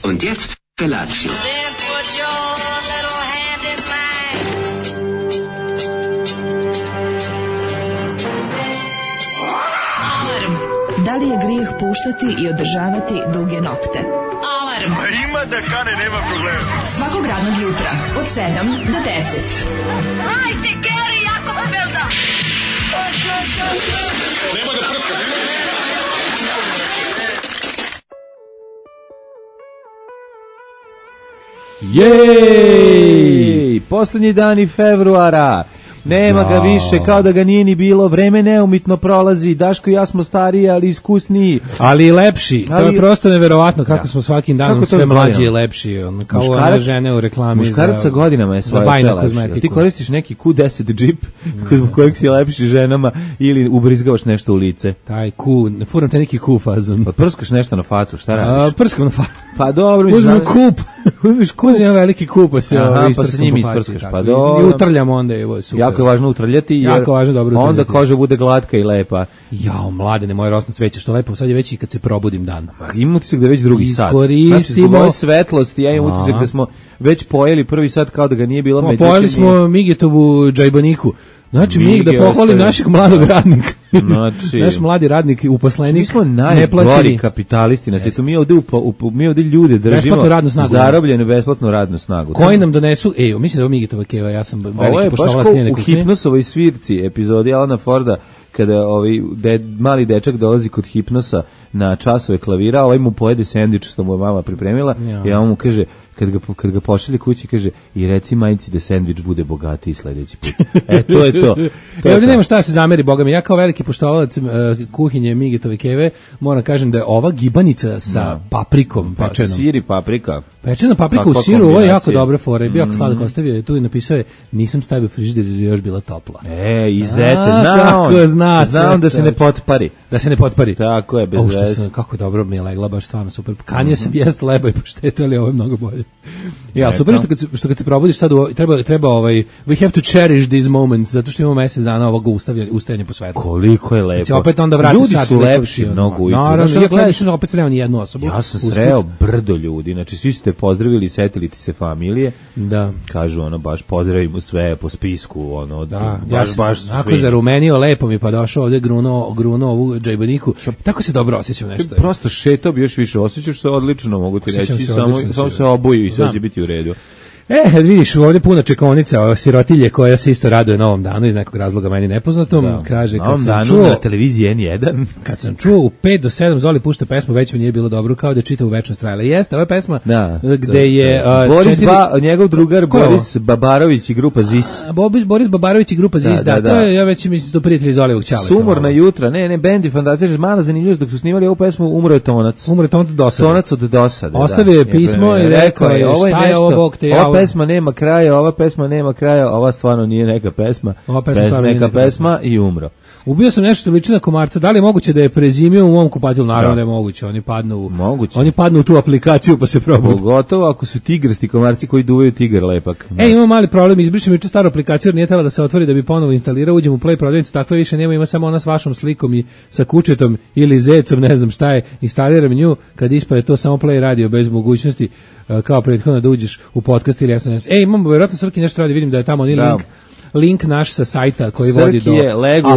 Und jetzt Felatio. Then put your little hand in mine. Alarm. Da li je grijeh puštati i održavati duge nokte? Alarm. Ima da kane, nema problema. Svakog radnog jutra od 7 do 10. Hajde, Geri, jako se velda. Nema da prska, Jej! Poslednji dani februara. Nema ga više, kao da ga nije ni bilo. Vreme neumitno prolazi. Daško i ja smo stariji, ali iskusniji. Ali i lepši. To je prosto neverovatno kako smo svakim danom sve mlađi i lepši. Kao one žene u reklami muškarac sa godinama je svoje sve lepši. Ti koristiš neki Q10 džip kod kojeg si lepši ženama ili ubrizgavaš nešto u lice. Taj Q, furam te neki Q fazon. Pa prskaš nešto na facu, šta radiš? Prskam na facu. Pa dobro, uzmem kup. Uzmem veliki kup, pa se pa sa njim isprskaš. Pa dobro. I utrljam onda, evo, super. Jako je važno utrljati, jer onda koža bude glatka i lepa. Jao, mladene, moje rosno cveće, što lepo, sad je već i kad se probudim dan. Imam utisak da je već drugi sat. Iskoristimo. Znači, svetlosti, ja imam utisak da smo već pojeli prvi sat kao da ga nije bilo. Pojeli smo Migetovu džajbaniku. Znači, mi da pohvalim našeg mladog radnika. Znači, naš mladi radnik, uposlenik, mi smo najgori kapitalisti na svijetu. Mi ovdje ljude držimo zarobljenu besplatnu radnu snagu. Koji nam donesu, mislim da je Migetova keva, ja sam veliki poštovalac njene kuhinje. U Hipnosovoj svirci epizodi Alana Forda, kada mali dečak dolazi kod Hipnosa na časove klavira, ovaj mu pojede sendvič što mu je mama pripremila i on mu kaže, kad ga pošalje kući, kaže, i reci majici da sendvič bude bogatiji sledeći put. To je to. Ovdje nema šta se zameri, boga mi. Ja kao veliki poštovalac kuhinje Migetove keve moram kažem da je ova gibanica sa paprikom pečenom. Sir i paprika. Pečena paprika u siru, ovo je jako dobra fora. Bio jako sladak ostavio je tu i napisao je, nisam stavio u frižider jer je još bila topla. Izete, znam da se ne potpari. Da se ne potpari. Tako je, bez veze. Kako dobro mi je legla, baš stvarno super. Kanio sam jest leba i poštete, ali ovo je mnogo bolje. Ja, super što kad se probudiš sad, treba we have to cherish these moments, zato što imamo mesec dana ovog ustajanja po svetu. Koliko je lepo. Znači, opet onda vrati ljudi su lepši mnogo ujutru. Naravno, ja gledaš opet sreo ni jednu osobu. Ja sam sreo brdo ljudi, znači svi su te pozdravili, setili ti se familije. Da. Kažu baš pozdravimo sve po spisku, da, baš onako zarumenio, lepo mi pa došao ovdje gruno ovu džajbaniku. Tako se dobro osjećam nešto. Prosto šetao bi još više, osjećaš se odlično, mogu ti reći, samo se obuju i sve će biti u redu. Vidiš, ovdje puna čekaonica, sirotilje koja se isto raduje novom danu iz nekog razloga meni nepoznatom. Kaže, kad sam čuo na televiziji N1, kad sam čuo u 5 do 7 Zoli pušta pesmu, već mi nije bilo dobro, kao da čita u večnost trajala. Jeste, ova pesma gde je njegov drugar Boris Babarović i grupa ZIS. Boris Babarović i grupa ZIS, da, to je, ja već mislim, to prijatelji Zolijevog ćala. Sumorna jutra, bendi Fantastična, mala zanimljivost, dok su snimali ovu pesmu, umro je Tonac. Tonac od dosade. Ostavio je pismo i rekao je, šta je ovo, Bog te ova pesma nema kraja, ova stvarno nije neka pesma. Neka pesma i umro. Ubio sam nešto liči na komarca. Da li je moguće da je prezimio u mom kupatilu? Naravno da je moguće. Oni padnu u tu aplikaciju pa se probude. Pogotovo ako su tigrasti komarci koji duvaju tigar lepak. Imamo mali problem, izbrišem juče staru aplikaciju, jer nije tela da se otvori da bi ponovo instalirao. Uđem u Play prodavnicu, takve više nema, ima samo ona s vašom slikom i sa kučetom ili zecom, ne znam šta je. Instaliram nju, kad ispade to samo Play radio bez mogućnosti kao prethodno da uđeš u podcast ili SNS. Imamo vjerojatno Srki nešto radi, vidim da je tamo link naš sa sajta koji vodi do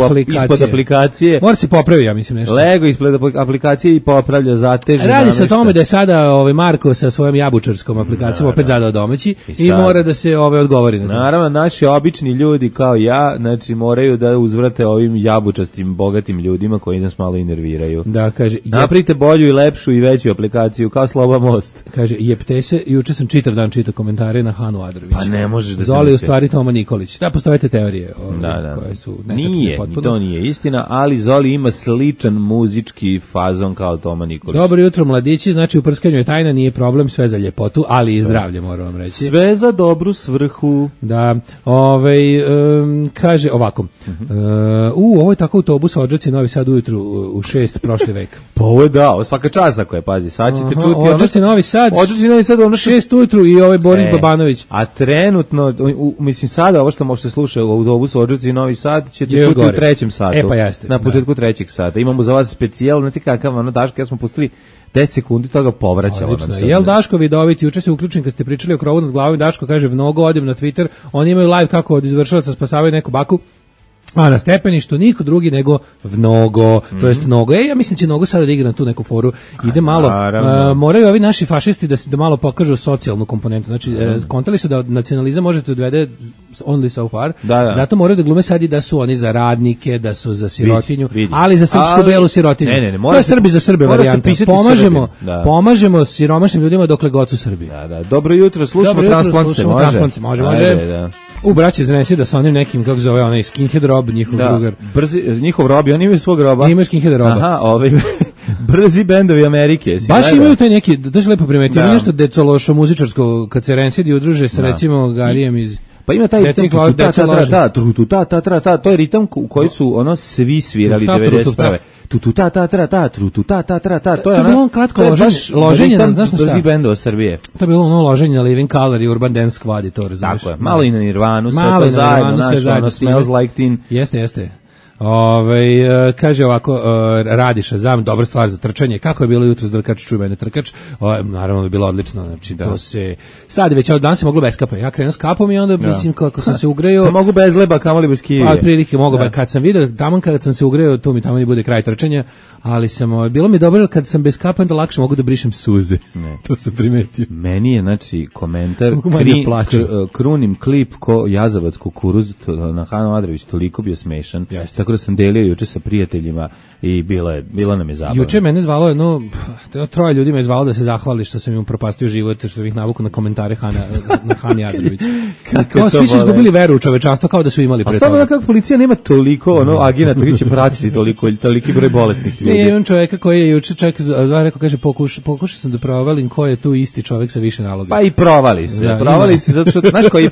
aplikacije. Ispod aplikacije. Mora se popravi, ja mislim nešto. Lego ispod aplikacije i popravlja zatežne. Radi se o tome da je sada Marko sa svojom jabučarskom aplikacijom opet zadao domaći i mora da se odgovori na to. Naravno, naši obični ljudi kao ja, znači moraju da uzvrate ovim jabučastim, bogatim ljudima koji nas malo nerviraju. Da, kaže, napravite bolju i lepšu i veću aplikaciju kao Sloba Most. Kaže, jepte se, juče sam čitav dan čitao komentare na Hanu Adrović. Pa ne možeš da se Zoli u stvari Toma Nikolić. Postoje te teorije koje su nije, to nije istina, ali Zoli ima sličan muzički fazon kao Toma Nikolić. Dobro jutro mladići, znači u prskanju je tajna, nije problem, sve za ljepotu, ali i zdravlje, moram vam reći. Sve za dobru svrhu. Da, kaže ovako, ovo je tako autobus Odžaci Novi Sad ujutru u 6 prošli vek. Pa ovo je svaka čast ako je, pazi, sad ćete čuti Odžaci Novi Sad, 6 ujutru i Boris Babanović. A trenutno, mislim sada ovo što sluša u autobusu Odžaci Novi Sad, ćete Je čuti gore. u trećem satu. E, pa jeste, Na da. početku trećeg sata. Imamo za vas specijal, znate kakav, ono, Daško, ja smo pustili 10 sekundi toga povraćalo nam se. Jel Daško vidoviti, juče se uključim kad ste pričali o krovu nad glavom, Daško kaže mnogo, odem na Twitter, oni imaju live kako od izvršilaca spasavaju neku baku, a na stepeništu niko drugi nego Vnogo, to jest Nogo. Ja mislim će Nogo sada da igra na tu neku foru. Ide malo, moraju ovi naši fašisti da malo pokažu socijalnu komponentu. Znači, kontali su da nacionalizam možete odvede only so far, zato moraju da glume sad i da su oni za radnike, da su za sirotinju, ali za srpsku belu sirotinju. To je Srbi za Srbe varijanta. Pomažemo siromašnim ljudima dokle god su Srbi. Dobro jutro, slušamo Transplance. Može. U braće znesi da sa onim nekim, kako zove onaj skinhead rob, njihov drugar. Njihov rob, oni imaju svog roba. Imaju skinhead roba. Aha, brzi bendovi Amerike. Baš imaju taj neki, da se lepo primetio, ima nešto decološo muzičarsko, kad se Rensidi udruže sa recimo Garijem iz... Pa ima taj ritam, to je ritam u koji su ono svi svirali 91. To je bilo kratko loženje na, znaš šta? Brzi bendova Srbije. To je bilo ono loženje na Living Color i Urban Dance Squad i to, razumiješ? Tako je, malo i na Nirvanu, sve to zajedno, znaš, ono Smells Like Teen. Jeste. Kaže ovako, Radiša, dobra stvar za trčanje. Kako je bilo jutro s Drkač, čuj mene trkač? Naravno je bilo odlično, znači to se sad već od danas se moglo bez kapa. Ja krenuo s kapom i onda mislim kako sam se ugreo. Mogu bez leba, kamoli bez kije. Pa otprilike mogu, kad sam video tamo kad sam se ugreo, tu mi tamo ne bude kraj trčanja, ali bilo mi dobro kad sam bez kapa onda lakše mogu da brišem suze. To sam primetio. Meni je znači komentar krunim klip ko jazavac kukuruz na Hanu Adrević, toliko bio smešan. Tako da sam delio juče sa prijateljima i bilo nam je zabavno. Juče mene zvalo troje ljudi me zvalo da se zahvali što sam im upropastio život, što sam ih navukao na komentare na Hani Adrević. Kao svi su izgubili veru u čovečanstvo, kao da su imali pre toga. A samo kako policija nema toliko agenata koji će pratiti toliki broj bolesnih ljudi. Ne, imam čoveka koji je juče rekao, kaže, pokušao sam da provalim ko je tu isti čovek sa više naloga. Pa i provali se, zato što,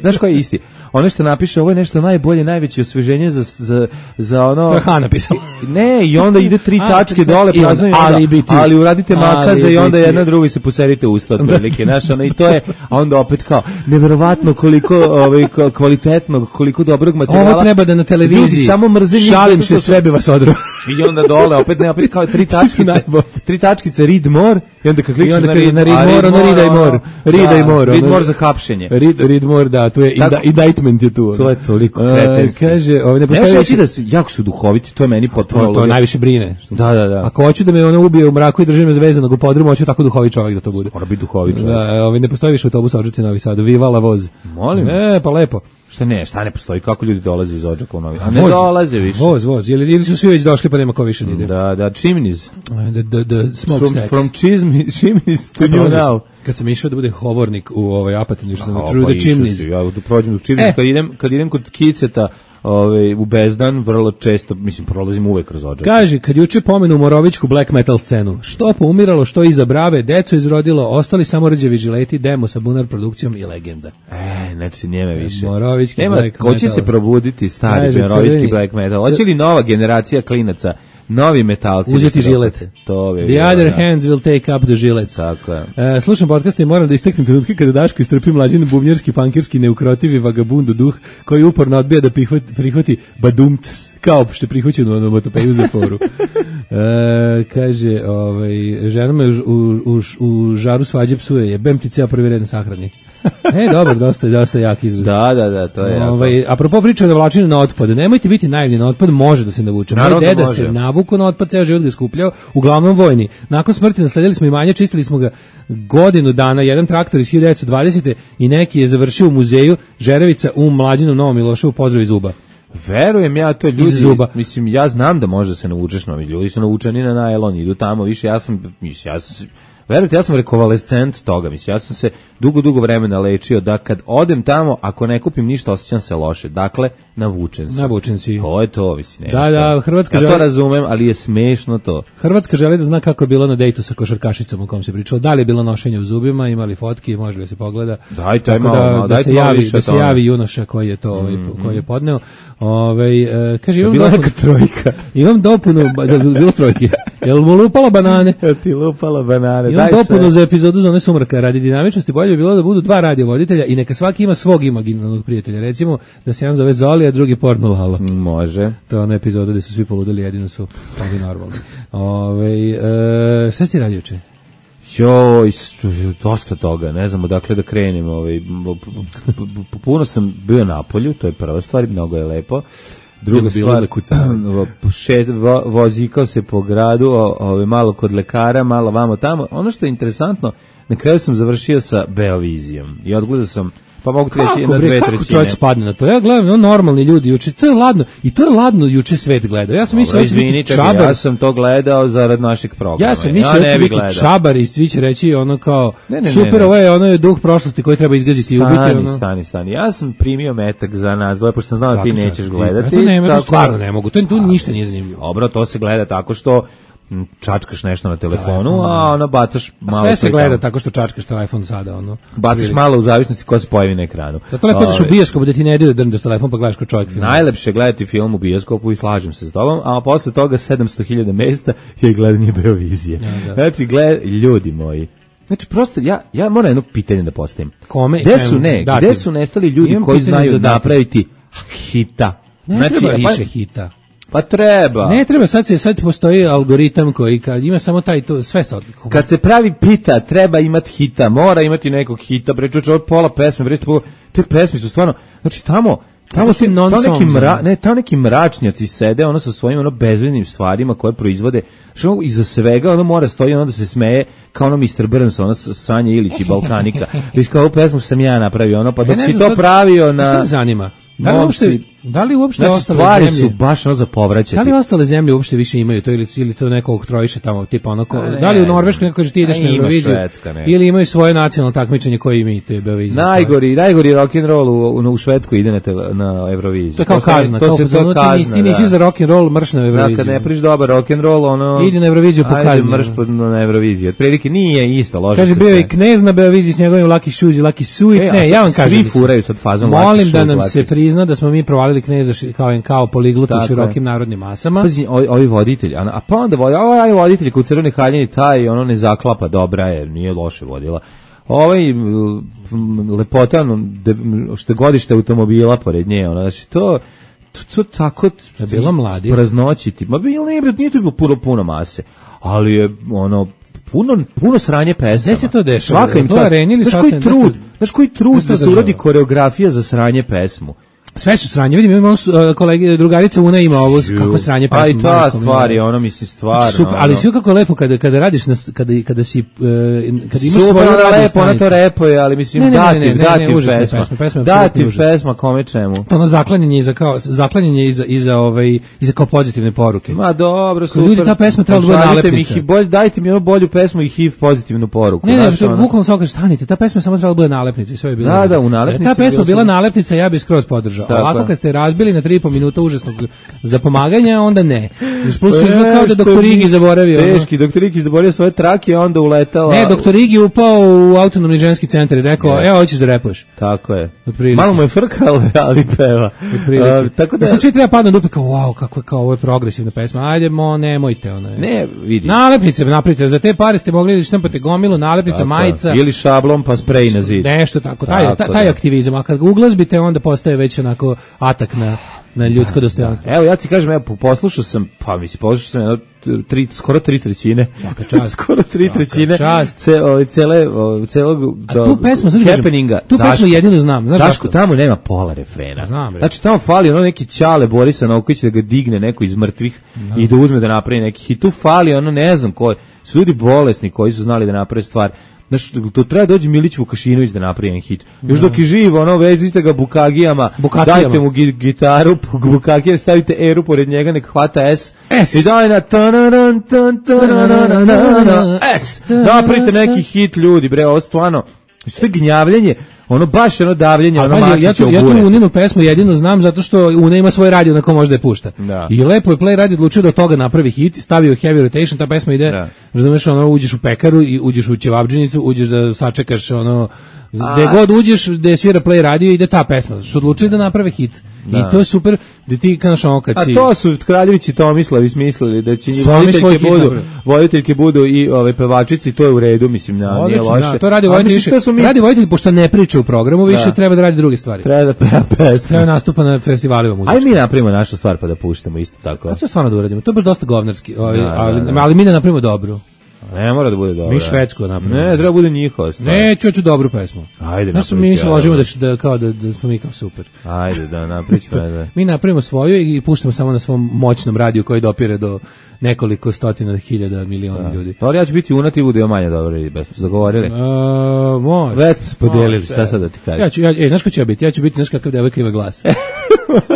znaš ko je isti? Ono što napiše, ovo je nešto najbolje, najveće osveženje za ono... To je Han napisao. Ne, i onda ide 3 tačke dole, praznaju, ali uradite makaza i onda jedna drugi se poserite usta otprilike, znaš, ono, i to je, a onda opet kao, neverovatno koliko kvalitetnog, koliko dobrog materijala. Ovo treba da na televiziji, samo mrze šalim se, sve bi vas odro. I onda dole, opet kao 3 tačkice, read more, i onda kad klikneš na read more, read more za hapšenje. Read more, da, tu je indictment je tu. To je toliko kretenski. Kaže, ne postoji da jako su duhoviti, to je meni potpuno. To najviše brine. Da. Ako hoću da me ono ubije u mraku i drži me zvezanog u podrumu, hoću tako duhovit čovjek da to bude. Mora biti duhovit čovjek. Da, ne postoji više autobus Odžaci Novi Sad, Vivala voz. Molim. Pa lepo. Šta ne postoji, kako ljudi dolaze iz Odžaka u Novi Sad? A ne dolaze više. Voz, ili su svi već došli pa nema ko više ide. Da, chimneys. The smokestacks. From chimneys to new now. Kad sam išao da bude hovornik u Apatinu, što sam through the chimneys. Ja prođem do chimneys, kad idem kod Kiceta, u Bezdan, vrlo često, mislim, prolazim uvek kroz Odžak. Kaže, kad juče pomenu Morovićku black metal scenu, što poumiralo, što iza brave, deco izrodilo, ostali samo rđevi žileti, demo sa Bunar produkcijom i legenda. Znači, njeme više. Morovićki black metal. Hoće se probuditi stari Morovićki black metal. Hoće li nova generacija klinaca, novi metalci uzeti žilet? The other hands will take up the žilet. Tako je. Slušam podcast i moram da isteknem trenutke kada Daško istrpi mlađin bubnjerski, pankirski, neukrotivi vagabundo duh koji uporno odbija da prihvati badumc, kao što je prihvaćeno u onomatopeju za foru. Kaže, žena me u žaru svađe psuje, jebem ti ceo prvi red na sahrani. Dobro, dosta jak izraz. Da, to je jako. Apropo priča o navlačenju na otpad, nemojte biti naivni, na otpad može da se navuče. Moj deda se navuku na otpad, ceo život ga skupljao, uglavnom vojni. Nakon smrti nasledili smo imanje, čistili smo ga godinu dana, jedan traktor iz 1920. i neki je završio u muzeju Žerevica u Mlađinom Novom Miloševu, pozdrav iz Uba. Verujem ja, to ljudi, mislim, ja znam da može se navučeš, novi ljudi su navučeni na najlon, idu tamo, više, verujte, ja sam rekovalescent toga, mislim, ja sam se dugo vremena lečio da kad odem tamo, ako ne kupim ništa, osjećam se loše. Dakle, navučen sam. Navučen si. To je to, mislim. Da, Hrvatska želi... Ja to razumem, ali je smešno to. Hrvatska želi da zna kako je bilo na dejtu sa košarkašicom o kom se pričalo. Da li je bilo nošenje u zubima, imali fotki, može li se pogleda. Dajte malo, dajte malo više da se javi junoša koji je to, koji je podneo. Kaže, imam bila neka trojka. Imam dopunu, bilo trojke. Jel mu lupalo banane? Ti lupalo banane. Daj dopunu sve. za epizodu Zone sumraka. Radi dinamičnosti bolje bi bilo da budu 2 radiovoditelja i neka svaki ima svog imaginarnog prijatelja. Recimo da se jedan zove Zoli, a drugi Porno Lala. Može. To je ona epizoda gde su svi poludeli, jedino su ovi normalni. Šta si radio juče? Joj, dosta toga, ne znam odakle da krenem. Puno sam bio na polju, to je prva stvar, mnogo je lepo. Druga stvar, vozikao se po gradu, malo kod lekara, malo vamo tamo. Ono što je interesantno, na kraju sam završio sa Beovizijom i odgledao sam, pa mogu ti reći, na 2/3. Kako čovjek spadne na to? Ja gledam, normalni ljudi juče, to je ladno, i to je ladno juče svet gledao. Ja sam mislio da će biti čabar. Ja sam to gledao zarad našeg programa. Ja sam mislio da će biti čabar i svi će reći ono kao, super, ovo je ono duh prošlosti koji treba izgaziti i ubiti. Stani. Ja sam primio metak za nas dvoje, pošto sam znao da ti nećeš gledati. To stvarno ne mogu, to ništa nije zanimljivo. Dobro, to se gleda tako što čačkaš nešto na telefonu, a ono bacaš malo. Sve se gleda tako što čačkaš telefon sada, ono. Bacaš malo u zavisnosti ko se pojavi na ekranu. Zato lepo ideš u bioskop da ti ne ide da drndaš telefon pa gledaš kao čovjek film. Najlepše gledati film u bioskopu i slažem se s tobom, a posle toga 700.000 mesta je gledanje Beovizije. Ja, znači, ljudi moji. Znači, prosto, ja moram jedno pitanje da postavim. Kome? Gde su nestali ljudi koji znaju napraviti hita? Ne treba više hita. Pa treba. Ne treba, sad postoji algoritam koji kad ima samo taj to sve sad. Kad se pravi pita, treba imati hita, mora imati nekog hita, prečuče od pola pesme, te pesme su stvarno, znači tamo su tamo neki mračnjaci sede, ono sa svojim ono bezveznim stvarima koje proizvode, što iza svega ono mora stoji ono da se smeje kao ono Mr. Burns, ono Sanja Ilić i Balkanika. Viš kao ovu pesmu sam ja napravio, ono pa dok si to pravio na... Šta me zanima? Da li uopšte znači, ostale stvari zemlje su baš ono za povraćati. Da li ostale zemlje uopšte više imaju to ili to neko oktrojiše tamo tipa ono da li u Norveškoj neko kaže ti ideš na Euroviziju ili imaju svoje nacionalno takmičenje koje imaju te Beovizije. Najgori rock and roll u Švedskoj ide na Euroviziju. To je kao kazna, ti nisi za rock and roll, mrš na Euroviziju. Kad ne priš dobar rock and roll, ono idi na Euroviziju po kazni. Ajde mrš na Euroviziju. Otprilike nije isto, lože se. Kaže bio i Knez na Beoviziji s njegovim Lucky Shoes i Lucky Suit. Ne, ja vam kažem. Svi furaju sad fazom Lucky Shoes. Molim da nam se prizna da smo mi provalili Kneza kao poliglut u širokim narodnim masama. Pazi, ovi voditelji, a pa onda ovaj voditelj kod Crvene haljine, taj ono ne zaklapa, dobra je, nije loše vodila. Ovaj lepotan, što godište automobila pored nje, ono, znači to tako je bilo mladi. Praznoćiti. Ma nije to bilo puno mase, ali je ono puno sranje pesama. Gde se to dešava? Svaka im čast. Znaš koji trud da se uradi koreografija za sranje pesmu? Sve su sranje, vidim, imamo kolege, drugarica Una ima ovo, kako sranje pesma. Aj, ta stvar je, ono misli stvarno. Ali sve kako lepo kada radiš, kada si, kada imaš svoju radio stanicu. Ona to repuje, ali mislim, dativ pesma. Dativ pesma, kome čemu. To ono zaklanjanje iza kao pozitivne poruke. Ma dobro, super. Ljudi, ta pesma treba da bude nalepnica. Dajte mi ono bolju pesmu i HIV pozitivnu poruku. Ne, bukvalno se okaže, stanite, ta pesma samo treba da bude nalepnica i sve je bilo. Da, u nalepnici. Ta pesma bila nalepnica, ja bih skroz podržao. Ovako kad ste razbili na 3,5 minuta užasnog zapomaganja, onda ne. Plus kao da doktor Igi zaboravio. Teški, doktor Igi zaboravio svoje trake, onda uletala. Ne, doktor Igi upao u autonomni ženski centar i rekao, evo, hoćeš da repuješ. Tako je. Malo mu je frkal, ali peva. Tako da sad svi treba padnu dupe kao, wow, kako je kao ovo je progresivna pesma. Ajde, nemojte. Ne, vidi. Nalepnice napravite, za te pare ste mogli da štampate gomilu, nalepnica, majica. Ili šablon pa sprej na zid. Nešto tako, taj aktivizam. A kad ga uglazbite, onda postaje već onako atak na ljudsko dostojanstvo. Evo, ja ti kažem, poslušao sam skoro 3/3. Svaka čast. Skoro 3/3 celog happeninga. Tu pesmu jedinu znam. Znaš Daško, tamo nema pola refrena. Znam, znači, tamo fali ono neki Ćale Borisa Novković da ga digne neko iz mrtvih i da uzme da napravi neki hit. Tu fali ono, ne znam ko, su ljudi bolesni koji su znali da naprave stvar. Znaš, to treba dođe Milić Vukašinović da napravi jedan hit. Još dok je živ, ono, vezite ga bukagijama, dajte mu gitaru, bukagije, stavite eru pored njega, nek hvata S. I daj na S. Napravite neki hit, ljudi, bre, ovo stvarno, to je gnjavljenje, ono baš ono davljenje, ono Mačića u bure. Ja tu Uninu pesmu jedino znam zato što Una ima svoj radio na kom može da je pušta. I lepo je Play Radio odlučio da od toga napravi hit, stavio Heavy Rotation, ta pesma ide, razumeš, ono, uđeš u pekaru i uđeš u ćevabdžinicu, uđeš da sačekaš, ono, gde god uđeš, gde svira Play Radio ide ta pesma, što odlučili da naprave hit. I to je super, da ti kažeš ono kad si... A to su Kraljević i Tomislavi smislili da će voditeljke budu i ove pevačici, to je u redu, mislim, nije loše. Da, to radi voditelj više. Radi voditelj, pošto ne priča u programu, više treba da radi druge stvari. Treba da peva pesme. Treba nastupa na festivalima muzički. Ajde mi napravimo našu stvar pa da puštamo isto tako. A to stvarno da uradimo, to je baš dosta govnarski, ali mi ne napravimo dobru. Ne mora da bude dobro. Mi švedsku napravimo. Ne, treba bude njihova stvar. Ne, ću dobru pesmu. Ajde, napravimo. Mi se ložimo da smo mi kao super. Ajde, da napravimo. Mi napravimo svoju i puštamo samo na svom moćnom radiju koji dopire do nekoliko stotina hiljada miliona ljudi. Ali ja ću biti unati i bude manje dobro i bez smo dogovorili. Može. Već smo se podijelili, šta sad da ti kažem. Znaš ko će ja biti? Ja ću biti znaš kakav devojka ima glas.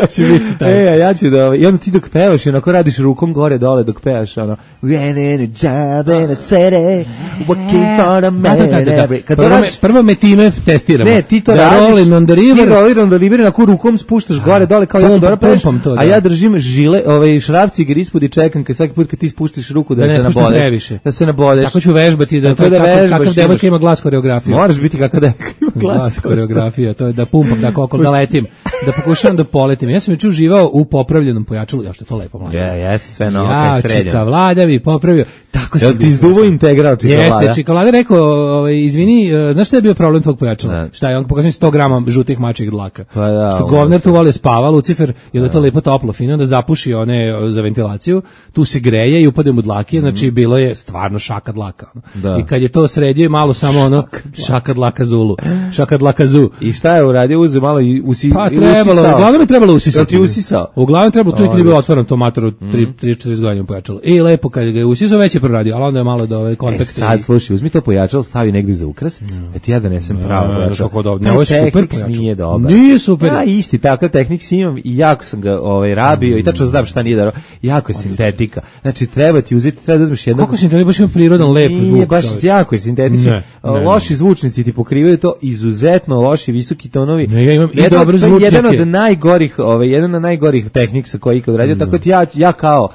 Će biti taj. Ja ću da... I onda ti dok pevaš, onako radiš rukom gore dole dok pevaš, ono... We're in a job in a city, working for a man. Prvo me time testiramo. Ne, ti to radiš. Rolling on the river. Ti rolling on the river, onako rukom spuštaš gore dole kao jako dobro pevaš. A ja držim žile, šrafci igre ispod i čekam kad svaki put kad ti spuštiš ruku da se nabodeš. Da se nabodeš. Tako ću vežbati da kakav devojka ima glas koreografiju. Moraš biti kakav devojka ima glas koreografija, to je da pumpam, da kokol, da letim, da pokušavam da poletim. Ja sam juče uživao u popravljenom pojačalu, ja što je to lepo mlađe. Jeste, sve na oko srednje. Čika Vlada bi popravio. Tako se ti izduvo integral Čika Vlada. Jeste, Čika Vlada rekao, izvini, znaš šta je bio problem tvog pojačala? Šta je, on pokazuje 100 grama žutih mačjih dlaka. Pa da. Što govnar tu voli spava, Lucifer, je da to lepo toplo, fino, da zapuši one za ventilaciju, tu se greje i upade mu dlake, znači bilo je stvarno šaka dlaka. I kad je to sredio, malo samo ono, šaka dlaka Zulu, šaka dlaka Zu. I šta je uradio? Uzeo malo i usisao. Pa trebalo, uglavnom je trebalo usisati. Ti usisao? Uglavnom je trebalo, tu je bilo otvoreno to matoru 3-4 godine pojačalo. I lepo kad ga je usisao, već je proradio, ali onda je malo do ove kontakte. Sad, slušaj, uzmi to pojačalo, stavi negdje za ukras, ti ja donesem pravo pojačalo. Ne, ovo je super pojačalo. Nije dobar. Nije super. Ja isti, takav tehnik si imam i jako sam ga rabio i tačno znam šta nije dobro. Jako je sintetika. Znači, treba ti uzeti, treba da uzmeš jednog... Kako sintetika, baš ima prirodan lep zvuk. Nije, baš jako je sintetičan. Loši zvučnici ti pokrivaju to, izuzetno loši, visoki tonovi. Ne, ja imam i dobre zvučnike. Jedan od najgorih tehnik sa koji ikad radio, tako ti ja kao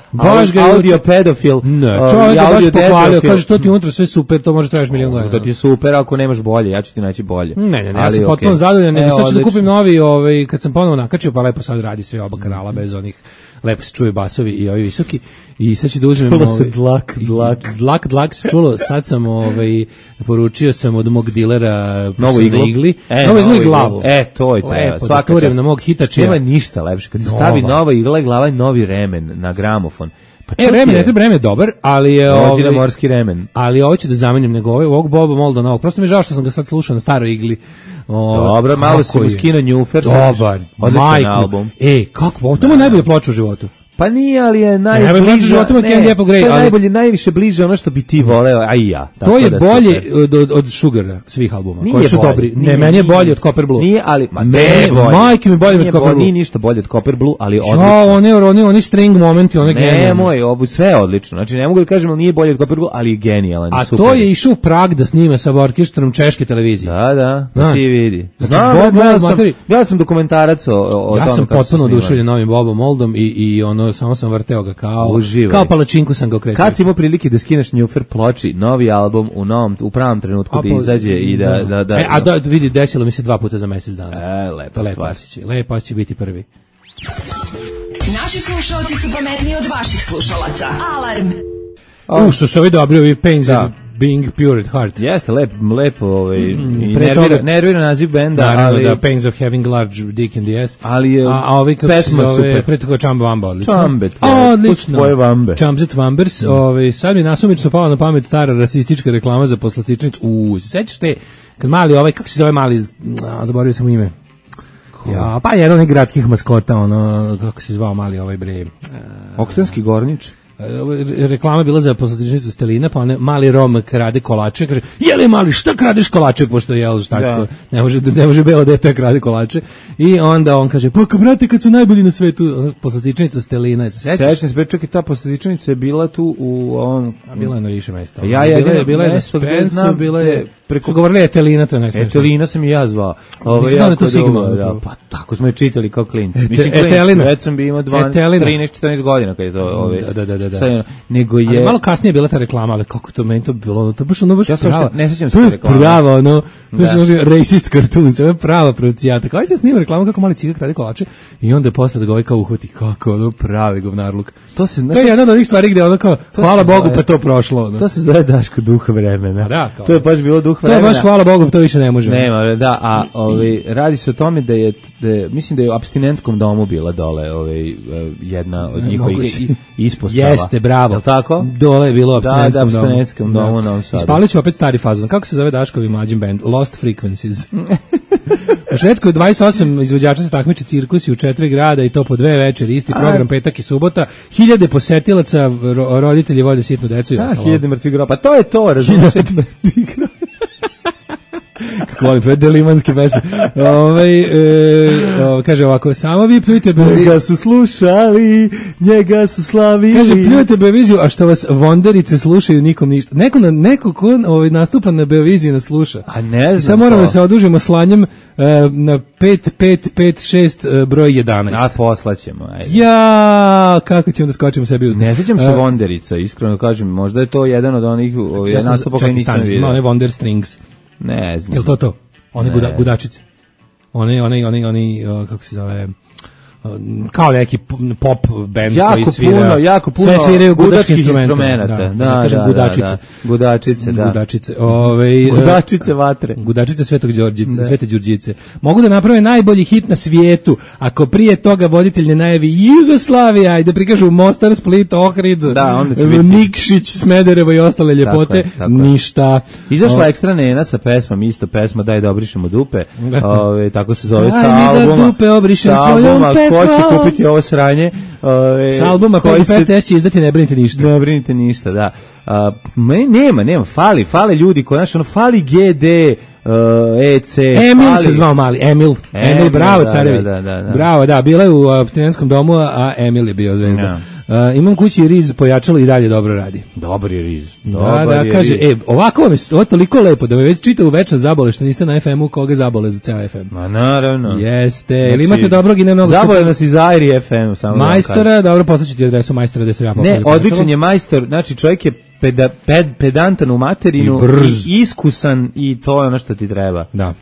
audio pedofil. Ne, čovjek je baš pohvalio, kaže to ti unutra sve super, to može tražiš milion godina. To ti je super, ako nemaš bolje, ja ću ti naći bolje. Ne, ja sam potpuno zadovoljan, sad ću da kupim novi, kad sam ponovo nakačio, pa lepo sad radi sve oba kanala bez onih, lepo se čuje basovi i ovi visoki, i sad ću da uzmem... Čulo se dlak se čulo, sad sam poručio sam od mog dilera novu igli. Novu iglu i glavu. To je lepo, da turim na mog hitačija. Nema ništa lepše, kad se stavi nova igla i glava i novi remen na gramofon. Remen, ne treba, remen je dobar, ali je morski remen. Ali ovo ću da zamenim nego ovog Boba Molda novog. Prosto mi je žao što sam ga sad slušao na staroj igli. Dobro, malo si mu skino njufer. Dobar, odličan album. kako? To mu je najbolje ploča u životu. Pa nije, ali je najbliže, najviše bliže ono što bi ti voleo, a i ja. To je bolje od Sugara, svih albuma, koji su dobri. Ne, meni je bolje od Copper Blue. Nije, ali, majke mi bolje od Copper Blue. Nije ništa bolje od Copper Blue, ali odlično. Oni string momenti, one genijalne. Ne, moj, sve je odlično. Znači, ne mogu da kažem, ali nije bolje od Copper Blue, ali je genijalan. A to je išao u Prag da snima sa orkestrom češke televizije. Da, ti vidi. Ja sam dokumentarac o tome. Ja sam potpuno oduševljen novim Bobom Moldom i ono, samo sam vrteo ga kao palačinku sam ga okretio. Kad si imao prilike da skineš Njufer ploči, novi album u pravom trenutku da izađe i da... vidi, desilo mi se 2 puta za mjesec dana. Lepo će biti prvi. Naši slušalci su pametniji od vaših slušalaca. Alarm! Što su ovi dobri, ovi Pains of Being Pure at Heart. Jeste, lepo nervira naziv benda. Naravno da Pains of Having Large Dick in the Ass. Ali je pesma super. Pre toga Chamba Wamba, odlično. Odlično. Chambet Wambers. Sad mi nasumično pala na pamet stara rasistička reklama za poslastičnicu. Sećaš te, kad mali kako se zove mali, zaboravio sam ime. Ja, pa jedan od gradskih maskota, kako se zvao mali bre. Oktanski Gornič. Reklama bila za poslastičnicu Stelina, pa mali Rom krade kolače, kaže, jeli mali, šta kradeš kolače, pošto jel, šta, ne može belo dete krade kolače, i onda on kaže, pa brate, kad su najbolji na svetu, poslastičnica Stelina, sećaš se, čak i ta poslastičnica je bila tu u ovom... Bila je na više mesta. Bila je na Spensu, bila je... Su govorili Etelina, to je najsmešnije. Etelina sam i ja zvao. Mislim da to Sigma. Pa tako smo je čitali kao klinci. Etelina. Već sam bi imao 13-14 godina kad je to... Da. Nego je... Ali malo kasnije je bila ta reklama, ali kako to meni to bilo, to baš ono baš Ja sam prava. ne sećam se To te je reklame. prava, ono, baš racist cartoon, sve je prava procijata. Kao se snima reklamu kako mali cigak radi kolače i onda posle da ga ovaj kao uhvati, kako ono pravi govnarluk. To se To je jedna od onih stvari gde ono kao, hvala Bogu pa to prošlo. Ono. To se zove Daško duh vremena. Da, kao. To je baš bilo duh To je vremena. baš hvala Bogu, to više ne može. Nema, da, a radi se o tome da je mislim da je u apstinentskom domu bila dole jedna od njihovih ispostava. Jeste, bravo. Jel tako? Dole je bilo u Da, apstinentskom domu. u Novom Sadu. Ispalit ću opet stari fazon. Kako se zove Daškovi mlađim band? Lost Frequencies. U Švedskoj 28 izvođača se takmiče cirkusi u 4 grada i to po 2 večeri, isti program petak i subota. 1000 posetilaca, roditelji vode sitnu decu i ostalo. 1000 mrtvih groba. Pa to je to, razumiješ? Kako volim tvoje delimanske pesme. Kaže ovako, samo vi pljujte Njega su slušali, njega su slavili. Kaže, pljujete Beoviziju, a što vas vonderice slušaju, nikom ništa. Neko ko nastupa na Beoviziji nas sluša. A ne znam. Sad moramo da se odužimo slanjem na 5556 broj 11. A poslaćemo, ajde. Ja, kako ćemo da skočimo sebi uz... Ne sjećam se Vonderica, iskreno kažem, možda je to jedan od onih nastupa koji nisam vidio. Ima one Wonder Strings. Ne znam. Jel to? One gudačice. Oni, kako se zove... kao neki pop band koji svira. Jako puno sve sviraju gudačke instrumenata. Da, kažem gudačice. Gudačice, da. Gudačice. Gudačice vatre. Gudačice Svetog Đorđice, Svete Đurđice. Mogu da naprave najbolji hit na svijetu, ako prije toga voditelj ne najavi Jugoslavija i da prikažu Mostar, Split, Ohrid, Nikšić, Smederevo i ostale ljepote, ništa. Izašla Ekstra Nena sa pesmom, isto pesma Daj da obrišemo dupe. Tako se zove sa albuma. Daj mi da dupe obrišem svojom pesmom. Ko će kupiti ovo sranje? S albuma koji se će izdati Ne brinite ništa. Ne brinite ništa, da. Nema, fali ljudi, fali GD, EC. Emil se zvao mali, Emil, bravo carevi. Da. Bravo, da, bila je u apstinentskom domu, a Emil je bio zvezda. Imam kući Riz pojačalo i dalje dobro radi. Dobar je Riz. Da, kaže, ovako vam je, ovo je toliko lepo da me već čita u večer zabole što niste na FM-u, koga zabole za ceo FM. Ma naravno. Jeste, ili imate dobrog i ne mnogo... Zabole nas iz Airi FM, samo majstora, dobro, poslaću ti adresu majstora da se ja Ne, odličan je majstor, znači čovjek je pedantan u materinu i iskusan i to je ono što ti treba. Da.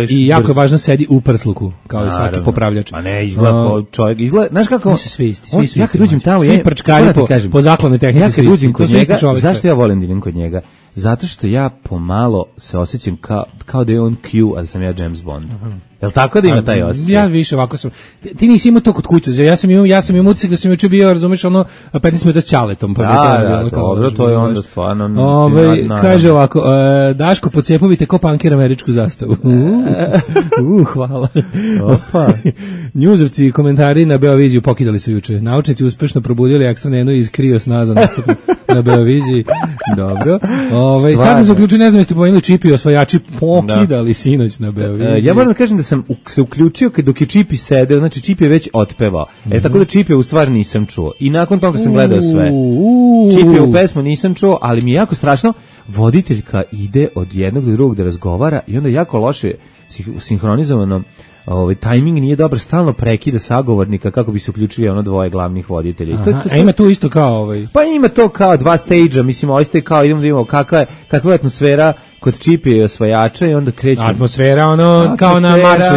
I jako je važno sedi u prsluku, kao i svaki popravljač. Ma ne, izgleda čovjek, znaš kako... Svi isti. Ja kad uđem tamo, svi prčkari po zakladnoj tehnici. Ja kad uđem kod njega, zašto ja volim da idem kod njega? Zato što ja pomalo se osjećam kao da je on Q, a da sam ja James Bond. Jel tako da ima taj osjećaj? Ja više ovako sam. Ti nisi imao to kod kuće. Ja sam imao utisak da sam juče bio, razumeš, ono 15 minuta s ćaletom. Dobro, to je onda stvarno... Kaže ovako, Daško, pocepovite ko pankir američku zastavu. Hvala. Njuzovci komentari na Beoviziju pokidali su juče. Naučnici uspešno probudili Ekstra Nenu iz kriosna za nastup na Beoviziji. Dobro. Sad da se uključili, ne znam jeste pomenuli Čipi osvajači pokidali sinoć na Beoviziji. Ja moram da kažem da sam se uključio dok je Čipi sedeo, znači Čipi je već otpevao. Tako da Čipi u stvari nisam čuo. I nakon toga sam gledao sve. Čipi u pesmu nisam čuo, ali mi je jako strašno. Voditeljka ide od jednog do drugog da razgovara i onda jako loše sinhronizovano. Tajming nije dobar, stalno prekida sagovornika kako bi se uključili ono dvoje glavnih voditelja. A ima tu isto kao Pa ima to kao dva stage-a, mislim, ovo ste kao idemo da vidimo kakva je atmosfera kod Čipija i osvajača i onda krećemo. Atmosfera, kao na Marsu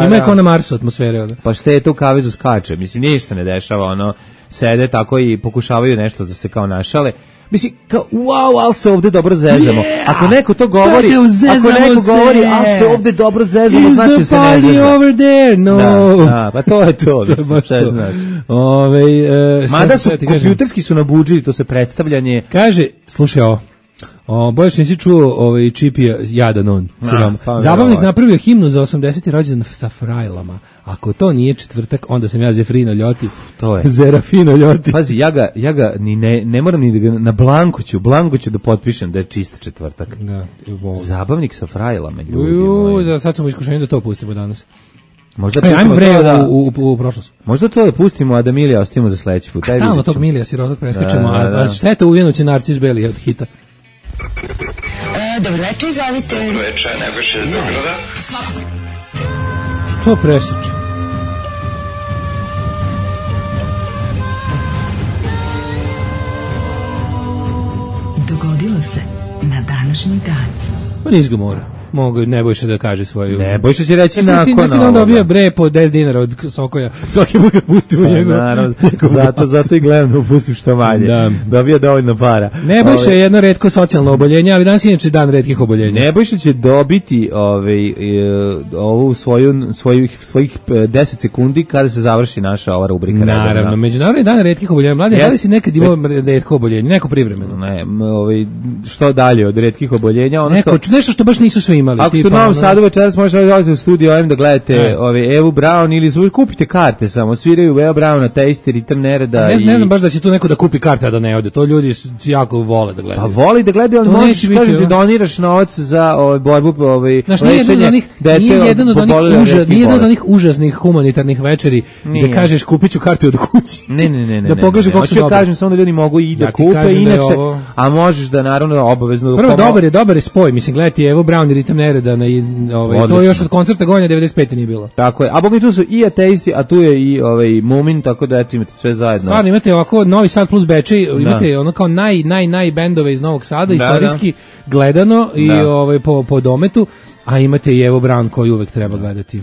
ima je kao na Marsu atmosfere. Pa šta je to u kavezu skače, mislim, ništa ne dešava, sede tako i pokušavaju nešto da se kao našale. Mislim, kao, wow, ali se ovde dobro zezamo. Ako neko to govori, ali se ovde dobro zezamo, znači da se ne zeza. Is the party over there? No. Da, pa to je to. Šta znaš. Mada su, kompjuterski su nabuđili, to se predstavljanje. Kaže, slušaj ovo, bojaš nisi čuo Čipija jadan on. Zabavnik napravio himnu za 80. rođendan sa frajlama. Ako to nije četvrtak, onda sam ja Zefrino Ljoti. To je. Zerafino Ljoti. Pazi, ja ga ne moram ni da ga na blanko ću da potpišem da je čist četvrtak. Da. Zabavnik sa frajlama, ljudi. Sad sam u iskušenju da to pustimo danas. Možda ajmo u prošlost. Možda to da pustimo, a da Milija ostavimo za sledeći put. Stalno tog Milija sirotog preskačemo, a šteta uvijenući Narcis Beli od hita. Dobro večer, izvalite. Dobro večer, Nebojša iz Beograda. Svakog. Što presječe? se na današnji dan. Pa nis ga mora. Mogu Nebojša da kaže svoju... Nebojša će reći nakon ovoga. Mislim da on dobija bre po 10 dinara od Sokoja. Svaki put kad pustimo njegov... Naravno, zato i gledam da upustim što manje. Da. Dobija dovoljno para. Nebojša je jedno retko socijalno oboljenje, ali danas je inače dan retkih oboljenja. Nebojša će dobiti ovu svojih 10 sekundi kada se završi naša ova rubrika. Naravno, Međunarodni dan retkih oboljenja. Mladi, da li si nekad imao retko oboljenje? Neko privremeno? Ne, što dalje od retkih oboljenja? Nešto što baš nisu svi imali. Ako ste u Novom Sadu večeras možete da u studio da gledate Evu Brown ili kupite karte samo, sviraju Evu Brown na Taste, Ritam Nereda. Ne znam baš da će tu neko da kupi karte, a da ne ode. To ljudi jako vole da gledaju. Pa voli da gledaju, ali možeš da doniraš novac za borbu lečenje dece. Nije jedan od onih užasnih humanitarnih večeri gde kažeš kupit ću kartu od kući. Ne. Da pokaže kako se dobro. Kažem samo da ljudi mogu i da kupe inače, a možeš da naravno obavezno... Prvo, dobar je spoj, mislim, gledati Evo Brown i Ritam Nereda na to još od koncerta Gonja 95. nije bilo. Tako je. A bogmi tu su i ateisti, a tu je i Mumin, tako da eto imate sve zajedno. Stvarno imate ovako Novi Sad plus Bečej, imate ono kao naj bendove iz Novog Sada, istorijski gledano i po dometu, a imate i Evo Brown koji uvek treba gledati.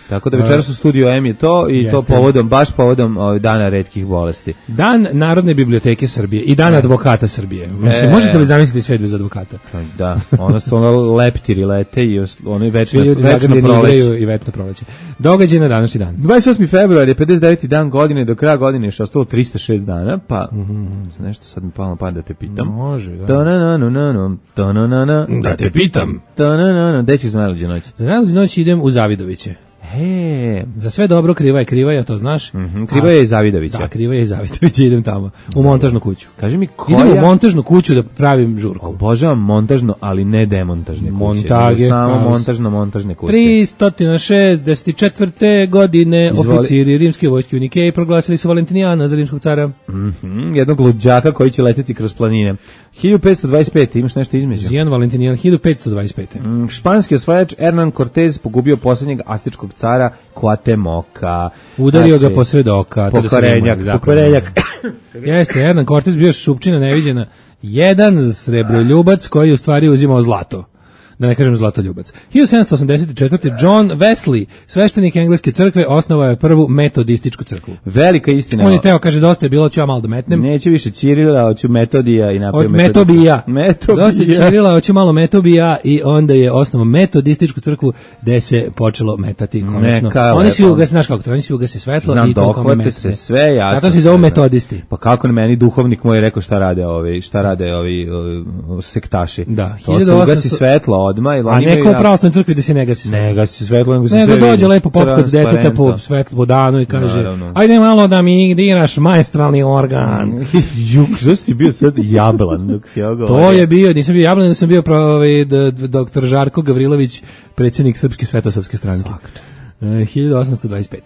Tako da večeras u studiju M je to i to baš povodom dana retkih bolesti. Dan Narodne biblioteke Srbije i dan advokata Srbije. Mislim, možete li zamisliti svet bez advokata? Da, ono leptiri lete i ono večno proleće. I večno proleće. Događaj na današnji dan. 28. februar je 59. dan godine, do kraja godine je što ostalo 306 dana, pa nešto sad mi palo pa da te pitam. Može, da te pitam. Gde ćeš za najluđu noć? Za najluđu noć idem u Zavidoviće. Za sve dobro kriva je, to znaš. Kriva je i Zavidovića. Da, kriva je i Zavidovića, idem tamo, u montažnu kuću. Kaži mi idem u montažnu kuću da pravim žurku. Obožavam montažno, ali ne demontažne kuće. Montage. Samo montažne kuće. 364. godine oficiri rimske vojske u Nikeji proglasili su Valentinijana za rimskog cara. Jednog luđaka koji će leteti kroz planine. 1525. Imaš nešto između? Zijan Valentinijan, 1525. Španski osvajač Hernán Cortés pogubio posljednjeg aztečkog cara Cuauhtemoca. Udario ga posred oka. Pokorenjak. Jeste, Hernán Cortés bio šupčina neviđena. Jedan srebroljubac koji u stvari uzimao zlato. Da ne kažem zlatoljubac. 1784. John Wesley, sveštenik engleske crkve, osnovao je prvu metodističku crkvu. Velika istina. On je teo, kaže, dosta je bilo, ću ja malo da metnem. Neću više Cirila, hoću Metodija i napravio Metobija. Dosta je Cirila, hoću malo Metobija i onda je osnovao metodističku crkvu gde se počelo metati konačno. Oni svi ugase, znaš kako to, oni svi ugase svetlo. Znam, dohvate se sve, jasno. Zato se zovu metodisti. Pa kako meni duhovnik moj rekao šta rade ovi sektaši. Da, to se ugasi svetlo odmah. A neko u pravoslavnoj crkvi da se ne gasi svetlo. Ne gasi svetlo, nego se sve dođe lepo popkod deteta po svetlo po danu i kaže, ajde malo da mi diraš maestralni organ. Što si bio sad jablan dok si ovo govorio? To je bio, nisam bio jablan, nego sam bio doktor Žarko Gavrilović, predsjednik Srpske svetosavske stranke. 1825.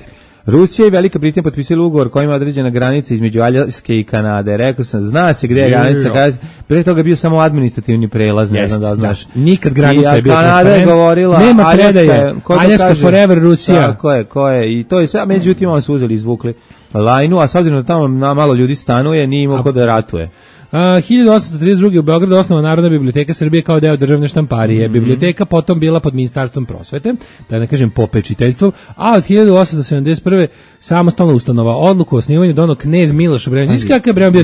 Rusija i Velika Britanija potpisali ugovor kojima je određena granica između Aljaske i Kanade. Rekao sam, zna se gdje je granica. Pre toga je bio samo administrativni prelaz, ne znam da znaš. Nikad granica je bio transparent. Govorila, nema predaje. Aljaska forever Rusija. Ko je. I to je sve, međutim, oni su uzeli, izvukli lajnu, a s obzirom da tamo malo ljudi stanuje, nije imao ko da ratuje. 1832. u Beogradu osnovana Narodna biblioteka Srbije kao deo državne štamparije. Biblioteka potom bila pod Ministarstvom prosvete, da ne kažem popečiteljstvom, a od 1871. samostalna ustanova. Odluku o osnivanju doneo knez Miloš Obrenović. Kakav je bio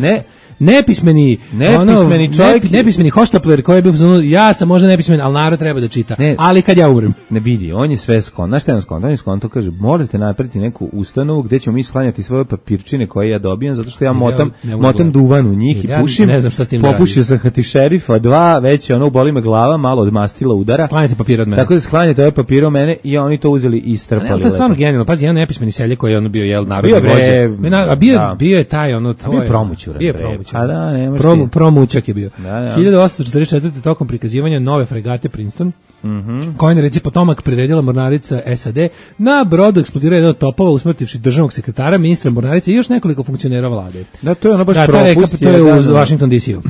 nepismeni čovjek, nepismeni hoštapler koji je bio ja sam možda nepismen, ali narod treba da čita. Ali kad ja umrem. Ne vidi, on je sve skon. Znaš šta je on skon? On je skon, to kaže, morate napraviti neku ustanovu gdje ćemo mi sklanjati svoje papirčine koje ja dobijam, zato što ja motam duvan u njih i pušim. Ne znam šta s tim popušio sam hati šerifa, 2, već ono boli me glava, malo od mastila udara. Sklanjate papir od mene. Tako da sklanjate ove papire od mene i oni to uzeli i strpali. Ali to je stvarno genijalno. Pazi, jedan nepismeni seljak koji je ono bio narodni vođa. Bio je taj ono to je. Bio A da, nemaš promućak je bio. 1844. tokom prikazivanja nove fregate Princeton, koja je reci potomak priredila mornarica SAD, na brodu eksplodirao jedan od topova usmrtivši državnog sekretara, ministra mornarice i još nekoliko funkcionera vlade. Da, to je ono baš propust. To je u Washington DC-u.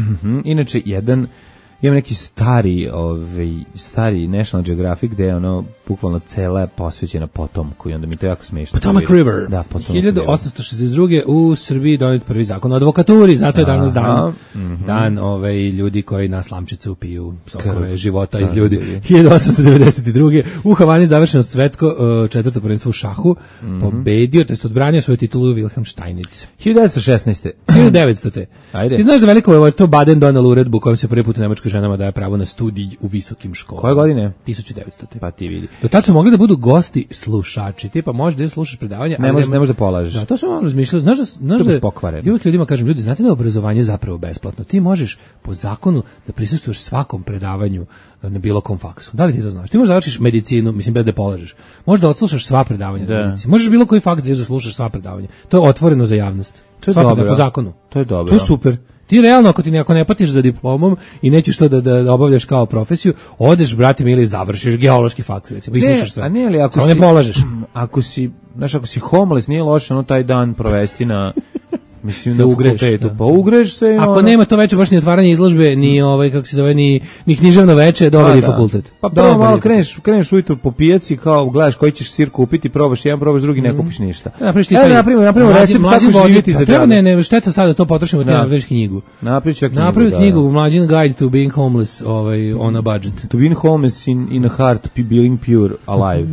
Inače, imam neki stari National Geographic gde je ono bukvalno cela je posvećena Potomku i onda mi to jako smešno. Potomac River. Da, Potomac 1862. u Srbiji donet prvi zakon o advokaturi, zato je danas dan ljudi koji na slamčicu piju sokove života iz ljudi. 1892. u Havani završeno svetsko četvrto prvenstvo u šahu, pobedio, to jest odbranio svoju titulu Wilhelm Steinitz. 1916. 1900. Ajde. Ti znaš da veliko vojvodstvo Baden donelo uredbu kojom se prvi put nemačkim ženama daje pravo na studij u visokim školama. Koje godine? 1900. Pa ti vidi. Do tad su mogli da budu gosti slušači. Tipa možeš da slušaš predavanja, ne može da polažeš. Da, to sam malo razmišljao. Znaš da pokvareno. Uvijek ljudima kažem, ljudi, znate da je obrazovanje zapravo besplatno. Ti možeš po zakonu da prisustvuješ svakom predavanju na bilo kom faksu. Da li ti to znaš? Ti možeš da završiš medicinu, mislim bez da polažeš. Možeš da odslušaš sva predavanja na medicini. Možeš bilo koji faks da slušaš sva predavanja. To je otvoreno za javnost. To je dobro. Po zakonu. To je dobro. To je super. Ti realno, ako ne patiš za diplomom i nećeš to da obavljaš kao profesiju, odeš, brate mi, ili završiš geološki faks, recimo, i slušaš sve. A ne, ali ako ne polažeš. Ako si homeless, nije loše taj dan provesti na... Mislim da ugreš, pa ugreš se. Ako nema to veče baš ni otvaranje izložbe, ni kako se zove, ni književno veče, dobar je fakultet. Pa prvo malo kreneš ujutro po pijaci, kao gledaš koji ćeš sir kupiti, probaš jedan, probaš drugi, ne kupiš ništa. Napravimo recept kako živjeti za džabe. Ne, šteta sada to potrošimo, ti napraviš knjigu. Napravi knjigu, Mlađin Guide to Being Homeless on a Budget. To Being Homeless in a Heart, Being Pure, Alive.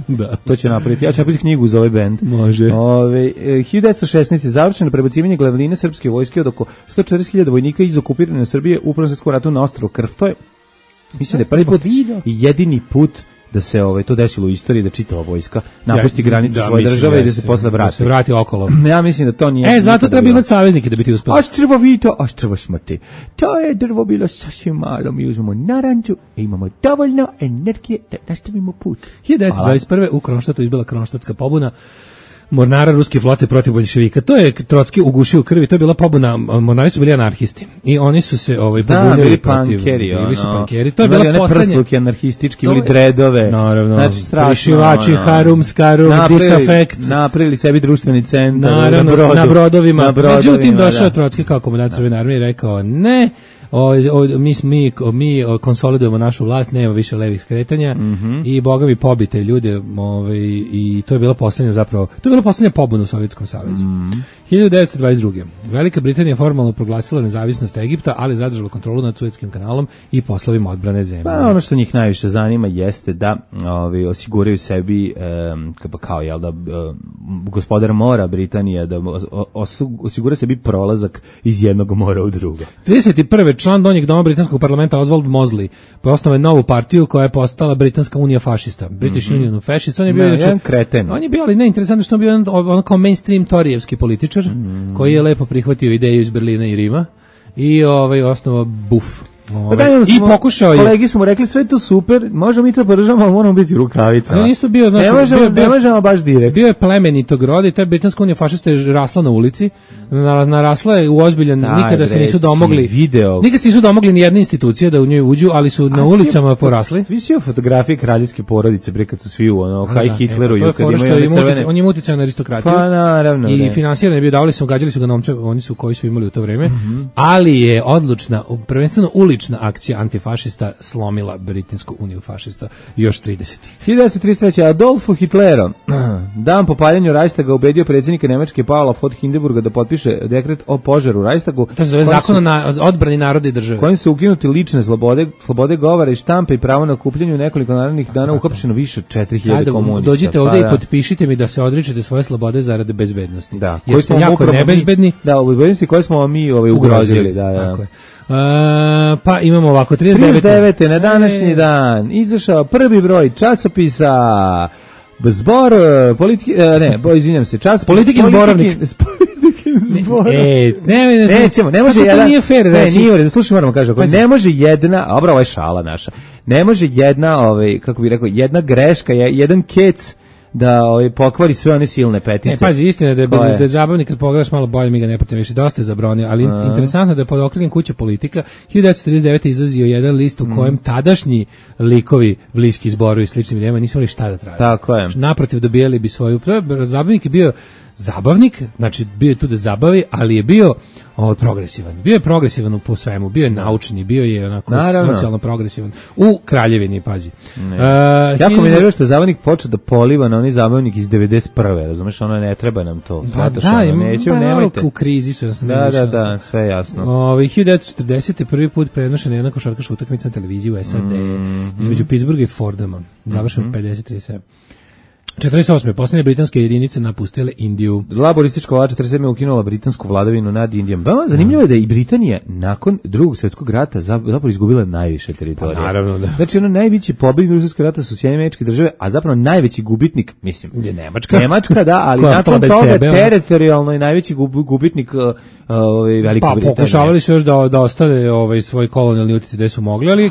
To će napraviti. Ja ću napraviti knjigu za ovaj band. Može. 1916. završeno prebacivanje glavnine srpske vojske od oko 140.000 vojnika iz okupirane Srbije u Prvom svjetskom ratu na ostrvo Krf. To je, mislim da je prvi put i jedini put da se to desilo u istoriji, da čitava vojska napusti granice svoje države i da se posle vrati. Da se vrati okolo. Ja mislim da to nije... zato treba imati saveznike da bi ti uspeli. Ostrvo Vito, ostrvo Smrti. To je drvo bilo sasvim malo. Mi uzmemo naranđu i imamo dovoljno energije da nastavimo put. 1921. u Kronštatu izbila Kronštatska pobuna mornara ruske flote protiv boljševika. To je Trotski ugušio u krvi, to je bila pobuna, mornari su bili anarhisti. I oni su se pobunili protiv... Bili su pankeri. To je bila poslednja... Prsluki anarhistički, bili dredove. Naravno, znači, prišivači, harum, skarum, disafekt. Napravili sebi društveni centar. Naravno, na brodovima. Međutim, došao Trotski kao komandant Crvene armije i rekao, ne, mi konsolidujemo našu vlast, nema više levih skretanja i bogovi pobite ljude i to je bila poslednja pobuna u Sovjetskom savezu. 1922. Velika Britanija formalno proglasila nezavisnost Egipta, ali zadržala kontrolu nad Suetskim kanalom i poslovima odbrane zemlje. Pa ono što njih najviše zanima jeste da osiguraju sebi gospodar mora Britanija da osigura sebi prolazak iz jednog mora u drugo. 31. član donjeg doma britanskog parlamenta Oswald Mosley osnovao novu partiju koja je postala Britanska unija fašista. British Union of Fascists. On je bio jedan kreten. On je bio, ali ne, interesantno što on bio on kao mainstream torijevski političar koji je lepo prihvatio ideju iz Berlina i Rima i osnovao BUF. I pokušao je. Kolegi smo rekli sve to super, možemo mi to podržavamo, ali moramo biti u rukavicama. Ali nisu bio, ne možemo baš direkt. Bio je plemenitog roda i ta Britanska unija fašista je rasla na ulici, narasla je u ozbiljan, nikada se nisu domogli. Nikada se nisu domogli ni jedne institucije da u njoj uđu, ali su na ulicama porasli. Visio fotografije kraljevske porodice, kad su svi u High Hitleru i kad imaju crvene. On je uticajan na aristokratiju. Pa naravno. I finansirani bio, davali su, gađali su ga novcem, oni su koji su imali u to vreme, ali je odlučna, prvenstveno ulična akcija antifašista slomila Britansku uniju fašista još 30. 1933. Adolfu Hitleru dan po paljenju Reichstaga ubedio predsjednika Nemačke Paula von Hindenburga da potpiše dekret o požaru u Reichstagu. To se zove zakon o odbrani naroda i države. Kojim se ukinuti lične slobode govora i štampe i pravo na okupljanje u nekoliko narednih dana uhapšeno više 4000 komunista. Dođite ovdje i potpišite mi da se odričete svoje slobode zarad bezbednosti. Da, koji smo jako nebezbedni. Da, u bezbednosti koje smo mi ugrozili. Tako je. Pa imamo ovako 39. na današnji dan izašao prvi broj časopisa Zbor politike, izvinjam se, čas Politikin zborovnik. Nećemo, ne može jedan. Nije fair reći. Nije fair, slušaj, moramo kažem, ne može jedna, ovo je šala naša. Ne može jedna, kako bih rekao, jedna greška, jedan kec da pokvari sve one silne petice. Ne, pazi, istina je da je zabavni kad pogledaš malo bolje, mi ga ne pratimo više, dosta je zabronio, ali interesantno je da je pod okriljem Kuće politika 1949. izlazio jedan list u kojem tadašnji likovi bliski Zboru i sličnim idejama nisu imali šta da traže. Tako je. Naprotiv, dobijali bi svoju. Zabavnik je bio zabavnik, znači bio je tu da zabavi, ali je bio progresivan. Bio je progresivan po svemu, bio je naučni, bio je onako socijalno progresivan. U Kraljevini, pazi. Jako mi nervira što je zabavnik počeo da poliva na onaj zabavnik iz 91. Razumeš, ono ne treba nam to. Zato što nemojte. U krizi su. Da, sve jasno. 1940. prvi put prenošena jedna košarkaška utakmica na televiziji u SAD između Pittsburgha i Fordhama. Završen 50-37. 48. Posljednje britanske jedinice napustile Indiju. Laboristička vlada 47. ukinula britansku vladavinu nad Indijom. Zanimljivo je da i Britanija nakon Drugog svjetskog rata zapravo izgubila najviše teritorije. Pa naravno da. Znači najveći pobjednik Drugog svjetskog rata su Sjedinjene Američke Države, a zapravo najveći gubitnik, mislim, je Nemačka. Nemačka, da, ali nakon toga teritorijalno je najveći gubitnik Velika Britanija. Pa pokušavali su još da ostave svoj kolonijalni uticaj gde su mogli, ali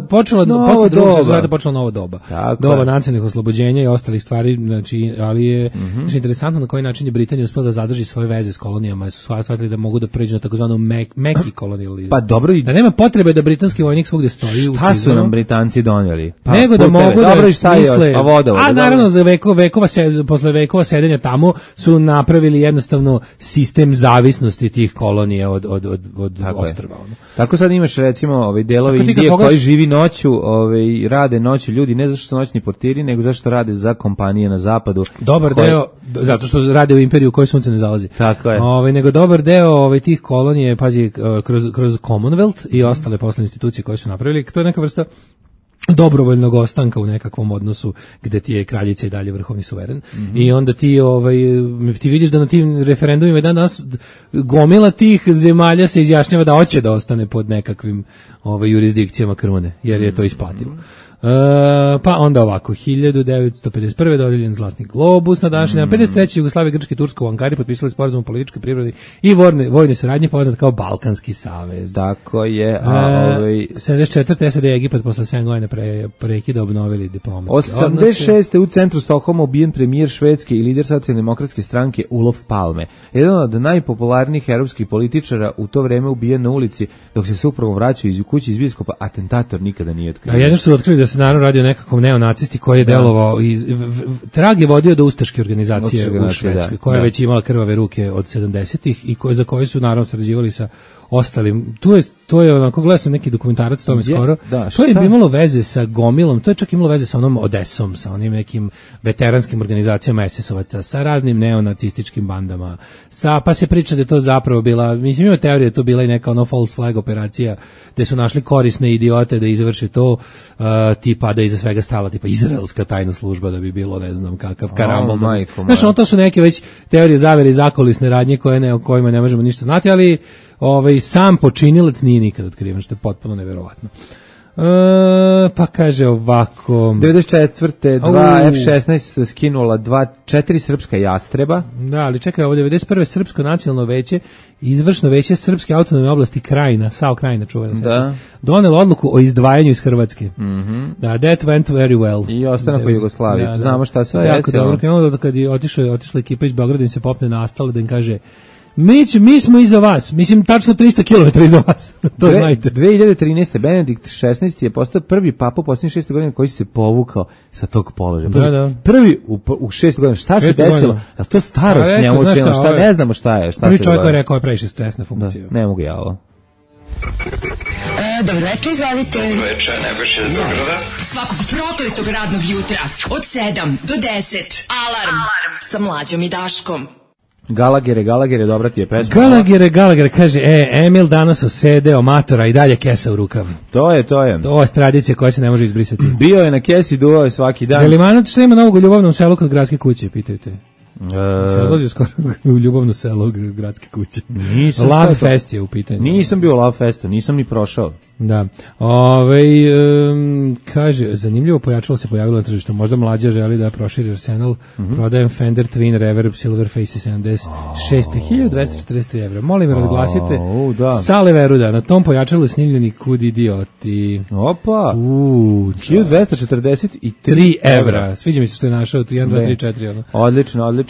počela posle Drugog svjetskog rata počela nova doba. Doba nacionalnih oslobođenja i ostalih stvari, znači, ali je interesantno na koji način je Britanija uspela da zadrži svoje veze s kolonijama, jer su shvatili da mogu da pređu na takozvano meki kolonijalizam. Pa dobro, da nema potrebe da britanski vojnik svugde stoji. Šta su nam Britanci donijeli? Nego da mogu da smisle, a naravno za posle vekova sedenja tamo su napravili jednostavno sistem zavisnosti tih kolonija od ostrva. Tako sad imaš recimo delovi Indije koji živi noću, rade noću ljudi, ne zato što su noćni portiri, nego zato što rade za kompanije na zapadu. Dobar deo, zato što rade u imperiju u kojoj sunce ne zalazi. Tako je. Nego dobar deo tih kolonije, pazi, kroz Commonwealth i ostale poslovne institucije koje su napravili, to je neka vrsta dobrovoljnog ostanka u nekakvom odnosu gde ti je kraljica i dalje vrhovni suveren. I onda ti vidiš da na tim referendumima danas gomila tih zemalja se izjašnjava da hoće da ostane pod nekakvim jurisdikcijama krune, jer je to isplativo. Pa onda ovako, 1951. dodijeljen Zlatni globus na današnji dan. 53. Jugoslavija, Grčka i Turska u Ankari potpisali sporazum o političkoj, privrednoj i vojnoj saradnji poznat kao Balkanski savez. Tako je. 74. SAD i Egipat posle 7 godina prekida obnovili diplomatske odnose. 86. u centru Stokholma ubijen premijer Švedske i lider socijaldemokratske stranke Olof Palme. Jedan od najpopularnijih europskih političara u to vreme ubijen na ulici dok se suprugom vraćao iz kuće iz biskopa. Atentator nikada nije otkrio. A jedno su otkrili da se naravno radi o nekakvom neonacisti koji je delovao trag je vodio do ustaške organizacije u Švedskoj, koja je već imala krvave ruke od 70-ih i za koje su naravno sarađivali sa ostalim. To je onako, gledao sam neki dokumentarac tome skoro. To je imalo veze sa gomilom, to je čak imalo veze sa onom Odesom, sa onim nekim veteranskim organizacijama SS-ovaca, sa raznim neonacističkim bandama. Pa se priča da je to zapravo bila, mislim ima teorija da je to bila i neka ono false flag operacija gde su našli korisne idiote da izvrše to, tipa da iza svega stala tipa izraelska tajna služba da bi bilo ne znam kakav karambol. Znaš, to su neke već teorije zavere i zakulisne radnje o kojima ne možemo ništa znati, ali sam počinilac nije nikad otkriven, što je potpuno neverovatno. Pa kaže ovako 94. 2 F-16 skinula 4 srpska jastreba. Da, ali čekaj, ovo 91. Srpsko nacionalno veće, izvršno veće Srpske autonomne oblasti Krajina, SAO Krajina čuvena, donelo odluku o izdvajanju iz Hrvatske. Da, that went very well. I ostanak u Jugoslaviji. Znamo šta se desilo. Jako dobro, krenulo kad je otišla ekipa iz Beograda im se popne na Astale da im kaže mi smo iza vas, mislim tačno 300 km iza vas, to znajte. 2013. Benedikt XVI je postao prvi papa u posljednjih 6 godina koji se povukao sa tog položaja. Da. Prvi u 6 godina. Šta se desilo? Je to starost njemu učinila? Šta ne znamo šta je? Prvi čovjek koji je rekao je previše stresna funkcija. Ne mogu ja ovo. Dobro večer, izvalite. Dobro večer, Nebojša iz Beograda. Svakog prokletog radnog jutra od 7 do 10. Alarm sa Mlađom i Daškom. Galagere, dobra ti je pesma. Galagere, kaže, Emil danas osedeo matora i dalje kesa u rukav. To je. To je tradicija koja se ne može izbrisati. Bio je na kesi, duvao je svaki dan. Velimanac što ima novog u ljubavnom selu kod gradske kuće, pitajte. Se odlazio skoro u ljubavno selo gradske kuće. Love Fest je u pitanju. Nisam bio Love Festu, nisam ni prošao. Da. Kaže, zanimljivo pojačalo se pojavilo na tržištu. Možda Mlađa želi da proširi arsenal. Prodajem Fender Twin Reverb Silverface 76.243 evra. Molim, razglasite Sale Veruda. Na tom pojačalo je snimljeni Kud idioti. Opa! 1243 evra. Sviđa mi se što je našao 1, 2, 3, 4. Odlično.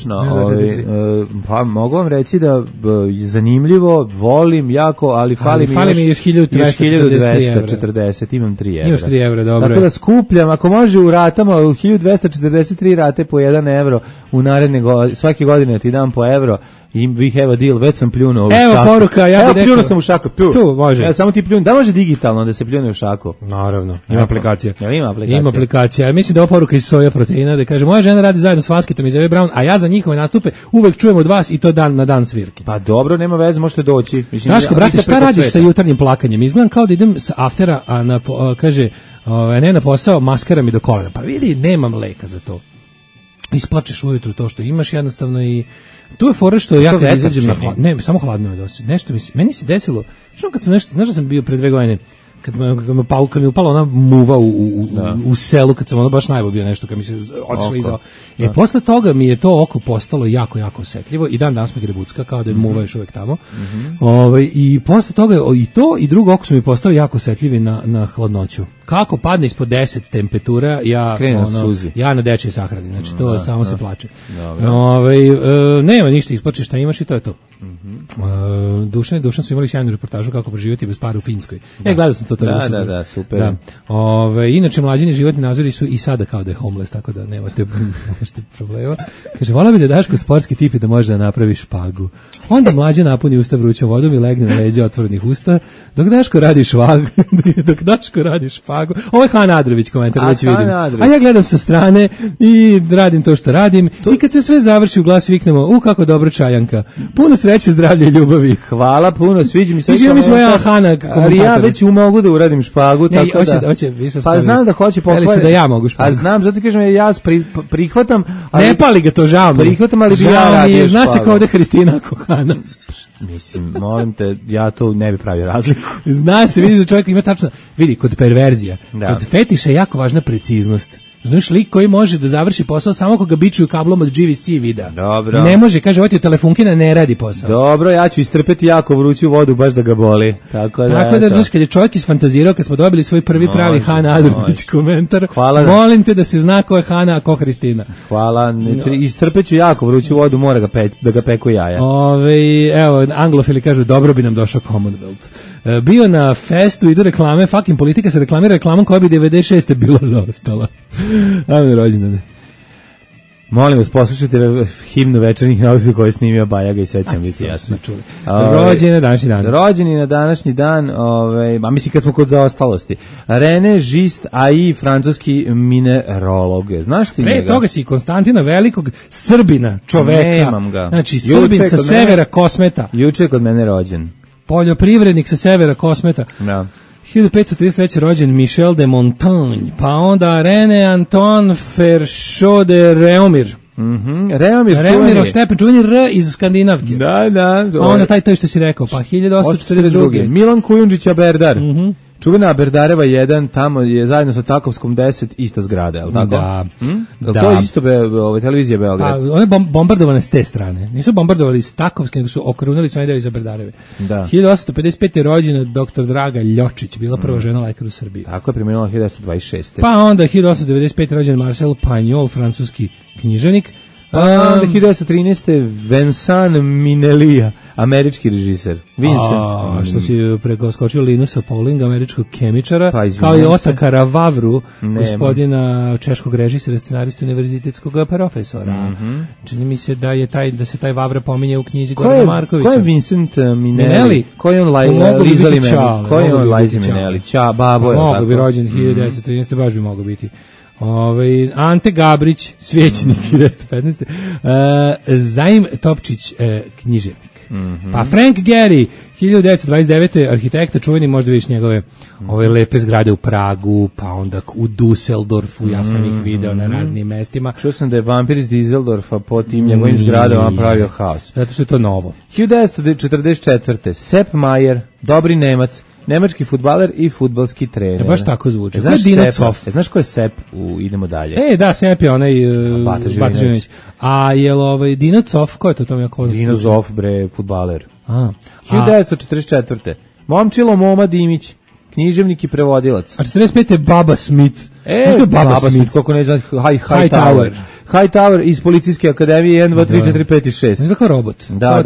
Pa mogu vam reći da je zanimljivo, volim jako, ali fali mi još 1240 1240, imam 3 evra. Imaš 3 evra, dobro. Tako da skupljam, ako može u ratama, u 1243 rate po 1 evro, u naredne svake godine ti dam po evro, i we have a deal, već sam pljunuo u šaku. Evo poruka, ja bih rekao. Pljunuo sam u šaku, tu može. Ja samo ti pljunu, da može digitalno da se pljune u šaku? Naravno, ima aplikacija. Jel ima aplikacija? Ima aplikacija. Mislim da je ovo poruka iz Soja proteina, da kaže, moja žena radi zajedno s Vaskitom iz Eve Brown, a ja za njihove nastupe uvek čujem od vas i to dan na dan svirke. Pa dobro, nema veze, možete doći. Mislim, Daško, brate, šta radiš sa jutarnjim plakanjem? Izgledam kao da idem sa aftera, a kaže, ne na posao, maskara mi do kolena. Pa vidi, nemam leka za to. Isplačeš ujutru to što imaš jednostavno i tu je fora što ja kad izađem na ne, samo hladno me doći. Nešto meni se desilo, što kad sam nešto, znaš da sam bio pre 2 godine, kad mi upala ona muva u selu, kad sam ono baš najbolj bio nešto, kad mi se otišlo iza. Posle toga mi je to oko postalo jako, jako osetljivo i dan danas me grebucka, kao da je muva još uvek tamo. I posle toga i to i drugo oko su mi postali jako osetljivi na hladnoću. Kako padne ispod 10 temperatura, ja na dečje sahrani. Znači to samo se plače. Nema ništa, isplačeš šta imaš i to je to. Dušan su imali sjajnu reportažu kako preživjeti bez para u Finskoj. Ja gledao sam to. Da, super. Da. Inače, mlađini životni nazori su i sada kao da je homeless, tako da nemate problema. Kaže, vola bi da Daško sportski tip i da može da napravi špagu. Onda mlađa napuni usta vrućom vodom i legne na leđa otvorenih usta, dok Daško radi špagu. Ovo je Han Adrović komentar, već vidim. A ja gledam sa strane i radim to što radim. I kad se sve završi u glas viknemo, kako dobro čajanka. Puno sreće, zdravlja i ljubavi. Hvala puno, sviđa mi se. Ali ja već mogu da uradim špagu, ne, tako da. Pa znam da hoće pokvariti. Da ja mogu špagu. A znam, zato kažem ja prihvatam, ali ne pali ga to, žao mi. Prihvatam, ali bi ja radio. Zna se kao ovde Hristina Kohana. Mislim, molim te, ja to ne bi pravio razliku. Zna se, vidiš da čovjek ima tačno, vidi, kod perverzija, kod fetiša je jako važna preciznost. Znaš, lik koji može da završi posao samo koga bičuju kablom od GVC videa. Dobro. Ne može, kaže, ovo ti telefonkina ne radi posao. Dobro, ja ću istrpeti jako vruću vodu baš da ga boli. Tako da znaš, kad je čovjek isfantazirao, kad smo dobili svoj prvi pravi Hana Adrović komentar, molim te da se zna ko je Hana, a ko Hristina. Hvala, istrpeću jako vruću vodu, mora da ga peku jaja. Evo, anglofili kažu, dobro bi nam došao Commonwealth. Bio na festu, idu reklame, fucking politika se reklamira reklamom koja bi 96. bila zaostala. Ajme rođendane. Molim vas, poslušajte himnu večernjih nauzi koju je snimio Bajaga i sve će vam biti jasno. Rođeni na današnji dan. Rođeni na današnji dan, a mislim kad smo kod zaostalosti. René Gist AI, francuski minerolog. Znaš ti njega? Pre toga si Konstantina Velikog, Srbina, čoveka. Nemam ga. Znači, Srbin sa severa Kosmeta. Juče kod mene rođen. Poljoprivrednik sa severa Kosmeta. Da. 1533. rođen Michel de Montaigne, pa onda René Antoine Ferchaud de Réaumur. Réaumur stepen, čuveni R iz Skandinavke. Da. Pa onda taj što si rekao, pa 1842. Milan Kujundžić Aberdar. Čuvena Berdareva 1, tamo je zajedno sa Takovskom 10 ista zgrada, je li tako? Da. To je isto televizija Beograd. One bombardovane s te strane. Nisu bombardovali iz Takovske, nego su okrunili svoj deo iza Berdareve. Da. 1855. je rođena dr. Draga Ljočić, bila prva žena lekar u Srbiji. Tako je, preminula 1926. Pa onda 1895. rođen Marcel Pagnol, francuski književnik. Pa onda 1913. Vincent Minnelli, američki režiser. Vincent. Što si prekoskočio Linusa Paulinga, američkog kemičara, kao i Otakara Vavru, gospodina češkog režisera, scenarista univerzitetskog profesora. Čini mi se da se taj Vavra pominje u knjizi Gorana Markovića. Ko je Vincent Minnelli? Ko je on Lizali Minnelli? Ko je on Liza Minnelli? Babo je. Mogu bi rođen 1913. baš bi mogo biti. Ante Gabrić, svećenik 1915. Zaim Topčić, književnik. Pa Frank Gehry, 1929. arhitekta, čuveni, možda vidiš njegove ove lepe zgrade u Pragu, pa onda u Düsseldorfu, ja sam ih video na raznim mestima. Čuo sam da je vampir iz Düsseldorfa po tim njegovim zgradama pravio haos. Zato što je to novo. 1944. Sepp Maier, dobri Nemac, nemački fudbaler i fudbalski trener. Baš tako zvuči. Znaš ko je Sepp Idemo dalje? Da, Sepp je onaj Bata Živinović. A je Dino Zoff, ko je to tom jako? Dino Zoff, bre, fudbaler. 1944. Momčilo Moma Dimić, književnik i prevodilac. A 45. je Baba Smith. Baba Smith, kako ne znam, Hightower. Hightower iz Policijske akademije 1, 2, 3, 4, 5 i 6. Ne znam kao robot. Da,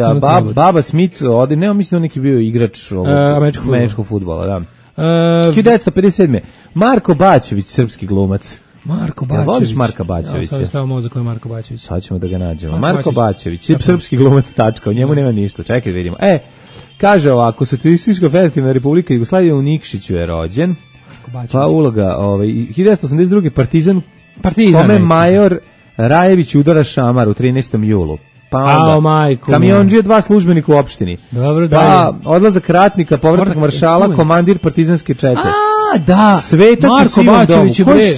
Baba Smith, nema mislim da neki bio igrač američkog fudbala, da. 1957. Marko Bačević, srpski glumac. Marko Jel Bačević. voliš Marka Bačevića? Ja sam mozak koji je Marko Bačević. Sad ćemo da ga nađemo. Marko Marko Bačević. Bačević, srpski glumac, tačka, u njemu nema ništa. Čekaj da vidimo. Kaže ovako, Socijalistička federativna republika Jugoslavije u Nikšiću je rođen. Pa uloga, 1982. Partizan kome major Rajević udara šamar u 13. julu. Pa onda, kamionđije 2 službenika u opštini. Dobro, pa odlazak ratnika, povratak maršala, komandir partizanske čete. Da, Svetac Marko Bačević je bre.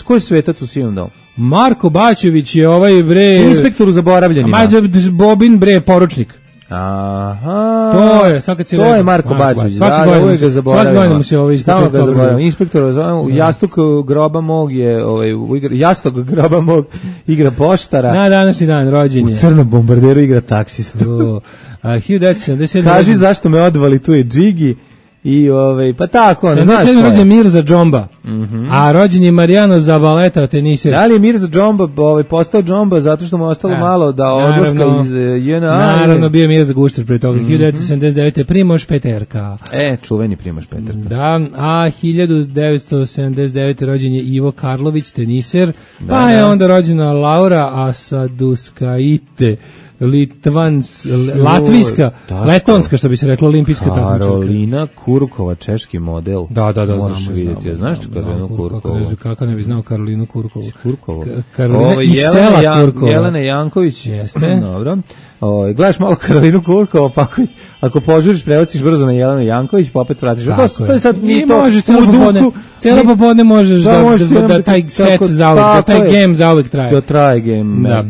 Ko je svetac u sivom domu? Marko Bačević je ovaj bre... Inspektor u zaboravljenima. Bobin bre, poručnik. Aha. To je, sad kad si to je Marko Bačević. Uvijek ga zaboravimo. Svaki godin mu se ovaj ističe. Ga zaboravimo. Inspektor u Jastuk groba mog je, Jastok groba mog igra poštara. Na današnji dan rođenje. U crnom bombarderu igra taksistu. 1977. Kaži zašto me odvali, tu je Džigi. I pa tako, ne znaš ko je. Rođen Mirza Džomba, a rođen je Marijano Zabaleta, teniser. Da li je Mirza Džomba postao Džomba zato što mu ostalo malo da odlaska iz JNA? Naravno, bio je Mirza Gušter pre toga. 1979. Primož Peterka. Čuveni Primož Peterka. Da, a 1979. rođen je Ivo Karlović, teniser, pa je onda rođena Laura Asaduskaite, latvijska, letonska, što bi se reklo, olimpijska takmičarka. Karolina Kurkova, češki model. Da, možeš vidjeti. Znaš Karolinu Kurkovu? Kako ne bi znao Karolinu Kurkovu? Kurkovu. Karolina iz sela Kurkova. Jelena Janković. Jeste. Dobro. Gledaš malo Karolinu Kurkovu, pa ako požuriš, prebaciš brzo na Jelenu Janković, pa opet vratiš. To je sad mi to u duhu. Cijelo popodne možeš da taj set zauvek, da taj game zauvek traje. Da traje game.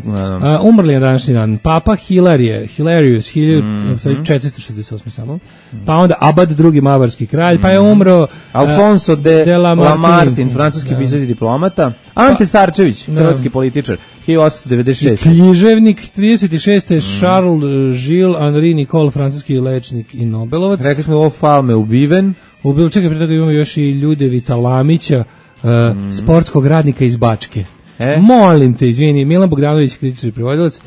Umrli je današnji dan. Papa Hilarius, 1468 samo. Pa onda Abad II. Mavarski kralj, pa je umro Alfonso de Lamartine, francuski pisac i diplomata. Ante Starčević, hrvatski političar, 1896. Književnik, 36. Charles Gilles Henri Nicole, francuski lečnik i Nobelovac. Rekli smo ovo Falme ubiven. Čekaj, pre toga imamo još i Ljudevita Lamića, sportskog radnika iz Bačke. Molim te, izvini, Milan Bogdanović, kritičar i prevodilac,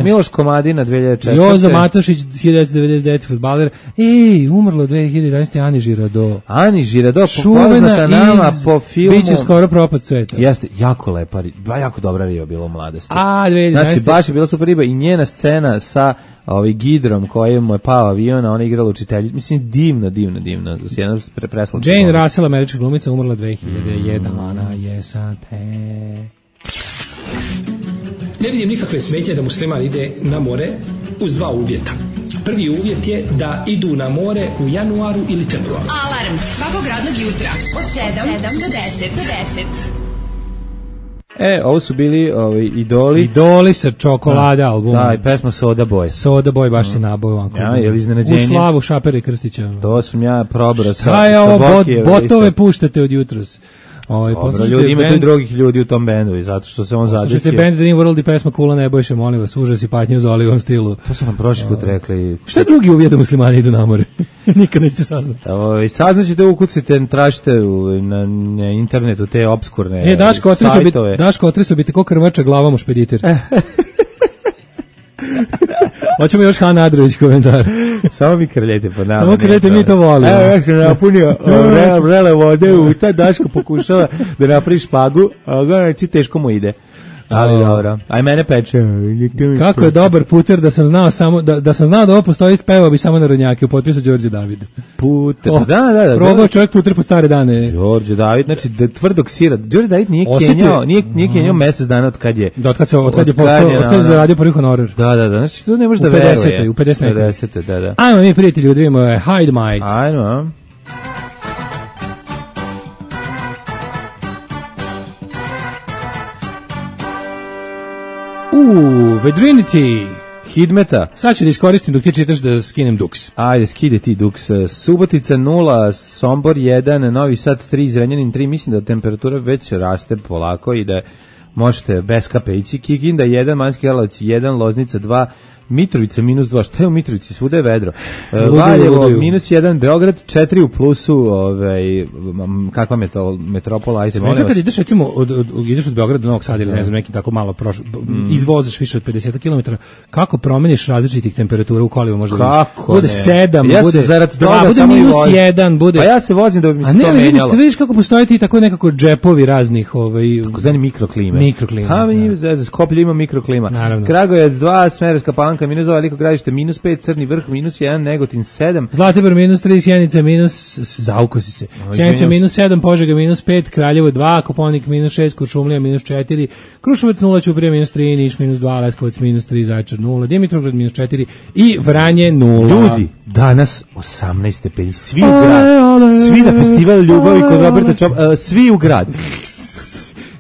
Miloš Komadina, 2004. Jozo Matošić, 1999. fudbaler. Umrlo 2011. Ani Žirado. Ani Žirado, poznata nama po filmu. Biće skoro propad sveta. Jeste, jako lepa, jako dobra riba bila u mladosti. 2011. Znači, baš je bila super riba i njena scena sa Gidrom kojem mu je pao avion, a ona igrala učiteljicu. Mislim, divna. Jedna preslatna. Jane Russell, američka glumica, umrla 2001. Ana Jesate. Ne vidim nikakve smetnje da musliman ide na more uz 2 uvjeta. Prvi uvjet je da idu na more u januaru ili februaru. Alarm svakog radnog jutra od 7 do 10. Ovo su bili Idoli. Idoli sa Čokolada album. Da, i pesma Soda Boy. Soda Boy baš ti naboj vanko. Je li iznenađenje? U slavu Šapera i Krstića. To sam ja probrao sa Šta je ovo, botove puštate od jutros? Dobro, ima tu i drugih ljudi u tom bendu i zato što se on zadesio. Slušajte band Dream World i pesma Kula Nebojše, molim vas, užas i patnje u Zolivom stilu. To su nam prošli put rekli. Šta je drugi uvjet da muslimani idu na more? Nikad nećete saznati. Saznaćete, ukucite, tražite na internetu te obskurne sajtove. Daško, otresao bi te ko krvača glavom u špediter. Hoćemo još Hana Adrović komentar. Samo mi krljete po nama. Samo krljete, mi to volimo. Evo, ja sam napunio vrele vode u ta, Daško pokušava da napravi špagu, a znači teško mu ide. Ali dobro. Aj mene peče. Kako je dobar puter da sam znao samo da sam znao da ovo postoji, spevao bi samo narodnjake u potpisu Đorđe David. Puter. Da. Probao čovjek puter po stare dane. Đorđe David, znači tvrdog sira. Đorđe David nije kenjao mjesec dana od kad je. Da, od kad je zaradio prvi honorar. Da. Znači to ne može da veruje. U 50. Da. Ajmo mi prijatelji, da vidimo Hide Might. Ajmo. Vedrinity. Hidmeta. Sad ću da iskoristim dok ti čitaš da skinem duks. Ajde, skide ti duks. Subotica 0, Sombor 1, Novi Sad 3, Zrenjanin 3. Mislim da temperatura već raste polako i da možete bez kape ići. Kikinda 1, Manjski Karlovac 1, Loznica 2, Mitrovica -2, šta je u Mitrovici, svuda je vedro. Luduju, Valjevo luduju. -1, Beograd 4 u plusu, kakva metropola, ajde, molim Smeta kad vas. ideš recimo ideš od Beograda do Novog Sada ili ne znam neki tako malo izvoziš više od 50 km, kako promeniš različitih temperatura u kolima možda Kako bude ne? 7, Ja se bude zarad toga bude samo i vozim. -1, bude. Pa ja se vozim da bi mi se A ne, to ali menjalo. vidiš kako postoje ti tako nekako džepovi raznih Takozvani mikroklime. Mikroklime, Ha, da. za Skoplje ima mikroklima. Naravno. Kragujevac 2, Smederevska Palanka -2, Veliko Gradište -5, Crni Vrh -1, Negotin 7. Zlatibor -3, Sjenica zaukosi se. Sjenica -7, Požega -5, Kraljevo 2, Koponik -6, Kuršumlija -4, Kruševac 0, Ćuprija -3, Niš -2, Leskovac -3, Zaječar 0, Dimitrovgrad -4 i Vranje 0. Ljudi, danas 18 stepeni, svi u grad, svi na festival ljubavi kod Roberta Čopa, svi u grad.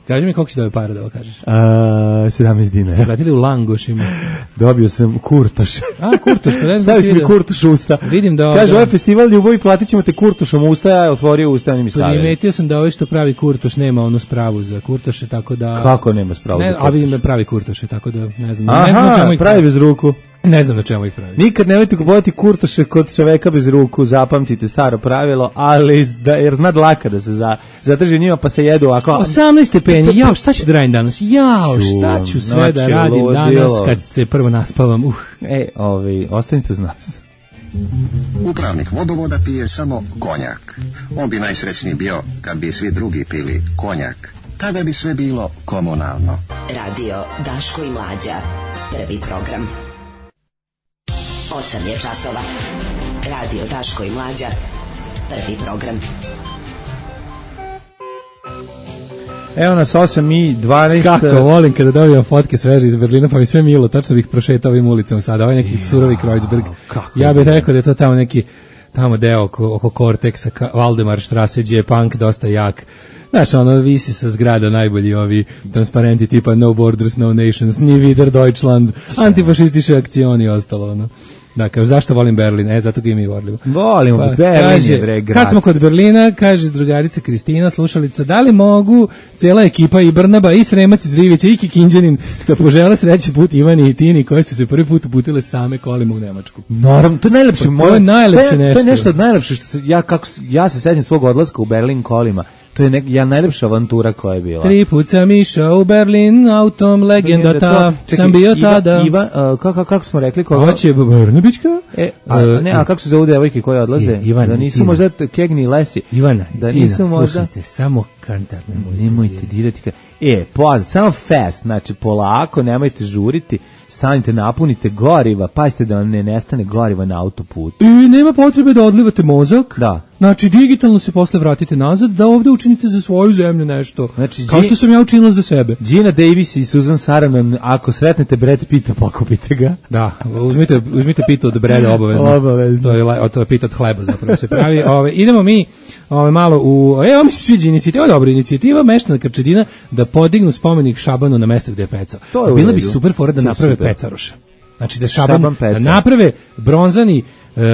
Kaži mi koliko si dobio para da ovo kažeš. 17 dinara. Vratili u Langošima. Dobio sam kurtoš. A, kurtoš, pa ne znam Stavi da si si mi vidio. kurtoš u usta. Vidim da... Kaže, ovaj festival ljubavi, platit ćemo te kurtošom u usta, ja otvorio usta, oni mi stavili. Primetio sam da ovaj što pravi kurtoš nema onu spravu za kurtoše, tako da... Kako nema spravu Ne, za a kurtoš? vidim da pravi kurtoše, tako da ne znam. Ne znam na čemu Aha, ih pravi bez ruku. Ne znam na čemu ih pravi. Nikad nemojte kupovati kurtoše kod čoveka bez ruku, zapamtite staro pravilo, ali jer zna dlaka da se zadrži njima pa se jedu ovako. 18 stepeni, jao, šta ću da radim danas? Jao, šta ću sve da Noći radim ludilo. danas kad se prvo naspavam? Ostanite uz nas. Upravnik vodovoda pije samo konjak. On bi najsrećniji bio kad bi svi drugi pili konjak. Tada bi sve bilo komunalno. Radio Daško i Mlađa. Prvi program. 8 je časova. Radio Daško i Mlađa. Prvi program. Evo nas 8:12. Kako volim kada dobijam fotke sveže iz Berlina, pa mi sve milo, tačno bih prošetao ovim ulicama sada, ovaj neki surovi Kreuzberg. Ja bih rekao da je to tamo neki, tamo deo oko Korteksa, Valdemar Strasse, gdje je punk dosta jak. Znaš, ono, visi sa zgrada najbolji ovi transparenti tipa No Borders, No Nations, Nie wieder Deutschland, antifašistiše akcioni i ostalo, ono. Dakle, zašto volim Berlin? Zato ga i mi volimo. Volimo, Pa, Berlin kaže, je bre grad. kad smo kod Berlina, kaže drugarica Kristina, slušalica, da li mogu cijela ekipa i Brnaba i Sremac iz Rivice i Kikinđanin da požele sreći put Ivani i Tini koje su se prvi put uputile same kolima u Nemačku. Naravno, to je najlepše. Pa to je najlepše To nešto. je nešto od najlepše što ja se sećam svog odlaska u Berlin kolima. To je najlepša avantura koja je bila. 3 put sam išao u Berlin autom, legenda ta, sam bio tada. Kako smo rekli? Koga? Hoće Brnabićka? A kako se zovu devojke koje odlaze? Ivana Da i nisu Tina. možda Kegni i Lesi. Ivana Da i Tina, nisu možda... slušajte, samo kantar Nemojte dirati. Samo fast, znači polako, nemojte žuriti, stanite, napunite goriva, pazite da vam ne nestane goriva na autoputu. I nema potrebe da odlivate mozak. Da. Znači, digitalno se posle vratite nazad, da ovde učinite za svoju zemlju nešto. Znači, kao što sam ja učinila za sebe. Gina Davis i Susan Sarandon, ako sretnete Brad Pitta, pokupite ga. Da, uzmite pita od Breda obavezno. Obavezno. To je pita od hleba zapravo se pravi. Idemo mi malo ovo mi se sviđa inicijativa, dobra inicijativa meštana Krčedina da podignu spomenik Šabanu na mesto gde je pecao. To je u Bila redu. bi super fora da To je naprave super. pecaroša. Znači da Šaban da peca. naprave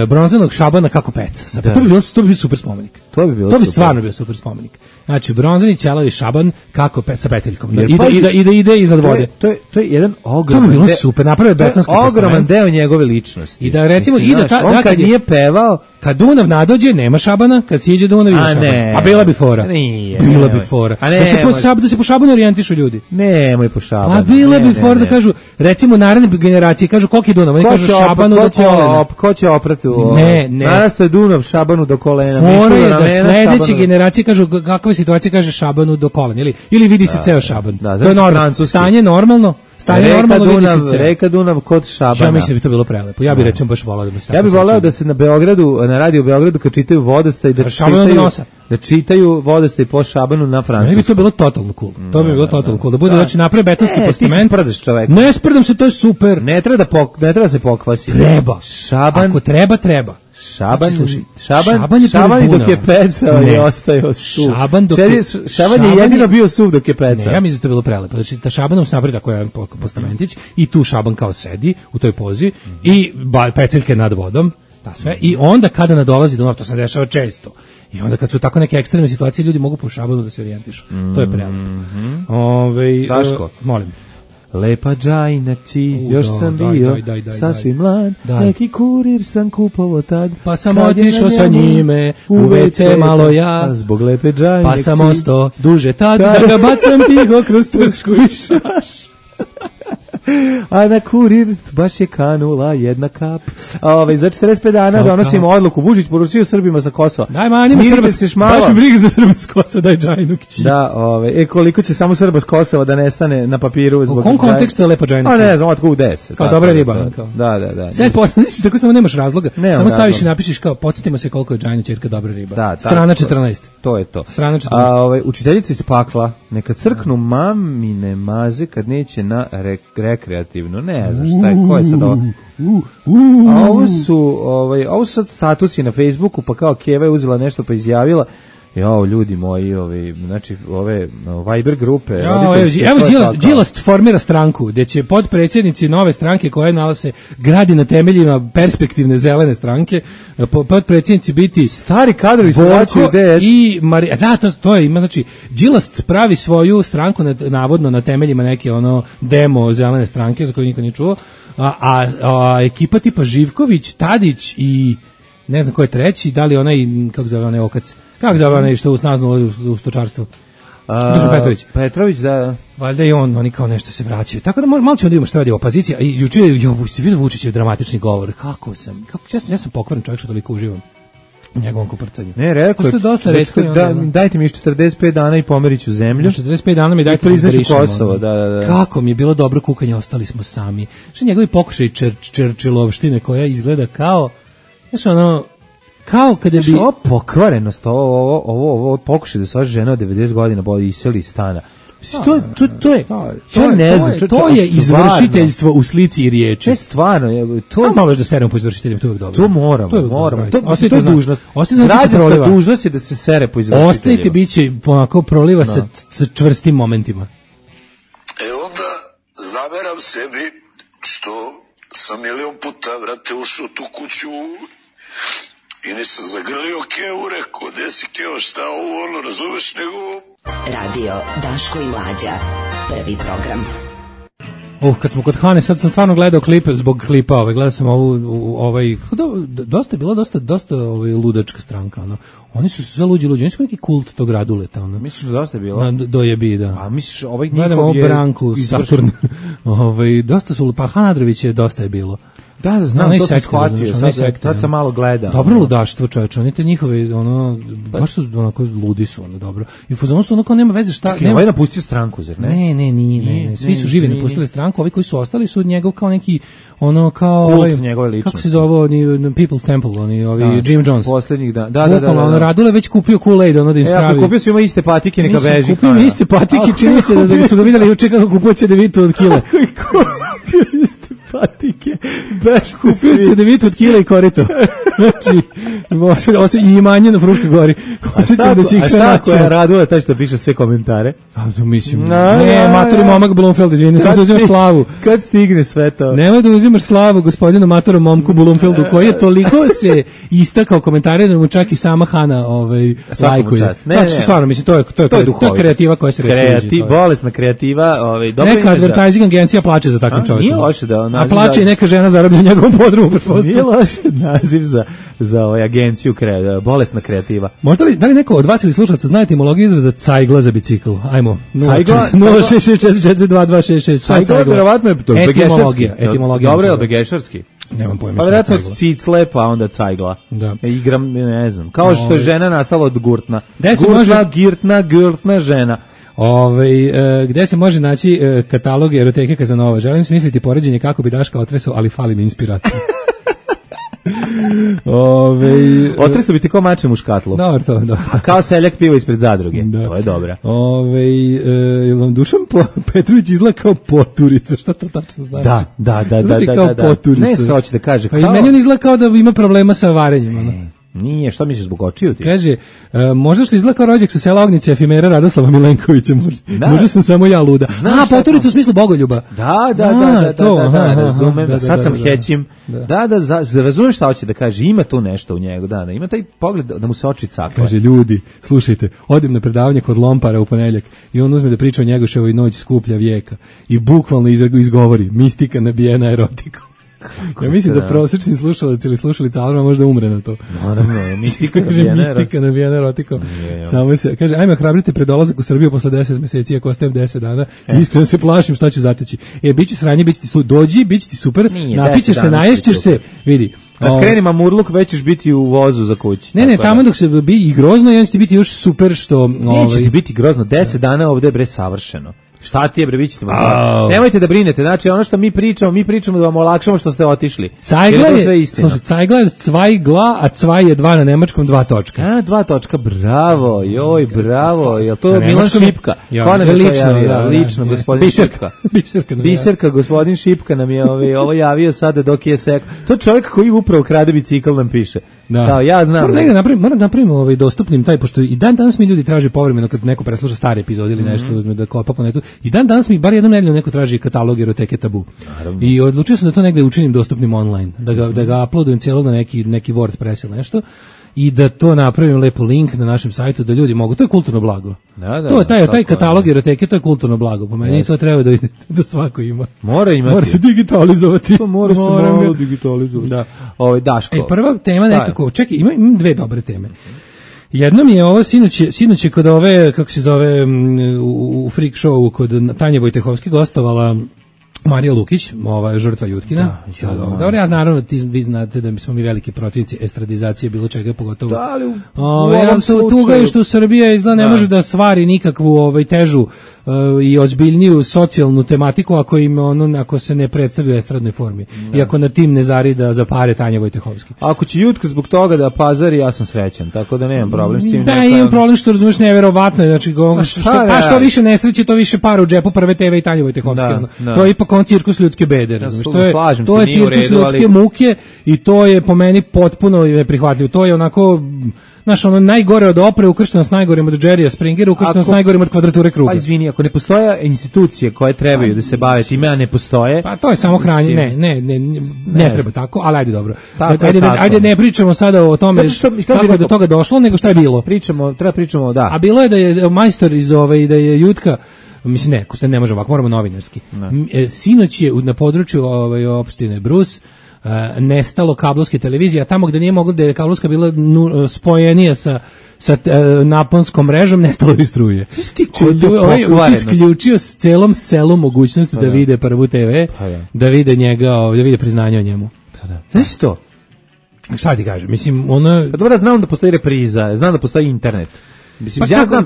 bronzanog Šabana kako peca. Da. To bi bio super spomenik. To bi bilo To bi super. stvarno bio super spomenik. Znači bronzani ćelavi Šaban kako sa peteljkom. Jer I pazi, da ide iznad vode. To je jedan To ogroman bi bilo super, naprave betonski ogroman postament. deo njegove ličnosti. I da recimo Mislim, ide znaš, ta- on da, kad kad je- nije pevao, Kad Dunav nadođe, nema Šabana, kad siđe Dunav ima A Šaban. ne. A bila bi fora. Nije, Bila nemoj. bi fora. A ne, Da se nemoj. po Šabanu orijentišu ljudi. nemoj po Šabanu. Pa bila bi Ne, fora ne, da ne. kažu, recimo naredne generacije kažu koliki je Dunav, oni kažu Šabanu do kolena. Ko će oprati u... Ne. Narasto je Dunav Šabanu do kolena. Fora Mišu je na da ramena, sledeće Šabanu- generacije kažu kakva je situacija, kaže Šabanu do kolena ili vidi se ceo Šaban. da, To znači je normalno. francuski. Stanje normalno vidi se ceo. Reka Dunav kod Šabana. Ja mislim da bi to bilo prelepo. Ja bih recimo baš volao da bi se Ja bih tako voleo sećao. da se na Beogradu, na radio Beogradu kad čitaju Vodostaj, da Šabanu do nosa. čitaju Vodostaj po Šabanu na Meni bi francuskom. to bilo totalno cool. To bi bilo totalno cool. Da bude, znači, napravi betonski Ti se postament. sprdaš čovek. Ne sprdam se, to je super. Ne treba da se pokvasi. Treba. Šaban, Ako treba. Šaban, Znači, slušaj, Šaban, Šaban je i prvi dok je Dunav. pecao Ne. je ostajao suv. Šaban dok je- Šaban je jedino bio suv dok je pecao. Ne, ja mislim da to bilo prelepo. Znači, ta Šabanom se napravi tako jedan postamentić i tu Šaban kao sedi u toj pozi i peceljke nad vodom, ta sve. I onda kada nadolazi Dunav, to se dešava često. I onda kad su tako neke ekstremne situacije, ljudi mogu po Šabanu da se orijentišu. To je prelepo. Daško. Molim. lepa džajna ti, još sam bio sasvim mlad, neki kurir sam kupovao tad, pa sam otišao sa njime u WC malo ja, zbog lepe džajne pa sam ostao duže tad, da ga bacam tiho kroz trsku i šaš. A na kurir baš je kanula jedna kap. Za 45 dana donosimo odluku. Vučić poručio Srbima sa Kosova. Daj manjima Srba, baš mi briga za Srba s Kosova, daj džajnukići. Da, koliko će samo Srba s Kosova da nestane na papiru. U kom kontekstu je lepa džajnukića? Ne znam, otko u 10. Kao dobra riba. Da. Sad podsjetiš, tako samo nemaš razloga. Samo staviš i napišeš kao, podsjetimo se koliko je džajna ćerka dobra riba. Strana 14. To je to. Strana 14. Učiteljica iz pakla, neka crknu mamine maze kad neće na rekreativno, ne znam šta je, ko je sad ovo? A ovo su sad statusi na Facebooku, pa kao Keva je uzela nešto pa izjavila, ljudi moji, znači ove Viber grupe. Evo Đilas formira stranku, gde će podpredsjednici nove stranke koje nalaze gradi na temeljima perspektivne zelene stranke, podpredsjednici biti stari kadrovi se vraćaju DS i to je, ima, znači Đilas pravi svoju stranku navodno na temeljima neke demo zelene stranke za koju niko nije čuo, a ekipa tipa Živković, Tadić i ne znam ko je treći, da li onaj, kako zove onaj Okac, kako zove onaj što usnaznulo u stočarstvu? Petrović, da. Valjda i oni kao nešto se vraćaju. Tako da malo ćemo da vidimo što radi opozicija. I juče je vidio Vučićev dramatični govor. Ja sam pokvaren čovjek što toliko uživam u njegovom kuprcanju. Ne, rekao je, dajte mi još 45 dana i pomeriću zemlju. 45 dana mi dajte izbrišem Kosovo, da. Kako mi je bilo dobro kukanje, ostali smo sami. Što njegovi pokušaj Čerčilovštine koja izgleda kao, kao kada bi... Ovo pokvarenost, ovo pokušaj da se ova žena od 90 godina boli iseli iz stana. To je izvršiteljstvo u slici i riječi. Stvarno, malo da seremo po izvršiteljima, to je uvijek dobro. To moramo. To je dužnost. Građanska dužnost je da se sere po izvršiteljima. Ostanite, bit će onako proliva sa čvrstim momentima. Onda zameram sebi što sam milion puta, vrate, ušao u tu kuću i nisam zagrlio Kevu, rekao, gde si Keo, šta ovo, razumeš, nego... Radio Daško i Mlađa, prvi program. Kad smo kod Hane, sad sam stvarno gledao klip zbog klipa, gledao sam dosta je bilo dosta ludačka stranka, Oni su sve luđi, oni su neki kult tog Raduleta, Misliš da dosta je bilo? Dojebi, da. A misliš, njihov gledamo je... Branku, Saturn, dosta su, pa Hanadrović je dosta je bilo. Da, znam, to sam shvatio, sad sam malo gledao. Dobro ludaštvo, čoveče, oni te njihove, baš su onako ludi su, dobro. I u fazonu su onako, nema veze šta... Ovaj napustio stranku, zar ne? Ne, svi su živi napustili stranku, ovi koji su ostali su od njegov kao neki, kao... Kult njegove ličnosti. Kako se zove, People's Temple, Jim Jones. Poslednjih, da. Radule već kupio Kool-Aid, da im spravi... Kupio su ima iste patike, neka veži. Kupio mi iste patike, čini se da su ga vidjeli juče kako kupuje cedevitu od kile. Patike, kupio cedevitu od kila i korito. Znači, i imanje na Fruškoj gori. A šta koja je Radula, taj što piše sve komentare? Mislim, matori momak Blomfeld, izvini, nemoj da uzimaš slavu. Kad stigne sve to? Nemoj da uzimaš slavu gospodinu matoru momku Blomfeldu, koji je toliko se istakao komentare da mu čak i sama Hana lajkuje. Znači, stvarno, mislim, to je kreativa koja se retuži. Bolesna kreativa. Neka advertising agencija plače za takvim čovjekom. Nije loše da a plaće i neka žena zarabljena u njegovom podrumu. Nije loš naziv za agenciju bolesna kreativa. Možda da li neko od vas ili slušalaca zna etimologiju izraza cajgla za bicikl? Ajmo. 066422266. Cajgla, verovatno je to etimologija. Dobro je begešarski. Nemam pojma. Pa vjerojatno od cicle, pa onda cajgla. Da. Igram, ne znam. Kao što je žena nastala od gurtna. Gurtna žena. Gde se može naći katalog eroteke Kazanova? Želim smisliti poređenje kako bi Daška otresao, ali fali mi inspiracija. Otresao bi ti ko mačem u škatlu. Dobro. A kao seljak piva ispred zadruge. Da. To je dobra. Vam Dušan Petrović izgleda kao poturica, šta to tačno znači? Da. Znači kao poturica. Ne se hoće da kaže. Pa i meni on izgleda kao da ima problema sa varenjem. Nije, što misliš zbog očiju ti? Kaže, možda što izgleda kao rođak sa sela Ognice efimera Radoslava Milenkovića, možda sam samo ja luda. Potorica u smislu bogoljuba. Da, razumem, sad sam hećim. Da, razumem šta hoće da kaže, ima tu nešto u njegu, da, ima taj pogled da mu se oči cakle. Kaže, ljudi, slušajte, odim na predavanje kod Lompara u ponedeljak i on uzme da priča o Njegoševoj noć skuplja vijeka i bukvalno izgovori, mistika nabijena erotikom. Ja mislim da prosječni slušalac ili slušalica Alma možda umre na to. Naravno, mistika nabijena erotikom. Samo se, kaže, ajme hrabrite pred dolazak u Srbiju posle 10 meseci, ako ostajem 10 dana, iskreno se plašim šta ću zateći. Biće sranje, biće ti dođi, biće ti super, napićeš se, naješćeš se, vidi. Kad kreni mamurluk, već ćeš biti u vozu za kući. Ne, tamo dok se bi i grozno, i on će ti biti još super što... Neće ti biti grozno, 10 dana ovde je bre savršeno. Šta ti je bre, vi ćete nemojte da brinete, znači ono što mi pričamo da vam olakšamo što ste otišli. Cajgla je, slušaj, Cajgla je cvajgla, a cvaj je 2 na nemačkom 2 točka. 2 točka, bravo, bravo, je to Milan Šipka? Ko nam je to javio? Lično, gospodin Šipka. Biserka, gospodin Šipka nam je ovo javio sada dok je sekao. To čovjek koji upravo krade bicikl nam piše. Da, ja znam. Moram napravimo dostupnim taj, pošto i dan danas mi ljudi traže povremeno kad neko presluša stare epizode ili nešto, uzme da kopa po netu. I dan danas mi bar jednom nedeljno neko traži katalog eroteke Tabu. Naravno. I odlučio sam da to negde učinim dostupnim online, da ga uploadujem cijelo na neki WordPress ili nešto. I da to napravim lepo link na našem sajtu da ljudi mogu, to je kulturno blago. To je taj katalog eroteke, to je kulturno blago. Po meni to treba da svako ima. Mora imati. Mora se digitalizovati. Mora se malo digitalizovati. Da. Daško. Prva tema nekako, čekaj, imam 2 dobre teme. Jednom je ovo sinoć je kod ove, kako se zove, u freak showu kod Tanje Vojtehovski gostovala Marija Lukić, žrtva Jutkina. Dobro, ja naravno, vi znate da smo mi veliki protivnici estradizacije bilo čega, pogotovo. Tuga je što Srbija izgleda ne može da stvari nikakvu težu i ozbiljniju socijalnu tematiku ako se ne predstavi u estradnoj formi. I ako na tim ne zarida za pare Tanja Vojtehovski. Ako će Jutka zbog toga da pazari, ja sam srećan, tako da nemam problem s tim. Da, imam problem što razumiješ neverovatno, znači što više nesreće, to više para u džepu Prve TV i Tanja Vojtehovski. To je ipak on cirkus ljudske bede, razumiješ? To je cirkus ljudske muke i to je po meni potpuno neprihvatljivo. To je onako, znaš, najgore od opre, ukršteno s najgorim od Jerrya Springera, ukršteno s najgorim od Kvadrature kruga. Pa izvini, ako ne postoje institucije koje trebaju da se bave time, a ne postoje... Pa to je samo hranje, ne treba tako, ali ajde dobro. Ajde ne pričamo sada o tome kako je do toga došlo, nego šta je bilo. Treba pričamo, da. A bilo je da je majstor iz da je Jutka, mislim ne možemo ovako, moramo novinarski. Sinoć je na području opštine Brus nestalo kablovske televizije, a tamo gde nije moglo da je kablovska bila spojenija sa naponskom mrežom, nestalo i struje. Isključio s celom selu mogućnosti da vide Prvu TV, da vide njega, da vide priznanje o njemu. Znaš to? Šta ti kažem? Mislim, dobro, znam da postoji repriza, znam da postoji internet. Mislim, ja znam,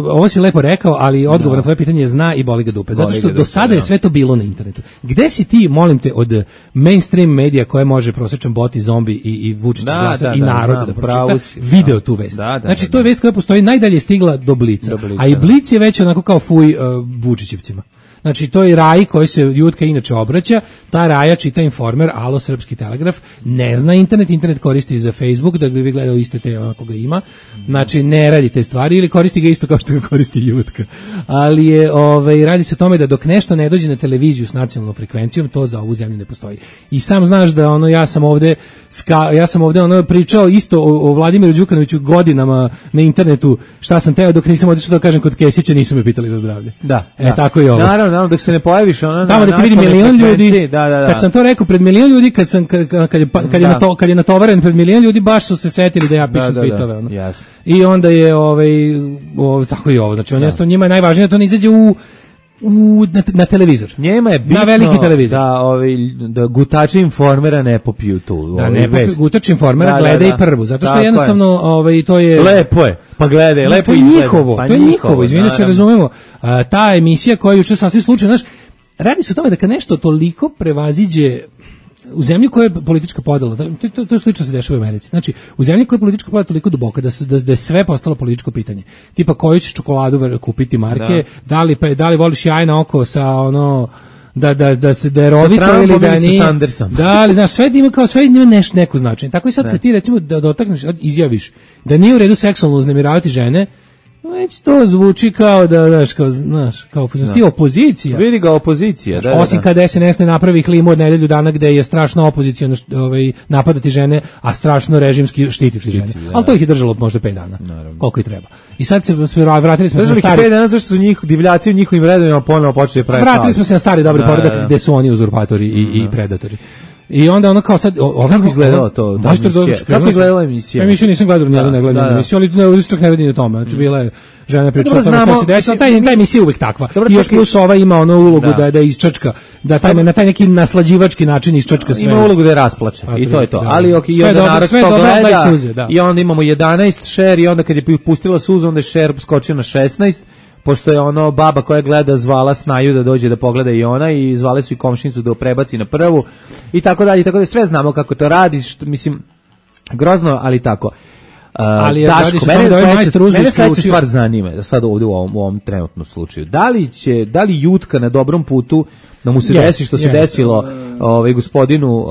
ovo si lepo rekao, ali odgovor na tvoje pitanje je zna i boli ga dupe. Zato što do sada je sve to bilo na internetu. Gde si ti, molim te, od mainstream medija koje može prosječan bot i zombi i Vučić glasa i narod da pročita, video tu vest. Znači, to je vest koja postoji, najdalje stigla do Blica. A i Blic je već onako kao fuj Vučićevcima. Znači, to je Raji koji se Jutka inače obraća, ta Raja čita Informer, Alo, Srpski telegraf, ne zna internet koristi za Facebook, da bi gledao iste te onako ga ima, znači ne radi te stvari ili koristi ga isto kao što ga koristi Jutka. Ali je, radi se o tome da dok nešto ne dođe na televiziju s nacionalnom frekvencijom, to za ovu zemlju ne postoji. I sam znaš da ja sam ovde pričao isto o Vladimiru Đukanoviću godinama na internetu, šta sam teo dok nisam otišao da kažem kod Kesića, nisu me pitali za zdravlje. Tako je ovo. Naravno, dok se ne pojaviš tamo da ti vidi milion ljudi. Kad sam to rekao pred milion ljudi, kad je natovaren pred milion ljudi, baš su se setili da ja pišem tweetove. I onda je tako i ovo. Znači, njima je najvažnije da to ne izađe na televizor. Njema je bitno na veliki televizor. Da gutači Informera ne popiju tu. Da ne popiju gutači Informera, gledaj Prvu. Zato što jednostavno to je... Lepo je, pa gledaj, lepo izgleda. To je njihovo, izvini se razumemo. Ta emisija koja je juče sasvim slučajno, znaš, radi se o tome da kad nešto toliko prevaziđe u zemlji koja je politička podela, to slično se dešava u Americi. Znači, u zemlji koja je politička podela toliko duboka da je sve postalo političko pitanje. Tipa koju ćeš čokoladu kupiti marke, da li voliš jajna oko sa da se darovito Trumpom ili da ili sa nije. Sandersom. Da, ali da sve ima kao sve ima neko značenje. Tako i sad kad ti recimo da dotakneš, izjaviš da nije u redu seksualno uznemiravati žene, već to zvuči kao da kao ti opozicija. Vidi ga opozicija, da. Osim kada SNS ne napravi klimu od nedelju dana gde je strašno opoziciono napadati žene, a strašno režimski štititi žene. Ali to ih je držalo možda 5 dana. Naravno. Koliko i treba. I sad se vratili smo se na stari. 5 dana zašto su divljaci u njihovim redovima ponovo počeli praviti. Vratili smo se na stari dobri poredak gde su oni uzurpatori i predatori. I onda ono kao sad kako izgledalo to? Kako izgledala emisija? Emisiju nisam gledao, ne gledam emisiju, ali ne čak ne vidim o tome. Znači bila je žena pričala o tome šta se desilo, ta emisija je uvek takva. I još plus ova ima ono ulogu da isčačka, da na taj neki naslađivački način isčačka sve. Ima ulogu da je rasplače i to je to. Ali okej, i onda narod to gleda i onda imamo 11 share i onda kad je pustila suzu, onda je share skočio na 16. Pošto je ono baba koja gleda zvala Snaju da dođe da pogleda i ona i zvale su i komšinicu da prebaci na prvu i tako dalje, sve znamo kako to radiš, mislim, grozno, ali tako. Ali Daško, mene sledeća stvar zanima, da sad ovdje u ovom trenutnom slučaju, da li Jutka na dobrom putu da mu se desi što se desilo gospodinu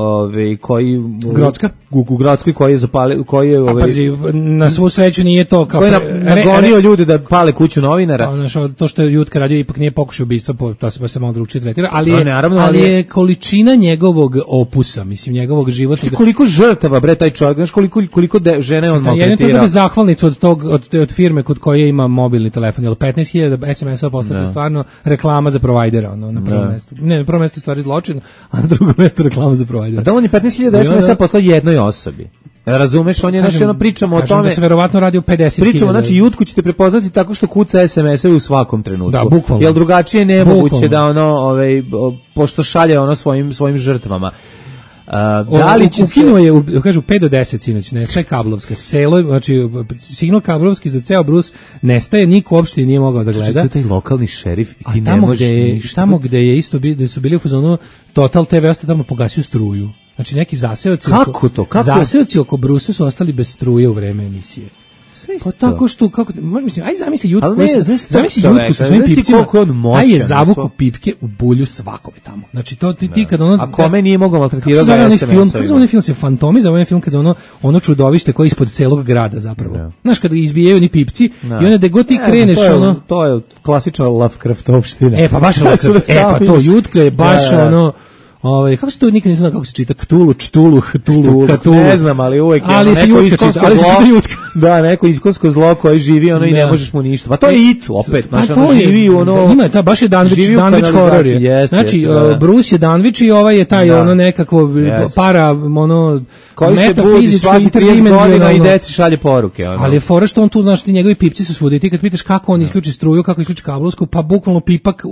koji Grocka u Grockoj koji je zapalio, koji je pazi, na svu sreću nije to kao koji je nagonio ljude da pale kuću novinara. To što je Jutka radio ipak nije pokušaj ubistva, to se malo drugčije tretira, ali je količina njegovog opusa, mislim njegovog životnog. Koliko žrtava bre taj čovjek, znaš koliko žene on maltretira. Jedan to da zahvalnicu od firme kod koje ima mobilni telefon, jel 15.000 SMS-ova poslati stvarno reklama za provajdera, na prvom mestu. Ne, na prvom mestu stvari zločin, a na drugom mestu reklama za provajdera. A da on je 15.000 SMS-a poslao jednoj osobi. Razumeš, on je pričamo o tome. Da se verovatno radi o 50.000. Pričamo, znači Jutku ćete prepoznati tako što kuca SMS-ove u svakom trenutku. Da, bukvalno. Jel drugačije nemoguće da pošto šalje svojim žrtvama. Da li će ukinuo je, kažu 5 do 10 sinoć, nestaje kablovska. Znači signal kablovski za ceo Brus nestaje, niko uopšte nije mogao da gleda. To je taj lokalni šerif i ti ne možeš ništa. Tamo gde je isto da su bili u fazonu Total TV ostao tamo pogasio struju. Znači neki zaseoci zaseoci oko Brusa su ostali bez struje u vreme emisije. Pa tako što kako mislim, aj zamisli Jutku, zamisli Jutku sa svojim pipcima, taj je zavuko pipke u bulju svakome tamo. Znači to ti kad ono a kome nije mogao maltretirati onaj film se Fantomi, za onaj film kad ono čudovište koje je ispod celog grada zapravo. Znaš kad izbijaju ni pipci i onda da god ti kreneš to je klasična Lovecraftovština. Pa baš pa to Jutka je baš ono kako se to nikad nisam znao kako se čita, Ktulu, ne znam, ali uvek je neko iskonsko zlo, da, neko iskonsko zlo koje živi i ne možeš mu ništa, pa to je It, opet, živi ima, baš je Danvić horor je, znači, Bruce je Danvić i ovaj je taj nekako para, koji se budi svaki 30 godina i deci šalje poruke. Ali je fora što on tu, znaš, ti njegovi pipci su svuda i ti kad pitaš kako on isključi struju, kako isključi kablovsku, pa bukvalno pipak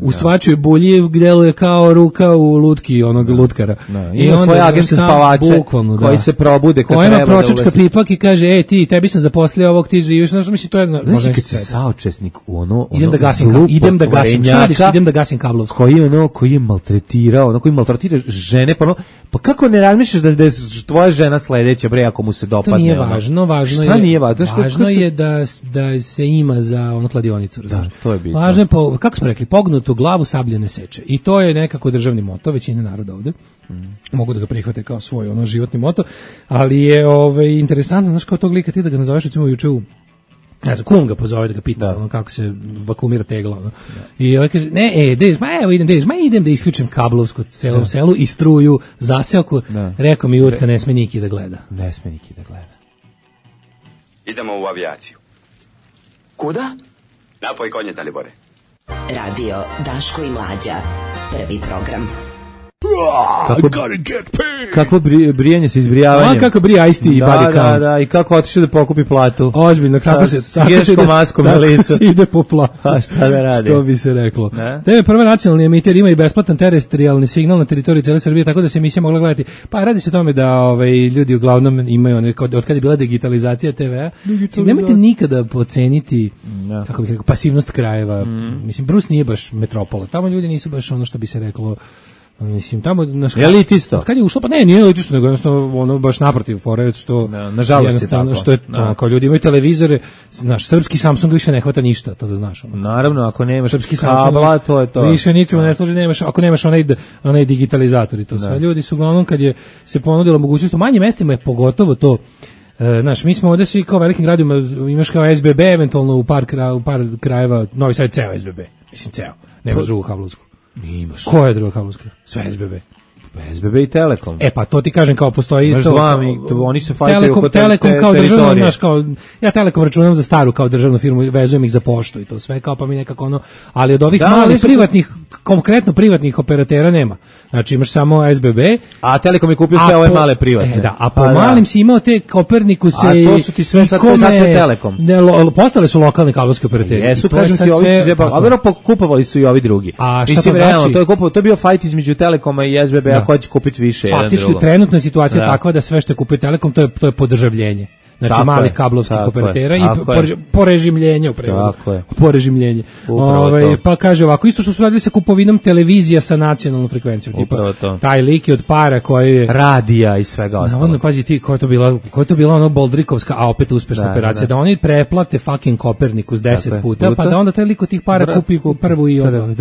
u svačoj bulji deluje kao ruka u lutki onog lutkara. Ima svoje agente spavače koji se probude kad treba da pročačka pipak i kaže, tebi sam zaposlio ovog, ti živiš, znaš, misli, to je... Znaš, kad si saučesnik u idem da gasim kablovsku. Koji je maltretirao, koji maltretira žene, pa kako ne razmišljaš da je tvoja žena sledeća, bre, ako mu se dopadne? To nije važno, važno je da se ima za kladionicu, razumiješ? Da, to je bitno. Važno je, kako smo rekli, pognutu glavu sabljene seče. I to je nekako državni moto većine naroda ovde. Mogu da ga prihvate kao svoj životni moto, ali je interesantno, znaš, kao tog lika ti da ga nazoveš, recimo juče u kum ga pozove da ga pita kako se vakumira tegla. I ovaj kaže, idem da isključim kablovsku celom selu i struju, zaseoku. Rekao mi Jutka, ne sme niki da gleda. Ne sme niki da gleda. Idemo u avijaciju. Kuda? Napoj konje, Dalibore. Radio Daško i Mlađa. Prvi program. Kako brijanje se izbrijavanjem. Kako brija Ice-T i Body Count. Da, i kako otiše da pokupi platu. Ozbiljno, kako se maskom na licu. Ide po platu. A šta da radi? Što bi se reklo. TV prva nacionalni emiter ima i besplatan terestrijalni signal na teritoriji cele Srbije, tako da se emisija mogla gledati. Pa radi se o tome da ljudi uglavnom imaju, od kada je bila digitalizacija TV-a, nemojte nikada poceniti, kako bih rekao, pasivnost krajeva. Mislim, Brus nije baš metropola. Tamo ljudi nisu baš ono što bi se reklo Mislim, tamo... Elitisto? Kad je ušlo, pa nije elitisto, nego jednostavno, ono, baš naprotiv, fore, što... Nažalost je tako. Što je to, kao ljudi imaju televizore, znaš, srpski Samsung više ne hvata ništa, to da znaš. Ono. Naravno, ako nemaš srpski kabla, to je to. Više ničemu ne služi, ako nemaš onaj digitalizator i to sve. Ljudi su uglavnom, kad je se ponudila mogućnost, u manjim mestima je pogotovo to. Znaš, mi smo ovde svi kao velikim gradima, imaš kao SBB, eventualno u par krajeva, Novi Sad ceo SBB, mislim ceo, nemaš drugu kablovsku. Imaš. Koja je druga kablovska? Sve SBB. SBB i Telekom. Pa to ti kažem kao postoji imaš to. Oni se fajtaju oko Telekom kao državno, znaš, kao ja Telekom računam za staru kao državnu firmu, vezujem ih za poštu i to sve, kao pa mi nekako ono, ali od ovih malih privatnih, konkretno privatnih operatera nema. Znači imaš samo SBB, a Telekom je kupio sve ove male privatne. A po malim si imao te Kopernikus i to su ti sve sad sve Telekom. Postale su lokalni kablovski operateri. Jesu, kažem ti, ovi su zjebali, a verovatno kupovali su i ovi drugi. Mislim, realno, to je bio fajt između Telekoma i SBB, ko će kupiti više. Faktički trenutna je situacija takva da sve što je kupio Telekom to je podržavljenje. Znači tako malih kablovskih operatera i porežimljenje porežimljenje. Pa kaže ovako, isto što su radili sa kupovinom televizija sa nacionalnom frekvencijom, tipa taj lik je od para koji je radija i svega ostalog. Navodno, pazi ti, koja je to bila ono Boldrikovska, a opet uspešna operacija, da oni preplate fucking Kopernikus 10 puta, pa da onda taj lik od tih para kupi prvu i ono.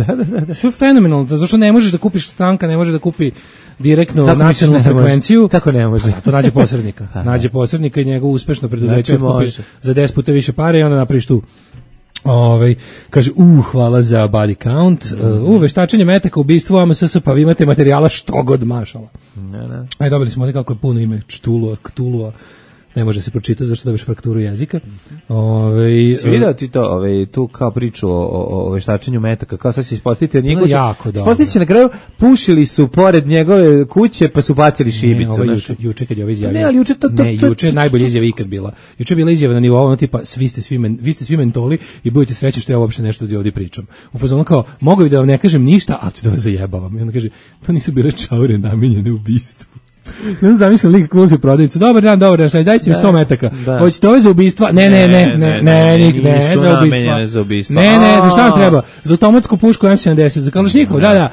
Sve fenomenalno, zašto ne možeš da kupiš, stranka ne može da kupi direktno nacionalnu frekvenciju. Kako ne može? To nađe posrednika. Nađe posrednika i njegov uspešno preduzeće kupi za 10 puta više pare i onda napraviš tu. Kaže, hvala za body count, veštačenje metaka, ubistvo, AMSS, pa vi imate materijala što god mašala. Aj, dobili smo ovdje kako je puno ime, Ktulua, ne može se pročitati zašto dobiš frakturu jezika. Si vidio ti to, tu kao priču o veštačenju metaka, kao sad se ispostavite od njega, ispostavite na kraju, pušili su pored njegove kuće pa su bacili šibicu. Juče kad je ovo izjavio. Juče najbolja izjava ikad bila. Juče je bila izjava na nivou, tipa, vi ste svi mentoli i budete srećni što ja uopšte nešto ovdje pričam. U fazonu kao, mogu da vam ne kažem ništa, ali ću da vas zajebavam. I onda kaže, to nisu bile čaure namenjene ubistvu. Ja zamišljam lika koji ulazi u prodavnicu. Dobar dan, dajte mi 100 metaka. Hoćete ove za ubistva? Ne, za ubistva. Ne, za šta vam treba? Za automatsku pušku M70, za kalašnjikov, da.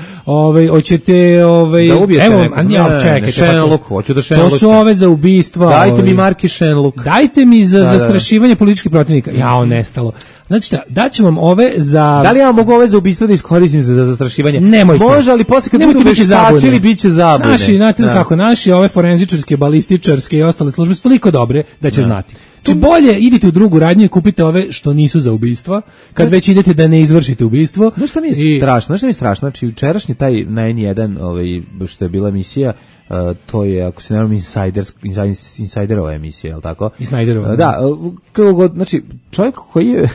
Hoćete, da ubijete evo, čekajte. Shenlock, hoću da Shenlock. To su ove za ubistva. Dajte mi marki Shenlock. Dajte mi za zastrašivanje političkih protivnika. Jao, nestalo. Znači šta, daću vam ove za... Da li ja mogu ove za ubistvo da iskoristim za zastrašivanje? Nemojte. Može, ali posle kad budu veštačili, bit će zabune. Naši ove forenzičarske, balističarske i ostale službe su toliko dobre da će znati. Znači bolje idite u drugu radnju i kupite ove što nisu za ubistva, kad već idete da ne izvršite ubistvo. Znaš šta mi je strašno? Znači, jučerašnji taj na N1, što je bila emisija, to je, ako se ne znam, Insiderova emisija, je li tako? Insiderova. Da, znači, čovjek koji je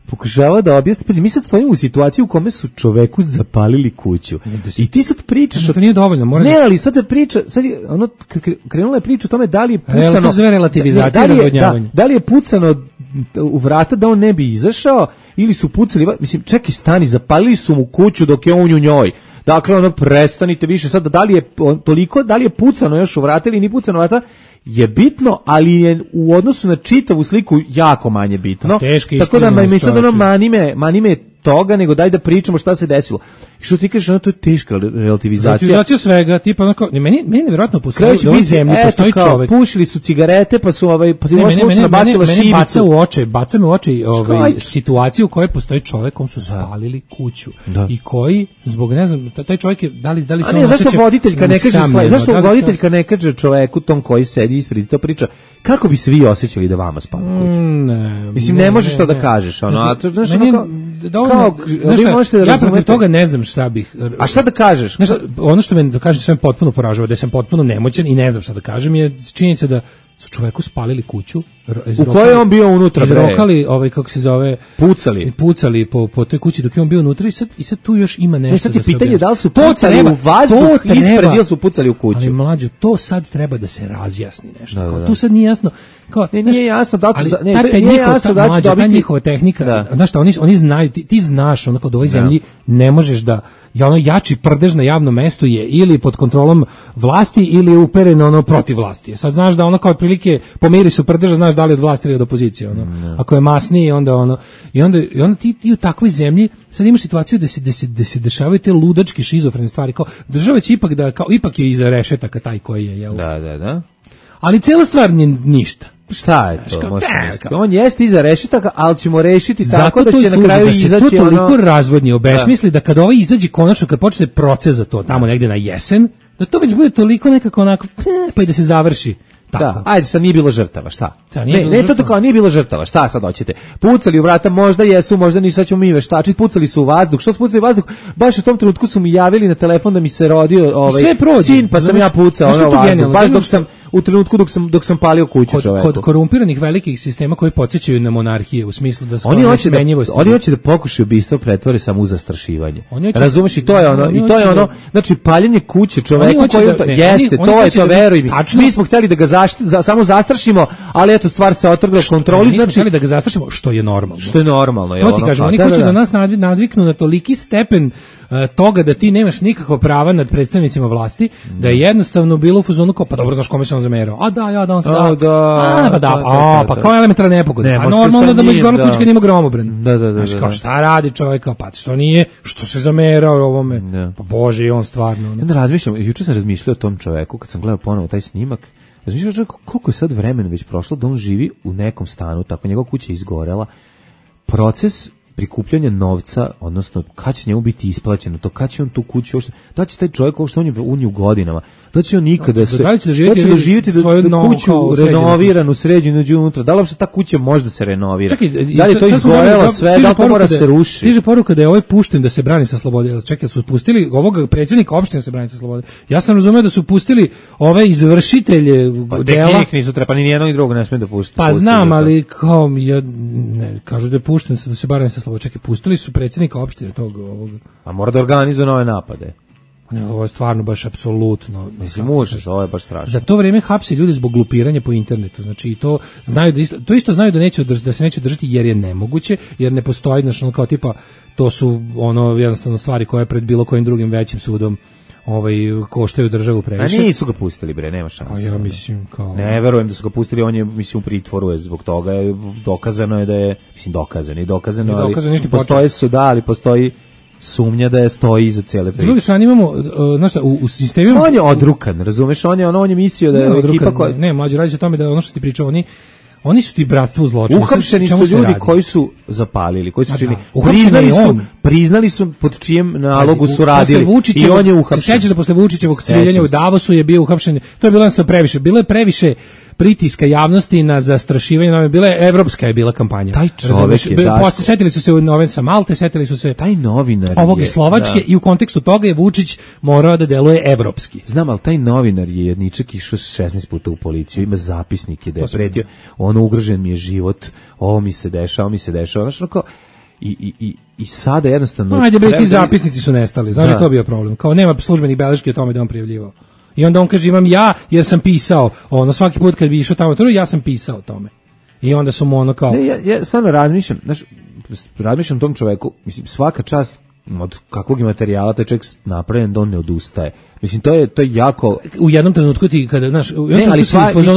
pokušava da objasni, pazi, mi sad stojimo u situaciji u kome su čoveku zapalili kuću. I ti sad pričaš... To nije dovoljno, mora... Ne, ali sad krenula je priča o tome da li je pucano... To zove relativizacija, razvodnjavanje. Da li je pucano u vrata da on ne bi izašao, ili su pucali... Mislim, čekaj, stani, zapalili su mu kuću dok je on u njoj. Dakle, prestanite više sad, da li je pucano još u vrata ili ni pucano u vrata, je bitno, ali je u odnosu na čitavu sliku jako manje bitno. Tako da mi sad manime toga, nego daj da pričamo šta se desilo. I što ti kažeš, to je teška relativizacija. Relativizacija svega, tipa onako, meni nevjerojatno postoji u ovoj zemlji, postoji čovek. Pušili su cigarete, pa su bacila šibicu. Baca me u oči situaciju u kojoj postoji čovek, kom su spalili kuću. I koji, zbog, ne znam, taj čovjek je, da li se on osjeća... Zašto voditeljka ne kaže čoveku tom koji sedi ispred i to priča, kako bi se vi osjećali da vama spali kuću? Mislim, ne možeš to da kažeš, ono, ja protiv toga ne znam šta bih... A šta da kažeš? Ono što me da kažem sve potpuno poražava, da sam potpuno nemoćan i ne znam šta da kažem, je činjenica da su čoveku spalili kuću. U kojoj on bio unutra? Izrokali, kako se zove... Pucali po toj kući dok je on bio unutra i sad tu još ima nešto da se... Sad ti pitanje da li su pucali u vazduh ispred ili su pucali u kuću? Ali mlađo, to sad treba da se razjasni nešto. Tu sad nije jasno. Kao, nije jasno da ali ne, ta nije jasno da će ta dobiti njihova tehnika, da. znaš šta, oni znaju, ti znaš, ono kod ovoj zemlji ne možeš da, ono jači prdež na javnom mestu je ili pod kontrolom vlasti ili je uperen ono protiv vlasti. Sad znaš da ono kao otprilike po mirisu prdeža znaš da li od vlasti ili od opozicije, ono. Ako je masniji, onda ono i onda ti u takvoj zemlji sad imaš situaciju da se dešavaju te ludačke šizofrene stvari, kao država će ipak da kao ipak je iza rešetaka taj koji je, jel? Da. Ali cela stvar nije ništa. Šta je to? On jeste iza rešetaka, ali ćemo rešiti tako da će na kraju izaći ono... Zato to toliko razvodnje obesmisli da kada ovaj izađe konačno, kad počne proces za to tamo negde na jesen, da to već bude toliko nekako onako, pa i da se završi. Tako. Da, ajde, sad nije bilo žrtava, šta? Ne, to tako, nije bilo žrtava, šta sad hoćete? Pucali u vrata, možda jesu, možda nisu, sad ćemo mi veštačiti, pucali su u vazduh. Što su pucali u vazduh? Baš u tom trenutku su mi javili na telefon da mi se rodio sin, pa sam ja pucao ono vazduh, baš dok sam u trenutku dok sam palio kuću čoveku. Kod korumpiranih velikih sistema koji podsjećaju na monarhije u smislu da su nesmenjivosti. Oni hoće da pokušaju ubistvo pretvore samo u zastrašivanje. Razumeš, i to je ono, znači paljenje kuće čoveku koji jeste, to je to, veruj mi. Mi smo hteli da ga samo zastrašimo, ali eto stvar se otrgla kontroli, znači hteli da ga zastrašimo, što je normalno. Što je normalno, je ono. To ti kažem, oni hoće da nas nadviknu na toliki stepen toga da ti nemaš nikakva prava nad predstavnicima vlasti, da je jednostavno bilo u fazonu kao, pa dobro, znaš kome se on zamerao. A da, on se pa kao elementarna nepogoda. A normalno da mu izgorila kućka nima gromobran. Da. Znaš, kao šta radi čovjek, pa što nije, što se zamerao ovome. Pa bože, i on stvarno. Onda razmišljam, juče sam razmišljao o tom čoveku, kad sam gledao ponovo taj snimak, razmišljao koliko je sad vremena već prošlo da on živi u nekom stanu, tako njegova kuća je izgorela. Proces prikupljanja novca, odnosno kad će njemu biti isplaćeno to, kad će on tu kuću, da će taj čovjek ovo što on je u nju godinama, da će on nikada da će doživjeti da kuću renoviranu, sređenu unutra, da li uopšte ta kuća može da se renovira? Čekaj, da li to izgorelo sve, da li to mora se ruši? Stiže poruka da je ovaj pušten da se brani sa slobode. Čekaj, su pustili ovog predsjednika opštine da se brani sa slobode. Ja sam razumeo da su pustili ove izvršitelje dela. Tek nisu trepani, ni jednog ni drugog ne smije da pusti. Pa znam, ali kao kažu da je pušten da se brani sa slobode. Čekaj, pustili su predsjednika opštine tog ovog. A mora da organizuje nove napade. Ovo je stvarno baš apsolutno. Mislim, užas, ovo je baš strašno. Za to vrijeme hapsi ljudi zbog glupiranja po internetu. Znači, i to znaju da isto znaju da se neće držati jer je nemoguće, jer ne postoji, znači, ono kao tipa, to su ono jednostavno stvari koje pred bilo kojim drugim većim sudom koštaju državu previše. A nisu ga pustili, bre, nema šanse. Ja mislim kao... Ne verujem da su ga pustili, on je, mislim, u pritvoru je zbog toga, dokazano je da je, mislim, dokazano, ali postoje suda, ali postoji sumnja da je stoji iza cijele priče. S druge strane imamo, znaš šta, u sistemima... On je odrukan, razumeš, on je mislio da je ekipa koja... Ne, mlađe, radi se o tome da ono što ti pričao, oni su ti bratstvo u zločinu. Uhapšeni su ljudi koji su zapalili, koji su čini. Priznali su pod čijem nalogu su radili i on je uhapšen. Se sjećaš da posle Vučićevog cviljenja u Davosu je bio uhapšen. To je bilo jednostavno previše. Bilo je previše pritiska javnosti na zastrašivanje, evropska je bila kampanja. Taj čovjek je Daško. Setili su se u sa Malte, setili su se taj novinar ovog iz Slovačke i u kontekstu toga je Vučić morao da deluje evropski. Znam, ali taj novinar je jedničak išao 16 puta u policiju, ima zapisnike da je pretio, ono ugrožen mi je život, ovo mi se dešava, znaš, onako, i sada jednostavno... Ajde bre, ti zapisnici su nestali, znaš da to bio problem, kao nema službenih beleški o tome da on prijavljivao. I onda on kaže imam ja jer sam pisao, svaki put kad bi išao tamo, ja sam pisao o tome. I onda su mu ono kao... Ne, ja stvarno razmišljam tom čoveku, mislim, svaka čast od kakvog je materijala taj čovjek napravljen da on ne odustaje. Mislim, to je jako... U jednom trenutku ti, kada, znaš,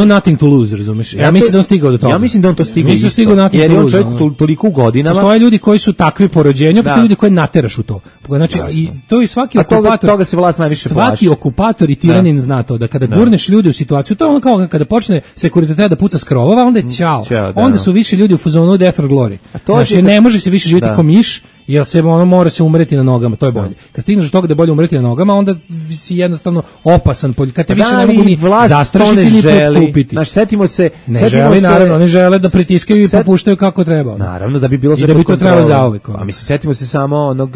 nothing to lose, razumeš? Ja mislim da on stigao do toga. Ja mislim da on to stigao isto, jer je on čovjek toliko u godinama... Postoje ljudi koji su takvi po rođenju, postoje ljudi koji nateraš u to. Znači, i to je svaki okupator... Toga se vlast najviše plaši. Svaki okupator i tiranin zna to, da kada gurneš ljude u situaciju, to je ono kao kada počne sekuritet da puca s krovova, onda je ćao. Onda su više ljudi u fazonu death or glory. Znači, ne može se više živjeti ko miš, jer se mora se umreti na nogama, to je bolje. Kad stigneš do toga da je bolje umreti na nogama, onda si jednostavno opasan, kad te više ne mogu ni zastrašiti ni potkupiti. Znaš, setimo se... Naravno, oni žele da pritiskaju i popuštaju kako treba. Naravno, da bi bilo sve pod kontrolom. A mislim, setimo se samo onog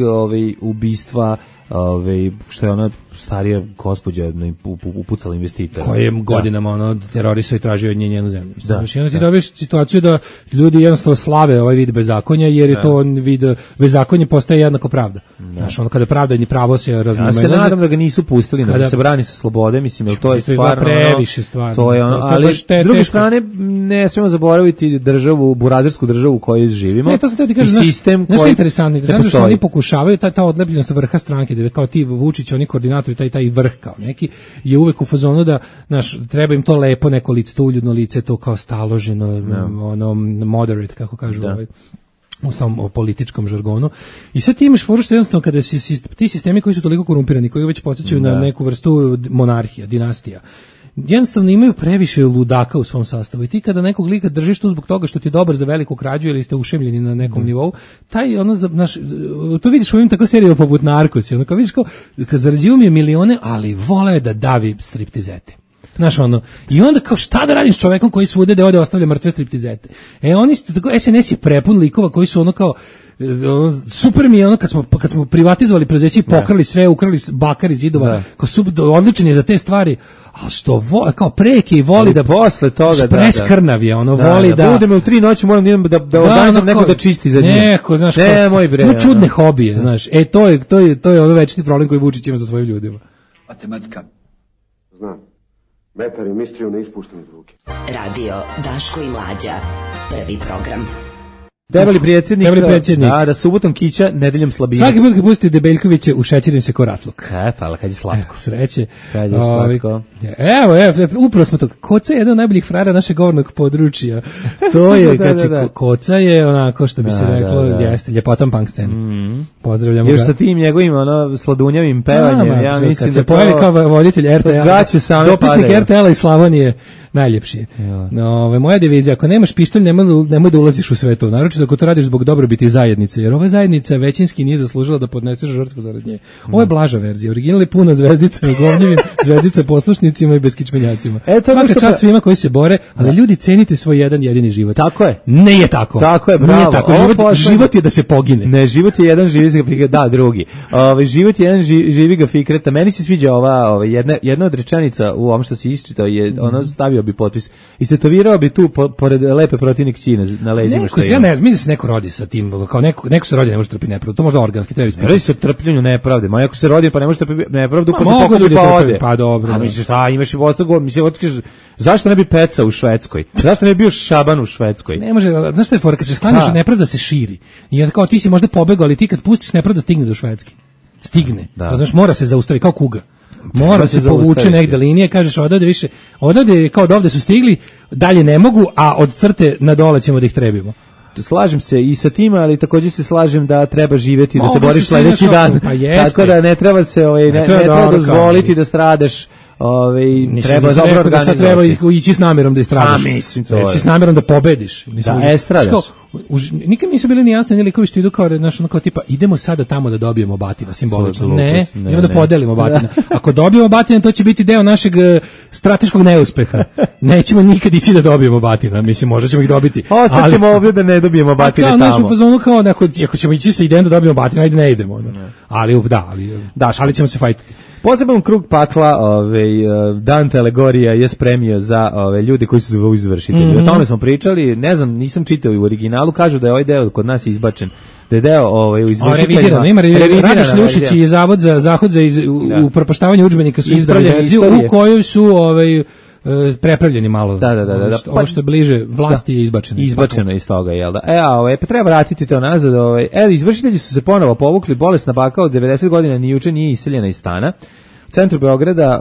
ubistva što je ona starija gospođa upucala investitora. Koji je godinama terorisao i tražio od nje njenu zemlju. Znači, ti dobiješ situaciju da ljudi jednostavno slave ovaj vid bezakonja, jer je to vid bezakonje postaje jednako pravda. Znaš, kada pravda i pravo se razmemelaze. Ja se nadam da ga nisu pustili, da se brani sa slobode, mislim, jer to je stvarno previše stvarno. To je ali s druge strane ne smemo zaboraviti burazersku državu u kojoj živimo. Ne, to se ti kaže, sistem koji je interesantno, zato što oni pokušavaju ta odlepljenost vrha stranke, da kao ti Vučić, oni koordinatori, taj vrh kao neki, je uvek u fazonu da, treba im to lepo neko lice, to uljudno lice, to kao staloženo, moderate, kako kažu u samom političkom žargonu. I sad ti imaš foru što jednostavno kada ti sistemi koji su toliko korumpirani, koji već podsjećaju na neku vrstu monarhija, dinastija, jednostavno imaju previše ludaka u svom sastavu i ti kada nekog lika držiš tu zbog toga što ti je dobar za veliku krađu ili ste ušemljeni na nekom nivou, to vidiš u ovim tako serijama poput Narkosi, kao vidiš kad zarađivo mi je milione, ali vole da davi striptizete. I onda kao šta da radim s čovekom koji svude da ode ostavlja mrtve striptizete. Oni su tako, SNS je prepun likova koji su kao super mi je kad smo privatizovali preduzeće i pokrali sve, ukrali bakar iz zidova, odličan je za te stvari, ali što kao preke i voli da posle toga preskrnav je, voli da budemo u 3 noći, moram da organizujem neko da čisti za njih. Neko, znaš, čudne hobije, znaš. To je večiti problem koji Vučić ima sa svojim ljudima. Matematika. Znam. Metar i mistriju ne ispuštam iz ruke. Radio Daško i Mlađa. Prvi program. Debeli predsjednik. Da subotom kića, nedeljom slabinac. Svaki put kad pustite Debeljkovića, ušećerim se ko ratluk. Hvala, kad je slatko. Sreće. Kad je slatko. Evo, upravo smo to. Koca je jedan od najboljih frajera našeg govornog područja. To je, Koca je onako, što bi se reklo, jeste, ljepotan punk scena. Pozdravljamo ga. Još sa tim njegovim, slodunjavim pevanjem, ja mislim kad se pojavi kao voditelj RTL-a, dopisnik RTL-a iz Slavonije, najljepši je. Moja divizija, ako nemaš pištolj, nemoj da ulaziš u sve to, naročito ako to radiš zbog dobrobiti zajednice, jer ova zajednica većinski nije zaslužila da podnese žrtvu zarad nje. Ovo je blaža verzija, original je puna zvezdicama, govnjivim zvezdica poslušnicima i beskičmenjacima. Svaka čast svima koji se bore, ali ljudi, cenite svoj jedan jedini život. Tako je. Ne je tako. Tako je, bravo. Nije tako. Život je da se pogine. Ne, život je jedan, živi ga fikreta, drugi. Život je jedan, živi ga fikreta. Meni se sviđa jedna od rečenica u ovom što si isčitao, je ono stavio bi potpis. Istetovirao bi tu pored lepe protivnik Kine na leđima što je. Ja ne znam, mislim da se neko rodi sa tim, kao neko se rodi ne može trpiti nepravdu. To možda organski treba ispitati. Radi se o trpljenju nepravde. Ma ako se rodi pa ne može trpiti nepravdu, pa se pokupi pa ode. Pa dobro. A misliš šta, imaš i ostalo, zašto ne bi Peca u Švedskoj? Zašto ne bi bio Šaban u Švedskoj? Ne može, znaš šta je fora, kad se sklaniš nepravda se širi. I kao ti si možda pobegao, ali ti kad pustiš nepravda stigne do Švedske. Stigne. Znaš, mora se zaustaviti kao kuga. Mora se povuče negde linije, kažeš odavde kao dovde su stigli, dalje ne mogu, a od crte na dole ćemo da ih trebimo. Slažem se i sa tim, ali također se slažem da treba živjeti, da se boriš sledeći dan. Tako da ne treba se ne treba dozvoliti da stradaš. Treba dobro organizovati. Treba ići s namjerom da istradaš. Ići s namjerom da pobediš. Da estradaš. Nikad nisu bili ni jasni ni likovi što idu kao tipa idemo sada tamo da dobijemo batina simbolično. Ne, idemo da podelimo batina. Ako dobijemo batina, to će biti deo našeg strateškog neuspeha. Nećemo nikad ići da dobijemo batina. Mislim, možda ćemo ih dobiti. Ostaćemo ovdje da ne dobijemo batine tamo. Kao našu fazonu kao ako ćemo ići sa idejom da dobijemo batina, ajde ne idemo. Ali ćemo se fajtati. Poseban krug pakla, Dante alegorija je spremio za ljude koji su zvu izvršitelji. O tome smo pričali, ne znam, nisam čitao u originalu, kažu da je ovaj deo kod nas izbačen, da je deo u izvršiteljima. Ima Radoš Ljušić i Zavod za upropaštavanje udžbenika su izdali verziju u kojoj su prepravljeni malo. Da. Ovo što je bliže vlasti je izbačeno. Izbačeno iz toga, jel da? Pa treba vratiti to nazad. Izvršitelji su se ponovo povukli, bolesna baka od 90 godina ni juče nije iseljena iz stana. U centru Beograda,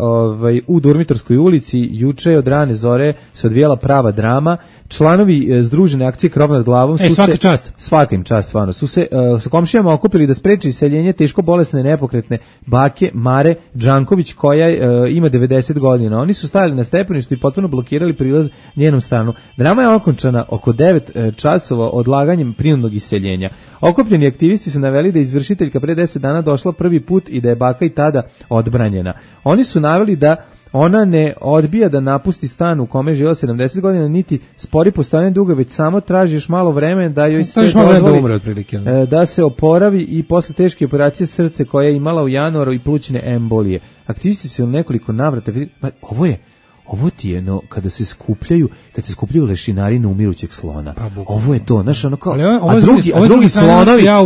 u Durmitorskoj ulici, juče od rane zore se odvijala prava drama. Članovi združene akcije Krov nad glavom su svaka čast. Svaka im čast, stvarno. Su se sa komšijama okupili da spreči iseljenje teško bolesne nepokretne bake Mare Đanković koja ima 90 godina. Oni su stajali na stepeništu i potpuno blokirali prilaz njenom stanu. Drama je okončana oko 9 časova odlaganjem prinudnog iseljenja. Okupljeni aktivisti su naveli da je izvršiteljka pre 10 dana došla prvi put i da je baka i tada odbranjena. Oni su naveli da Ona ne odbija da napusti stan u kome je živjela 70 godina, niti spori postojanje duga, već samo traži još malo vremena da joj se dozvoli da se oporavi i posle teške operacije srce koje je imala u januaru i plućne embolije. Aktivisti su nekoliko navrata, ovo ti je, no, kad se skupljaju lešinari na umirućeg slona. Ovo je to, znaš, ono kao,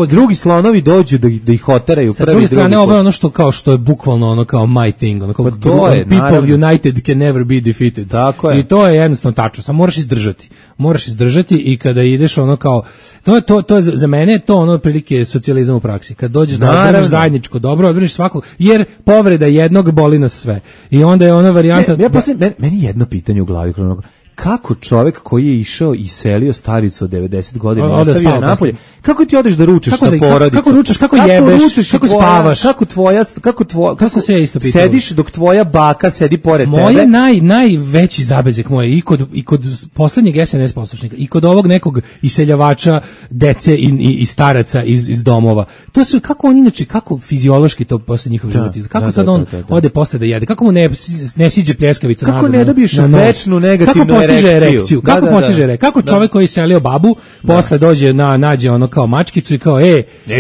drugi slonovi dođu da ih oteraju. Sa druge strane, ovo je ono što je bukvalno ono kao my thing, ono kao people united can never be defeated. Tako je. I to je jednostavno tačno, samo moraš izdržati i kada ideš ono kao, to je za mene to ono prilike socijalizam u praksi. Kad dođeš da odbraniš zajedničko dobro, odbraniš svakog, jer povreda jednog boli nas sve. I onda je ona varijanta... Meni jedno pitanje u glavi, kako čovjek koji je išao i selio staricu od 90 godina ostavio napolje, kako ti odeš da ručaš sa porodicom? Kako ručaš, kako jebeš, kako spavaš? Kako se ja isto pitao? Sediš dok tvoja baka sedi pored tebe? Moje najveći zabezek moje i kod poslednjeg SNS poslušnika i kod ovog nekog iseljavača dece i staraca iz domova. To su kako on inače, kako fiziološki to posle njihov život izgleda. Kako sad on ode posle da jede? Kako mu ne siđe pljeskavica nazad? Kako ne dobiješ večnu negativnu erekciju? Kako postiže erekciju? Kako čovjek koji iselio babu posle dođe nađe ono kao mačkicu i kao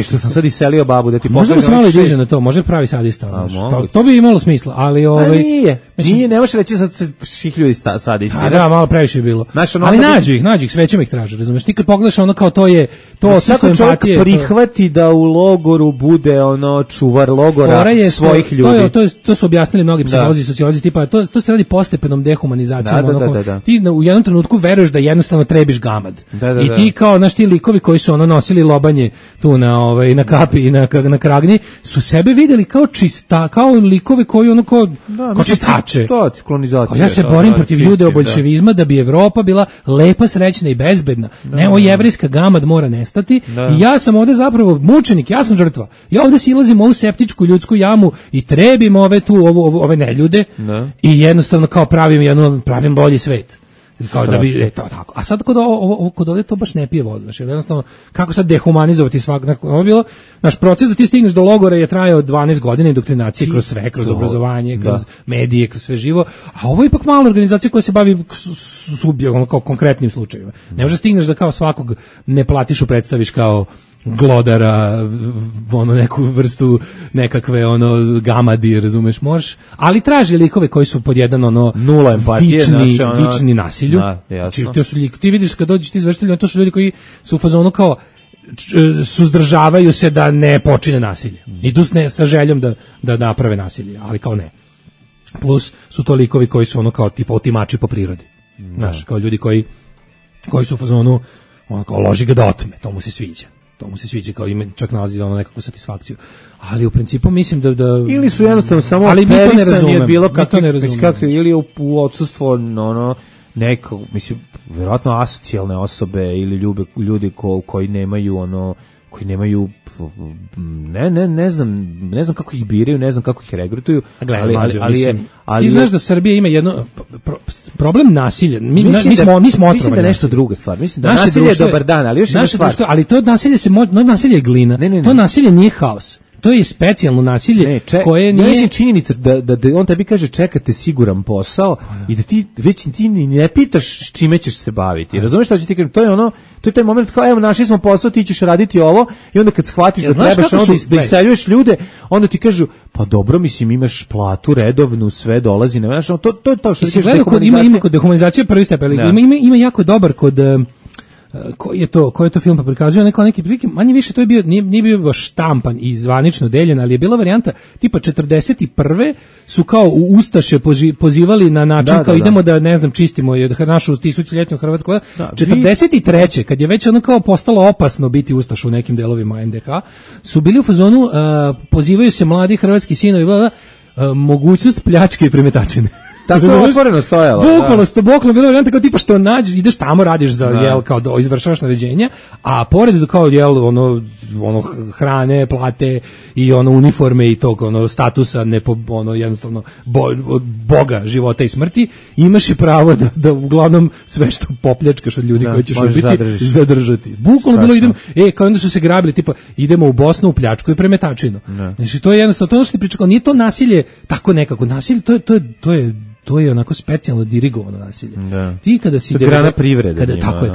što sam sad iselio babu da ti možda se malo diže na to, može pravi sadista. To bi imalo smisla, ali nije, ne možeš reći sad se šihljuju sadista. Da, malo previše je bilo. Ali nađu ih, svećem ih traže, razumeš? Ti kad pogledaš ono kao to odsustvo empatije. Čovjek prihvati da u logoru bude ono čuvar logora svojih ljudi. To su objasnili mnogi psiholozi i sociolozi, tipa to se radi postepenom dehumanizacijom. Ti u jednom trenutku veruješ da jednostavno trebiš gamad. I ti kao naš ti likovi koji su ono nosili lobanje tu na kapi i na kragnji su sebe videli kao kao likovi koji ono kao čistače. Ja se borim protiv ljude boljševizma da bi Evropa bila lepa, srećna i bezbedna. Nemo jevrijska gamad mora nestati i ja sam ovde zapravo mučenik, ja sam žrtva. Ja ovde silazim u ovu septičku ljudsku jamu i trebim ove neljude i jednostavno kao pravim bolji svet. Kao da bi to tako. A sad kod ovdje to baš ne pije vodu. Znači jednostavno kako sad dehumanizovati ovo je bilo naš proces da ti stigneš do logora je trajao 12 godina indoktrinacije kroz sve, kroz obrazovanje, kroz medije, kroz sve živo. A ovo je ipak mala organizacija koja se bavi kao konkretnim slučajevima. Ne možeš stigneš da kao svakog ne platiš predstaviš kao glodara, neku vrstu nekakve gamadi, razumeš, možeš, ali traži likove koji su pod jedan nula empatije, vični nasilju. Znači, ti vidiš kad dođeš ti izvršitelji, to su ljudi koji su u fazonu kao suzdržavaju se da ne počine nasilje. Idu sa željom da naprave nasilje, ali kao ne. Plus su to likovi koji su kao tipa otimači po prirodi. Znaš, kao ljudi koji su u fazonu kao loži ga da otme, to mu se sviđa, kao ima čak nalazi nekakvu satisfakciju. Ali u principu mislim da ili su jednostavno samo perisanje bilo kako ili u odsustvo neko, mislim, vjerojatno asocijalne osobe ili ljudi koji nemaju ne znam kako ih biraju, ne znam kako ih regrutuju, ali ti znaš da Srbija ima jedno problem nasilja. Mi smo mislim da je nešto druga stvar. Mislim da nasilje je dobar dan, ali još jedna stvar. Ali to nasilje je glina. To nasilje nije haos. To je specijalno nasilje koje nije... Mislim činjenica da on tebi kaže čekate siguran posao i da ti već ti ne pitaš čime ćeš se baviti. Razumeš šta ću ti kažem? To je taj moment kao evo našli smo posao, ti ćeš raditi ovo i onda kad shvatiš da trebaš da iseljuješ ljude, onda ti kažu pa dobro, mislim imaš platu redovnu, sve dolazi, ne znaš, to je to što kažeš dehumanizacija. Ima kod dehumanizacije prvi stepen, ima jako dobar kod koji je to film pa prikazuje neki prilike, manje više to je bio, nije bio baš štampan i zvanično deljen, ali je bila varijanta tipa 41. su kao u Ustaše pozivali na način kao idemo da ne znam čistimo našu tisućljetnju Hrvatsku. 43. kad je već kao postalo opasno biti Ustaš u nekim delovima NDH, su bili u fazonu pozivaju se mladi hrvatski sinovi, mogućnost pljačke i premetačine. Tako je otvoreno stojalo. Bukvalno bilo varijanta kao tipa što nađeš, ideš tamo, radiš za jel kao izvršavaš naređenja, a pored kao jel ono hrane, plate i ono uniforme i tog ono statusa ono jednostavno boga života i smrti, imaš i pravo da uglavnom sve što popljačkaš od ljudi koji ćeš ubiti zadržati. Bukvalno bilo idemo, kao onda su se grabili tipa idemo u Bosnu u pljačku i premetačinu. Znači to je jednostavno to što ti pričao, nije to nasilje tako nekako nasilje, to je onako specijalno dirigovano nasilje. Ti kada si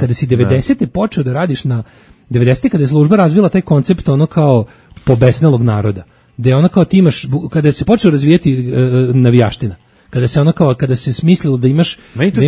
kada si 90. počeo da radiš na 90. kada je služba razvila taj koncept ono kao pobesnelog naroda, da je ono kao ti imaš, kada se počeo razvijati navijaština, kada se smislilo da imaš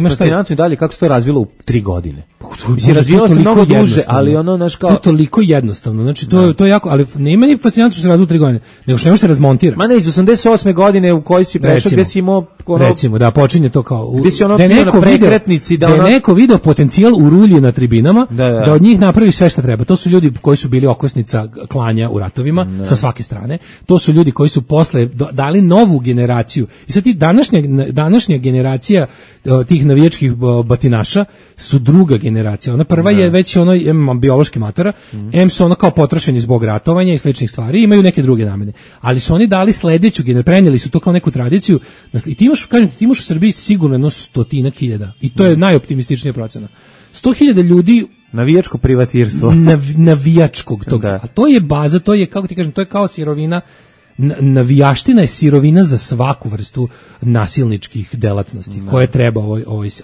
fascinantno i dalje kako se to razvilo u 3 godine. Mislim, razvijalo se mnogo duže, ali ono naš kao... To je toliko jednostavno, znači to je jako, ali nema ni fascinantno što se razvilo u 3 godine, nego što ne može se razmontira. Ma ne, iz 88. godine u kojoj si prešao, gde si imao... Recimo, da počinje to kao... Gde si ono bio na prekretnici, da je neko video potencijal u rulji na tribinama, da od njih napravi sve što treba. To su ljudi koji su bili okosnica klanja u ratovima, sa svake strane. To su ljudi koji su posle dali novu generaciju. I sad ti današnja generacija tih navijačkih batinaša su druga generacija. Ona prva je već ono biološki matora, su ono kao potrošeni zbog ratovanja i sličnih stvari, imaju neke druge namene. Ali su oni dali sledeću generaciju, prenijeli su to kao neku tradiciju. I ti imaš u Srbiji sigurno 100.000 i to je najoptimističnija procena. 100.000 ljudi navijačko privatirstvo. Navijačkog toga. A to je baza, to je, kako ti kažem, to je kao sirovina. Navijaština je sirovina za svaku vrstu nasilničkih delatnosti koje treba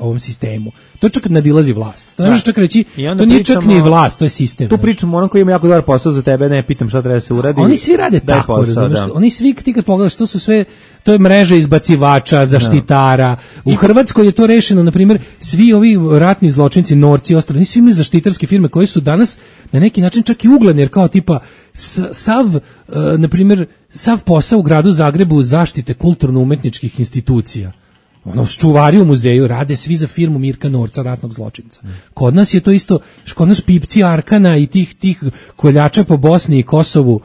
ovom sistemu. To čak nadilazi vlast. To ne možeš čak reći, to nije čak ni vlast, to je sistem. Tu pričamo onom koji ima jako dobar posao za tebe, ne pitam šta treba da se uradi. Oni svi rade tako, razumiješ? Oni svi, ti kad pogledaš, to su sve, to je mreža izbacivača, zaštitara. U Hrvatskoj je to rešeno, na primjer, svi ovi ratni zločinci, norci i ostali, svi imaju zaštitarske firme koje su danas na neki način čak i ugledni, jer kao tipa na primjer, sav posao u gradu Zagrebu zaštite kulturno-umetničkih institucija. Čuvari u muzeju rade svi za firmu Mirka Norca, ratnog zločinca. Kod nas je to isto, kod nas pipci Arkana i tih koljača po Bosni i Kosovu,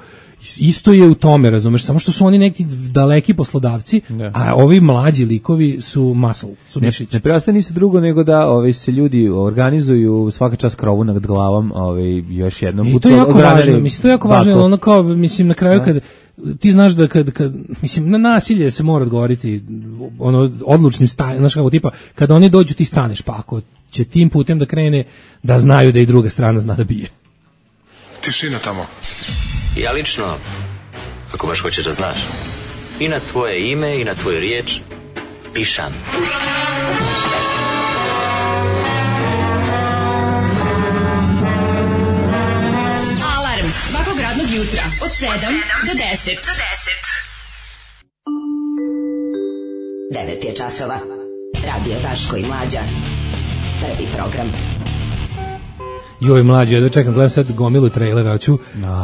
isto je u tome, razumeš, samo što su oni neki daleki poslodavci, a ovi mlađi likovi su muscle, su mišić. Ne preostaje ništa drugo nego da se ljudi organizuju svaka čast krovu nad glavom, još jednom. I to je jako važno, mislim, to je jako važno, ono kao, mislim, na kraju kad ti znaš da kad mislim, na nasilje se mora odgovoriti odlučnim stajem, znaš kako tipa, kad oni dođu ti staneš, pa ako će tim putem da krene, da znaju da i druga strana zna da bije. Tišina tamo. Ja lično, ako baš hoćeš da znaš, i na tvoje ime i na tvoju riječ pišam. Alarm svakog radnog jutra od 7 do 10. 9 je časova. Radio Daško i Mlađa. Prvi program. Joj, mlađi, ja čekam, gledam sad gomilu trailera, hoću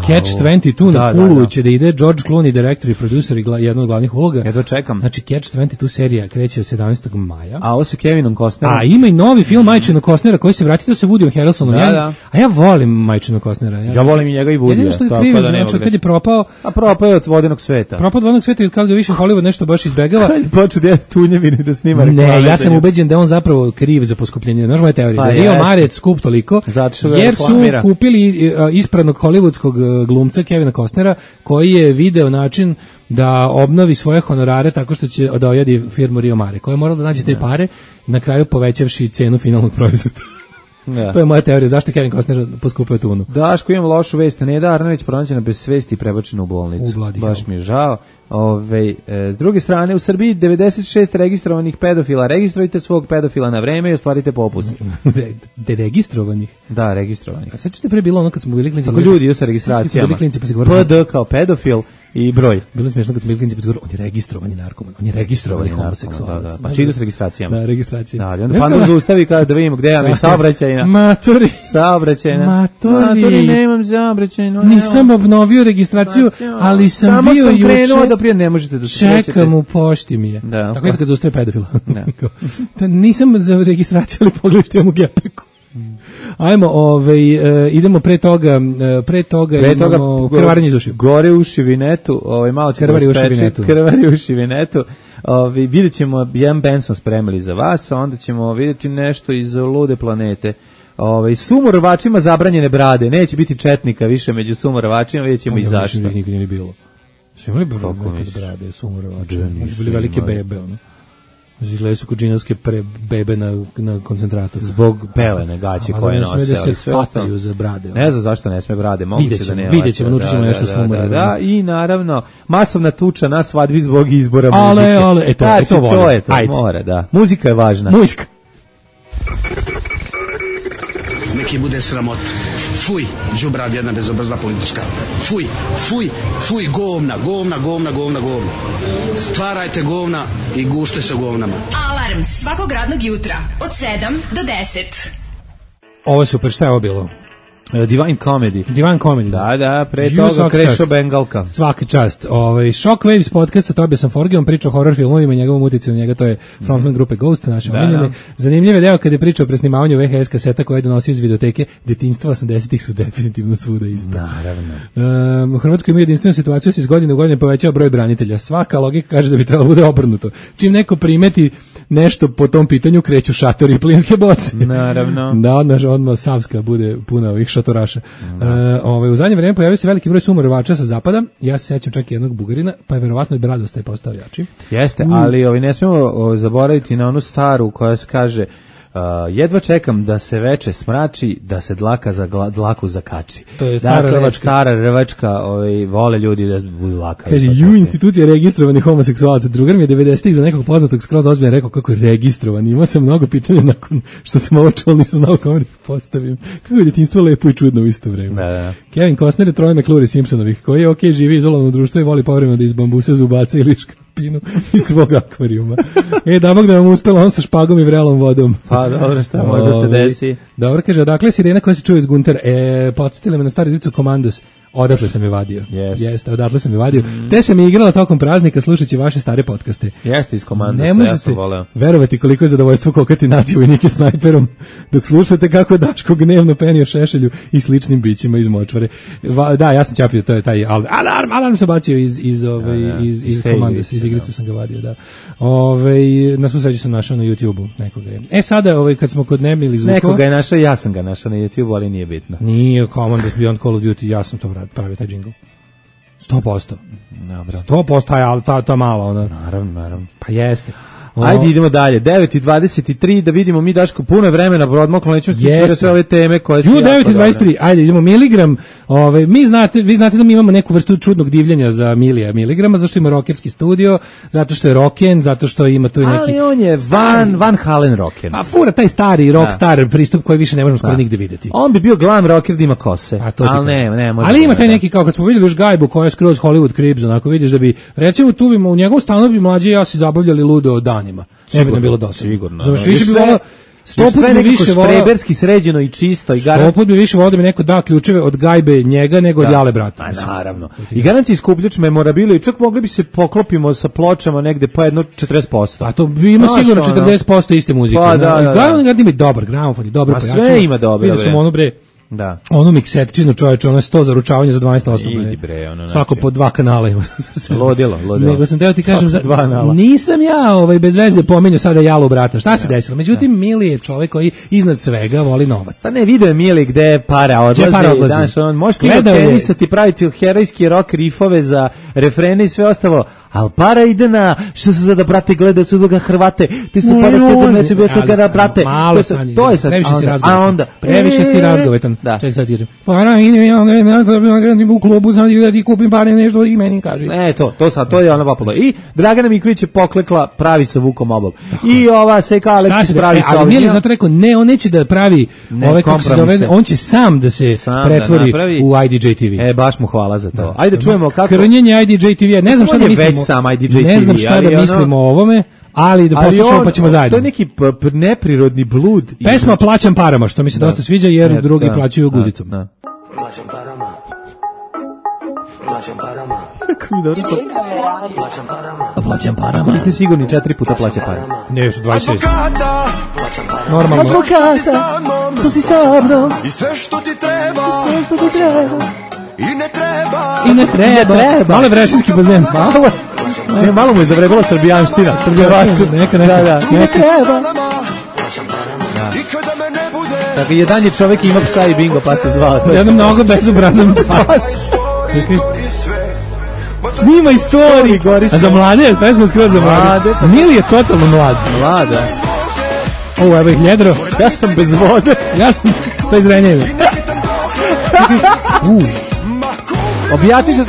Catch 22 na Hulu će da ide George Clooney, direktor i producer i jedna od glavnih uloga. Ja to čekam. Znači, Catch 22 serija kreće od 17. maja. A ovo sa Kevinom Costnerom. A ima i novi film Majčinog Costnera koji se vrati, to se Woodyom Harrelsonom. A ja volim Majčinog Costnera. Ja volim i njega i Woodya. Tako da nema kad je propao. A propao je od Vodenog sveta. Propao od Vodenog sveta i kad ga više Hollywood nešto baš izbegava. Počeo da je tunjevine da snima reklame. Ne, ja sam ubeđen da on zapravo kriv za poskupljenje. Znaš moja teorija, da Rio Mare skup toliko, jer su kupili ispradnog hollywoodskog glumca Kevina Costnera, koji je video način da obnovi svoje honorare tako što će da ojadi firmu Rio Mare, koja je morala da nađe te pare, na kraju povećavši cenu finalnog proizvoda. Ja. To je moja teorija, zašto Kevin Costner poskupuje tunu. Daško, imam lošu vest, Neda Arnerić pronađena bez svesti i prebačena u bolnicu. Baš mi je žao. S druge strane, u Srbiji 96 registrovanih pedofila. Registrujte svog pedofila na vreme i ostvarite popust. Deregistrovanih? Da, registrovanih. A sad ćete pre bilo ono kad smo bili klinci. Tako ljudi sa registracijama. PD kao pedofil i broj. Bilo smiješno kad smo bili klinci pa se govorili, on je registrovani narkoman, on je registrovani homoseksualac. Da. Pa svi idu s registracijama. Da, registracija. Da, onda Pandor zaustavi kada da vidimo gde je saobraćajna. Maturi. Maturi, nemam saobraćajnu. Nisam obnovio registraciju, ali sam bio juče. Samo sam krenuo da prije ne možete da se čekam u pošti mi je. Da. Tako je kad zaustavi pedofila. Nisam za registraciju, ali pogledajte imam u gepeku. Ajmo, idemo pre toga imamo krvarenje iz ušiju. Gore uši vinetu, malo ćemo krvari uši vinetu. Vidjet ćemo, jedan band smo spremili za vas, a onda ćemo vidjeti nešto iz Lude planete. Sumorovačima zabranjene brade, neće biti četnika više među sumorovačima, vidjet ćemo i zašto. Nikad nije ni bilo. Su imali nekad brade, sumorovače, bili velike bebe, ono. Izgledaju su kod džinovske bebe na koncentratu. Zbog pelene gaće koje nose. Ali ne sme da se fataju za brade. Ne znam zašto ne sme brade. Vidjet ćemo, naučit ćemo nešto sumorno. Da, i naravno, masovna tuča na svadbi zbog izbora muzike. Ale, to je to, mora, da. Muzika je važna. Muzika. Neki bude sramot. Fuj, đubrad jedna bezobrazna politička. Fuj, govna. Stvarajte govna i gušte se govnama. Alarm svakog radnog jutra od 7 do 10. Ovo je super, šta je ovo bilo? Divine Comedy. Da, pre toga Krešo Bengalka. Svaka čast. Shockwaves podcast sa Tobiasom Forgeom priča o horror filmovima i njegovom uticaju na njega, to je frontman grupe Ghost, naše omiljene. Zanimljiv je deo kada je pričao o presnimavanju VHS kaseta koje je donosio iz videoteke. Detinjstva 80-ih su definitivno svuda isto. Naravno. U Hrvatskoj ima jedinstvenu situaciju, se iz godine u godine povećava broj branitelja. Svaka logika kaže da bi trebalo bude obrnuto. Čim neko primeti nešto po tom pitanju, kreću šatori i plinske boce. Naravno. Da, odmah Savska bude puna ovih šatoraša. U zadnje vreme pojavio se veliki broj sumorovača sa zapada. Ja se sećam čak i jednog Bugarina, pa je verovatno i Bradosta je postao jači. Jeste, ali ne smemo zaboraviti na onu staru koja se kaže jedva čekam da se veče smrači, da se dlaka za dlaku zakači. To je stara rvačka, vole ljudi da budu laka. Kaže, institucija registrovanih homoseksualaca. Drugar mi je 90-ih za nekog poznatog skroz ozbiljno rekao kako je registrovan. Imao sam mnogo pitanja nakon što sam ovo čuo, nisam znao kako da postavim. Kako je djetinjstvo lepo i čudno u isto vreme. Da. Kevin Costner je troj McClure Simpsonovih, koji je živi izolovano društvo i voli povremeno da iz bambusa zubaca ili škrapinu iz svog akvarijuma. Damog da vam uspelo on sa špagom i vrelom vodom. Pa dobro, šta možda se desi. Dobro, kaže, odakle sirena koja se čuje iz Guntera? Podsjetila me na stari dicu Komandos. Odatle sam je vadio. Jeste, odatle sam je vadio. Te sam je igrala tokom praznika slušajući vaše stare podcaste. Jeste iz Komandosa, ne možete verovati koliko je zadovoljstvo kokati naciju vojnike snajperom dok slušate kako Daško gnevno penio Šešelju i sličnim bićima iz močvare. Da, ja sam čapio, to je taj alarm se bacio iz Komandosa, iz igrice sam ga vadio, da. Na svu sreću sam našao na YouTube-u nekoga je. Sada, kad smo kod nemilih zvukova... Nekoga je našao, ja sam ga našao na YouTube-u, ali nije bitno. Nije Commandos Beyond Call of Duty, ja sam to pravio taj džingl. 100%. Dobro. 100%, ta mala ona. Naravno. Pa jeste. Ajde, idemo dalje. 9:23, da vidimo mi Daško puno vremena odmaklo, nećemo stići sve ove teme koje su 9:23. Ajde, idemo miligram. Vi znate da mi imamo neku vrstu čudnog divljenja za Milija miligrama, zato što ima rockerski studio, zato što je rocken, zato što ima tu neki. Ali on je Van Halen rocken. A fura taj stari rockstar pristup koji više ne možemo skoro nigde videti. On bi bio glam rocker da ima kose. Ali ne, ali ima taj neki, kao kad smo vidjeli još Gajbu koja je skroz Hollywood Cribs, onako vidiš da bi recimo tu bi u njegovom stanu bi mlađi ja se zabavljali ludo od danima. Ne bi nam bilo dosta. Sigurno. Znaš, više bi volao, 100 puta bi više volao, štreberski sređeno i čisto. I 100 puta bi više volao da mi neko da ključeve od Gajbe njega nego od Jale brata. Naravno. I garanti skupljač memorabilia i čak mogli bi se poklopimo sa pločama negde po jedno 40%. A to bi ima sigurno 40% iste muzike. Pa da. Gajbe ima dobar gramofon i dobro pojačanje. Sve ima dobro. Vidio sam ono bre. Da. Onu miksetčinu, čoveče, ono je 100 za ručavanje za 12 osoba. Idi bre, ono, svako po 2 kanala ima. Lodilo. Nego sam teo ti kažem, nisam ja bez veze pominjao sada Jalu brata. Šta se desilo? Međutim, Mili je čovjek koji iznad svega voli novac. Pa ne, video je Mili gde para odlazi. Daš, on može ti tenisati, praviti herojski rock riffove za refrene i sve ostalo. Al para ide na što se da brate gleda su ga Hrvate. Ti se para četir neće bio se kada brate. To je sad. Previše si razgovetan. Ček sad kažem. Para ide u klubu sad da ti kupim pare nešto i meni kaže. Ne, to je ona vapalo. I Dragana Miković je poklekla pravi sa Vukom Obom. I ova Seka Aleksić pravi sa. Ali Mili zato rekao ne, on neće da pravi ove kako se zove, on će sam da se pretvori u IDJ TV. Baš mu hvala za to. Ajde čujemo kako krnjenje IDJ TV. Ne znam šta da mislim. Ne znam šta da mislimo o ovome, ali da poslušamo pa ćemo zajedno. To je neki neprirodni blud. Pesma Plaćam parama, što mi se dosta sviđa jer drugi plaćaju guzicom. Plaćam parama. Kako mi dobro to? Plaćam parama. Vi ste sigurni 4 puta plaća parama. Ne, su 26. Normalno. Advokata, tu si sa mnom. I sve što ti treba. I ne treba. Malo je Vrežinski bazen. Malo mu je zavrebala srbijanština. Neka. Da. I ne treba. Tako, jedan je čovek ima psa i bingo, pa se zvao. Jedan mnogo bezobrazan pas. Snima istoriji. A za mlade, pesma skroz za mlade. Mili je totalno mlad. Mlada. Ovo, evo ih ljedro. Ja sam bez vode. Ja sam, to je Zrenjanin. Objasni se,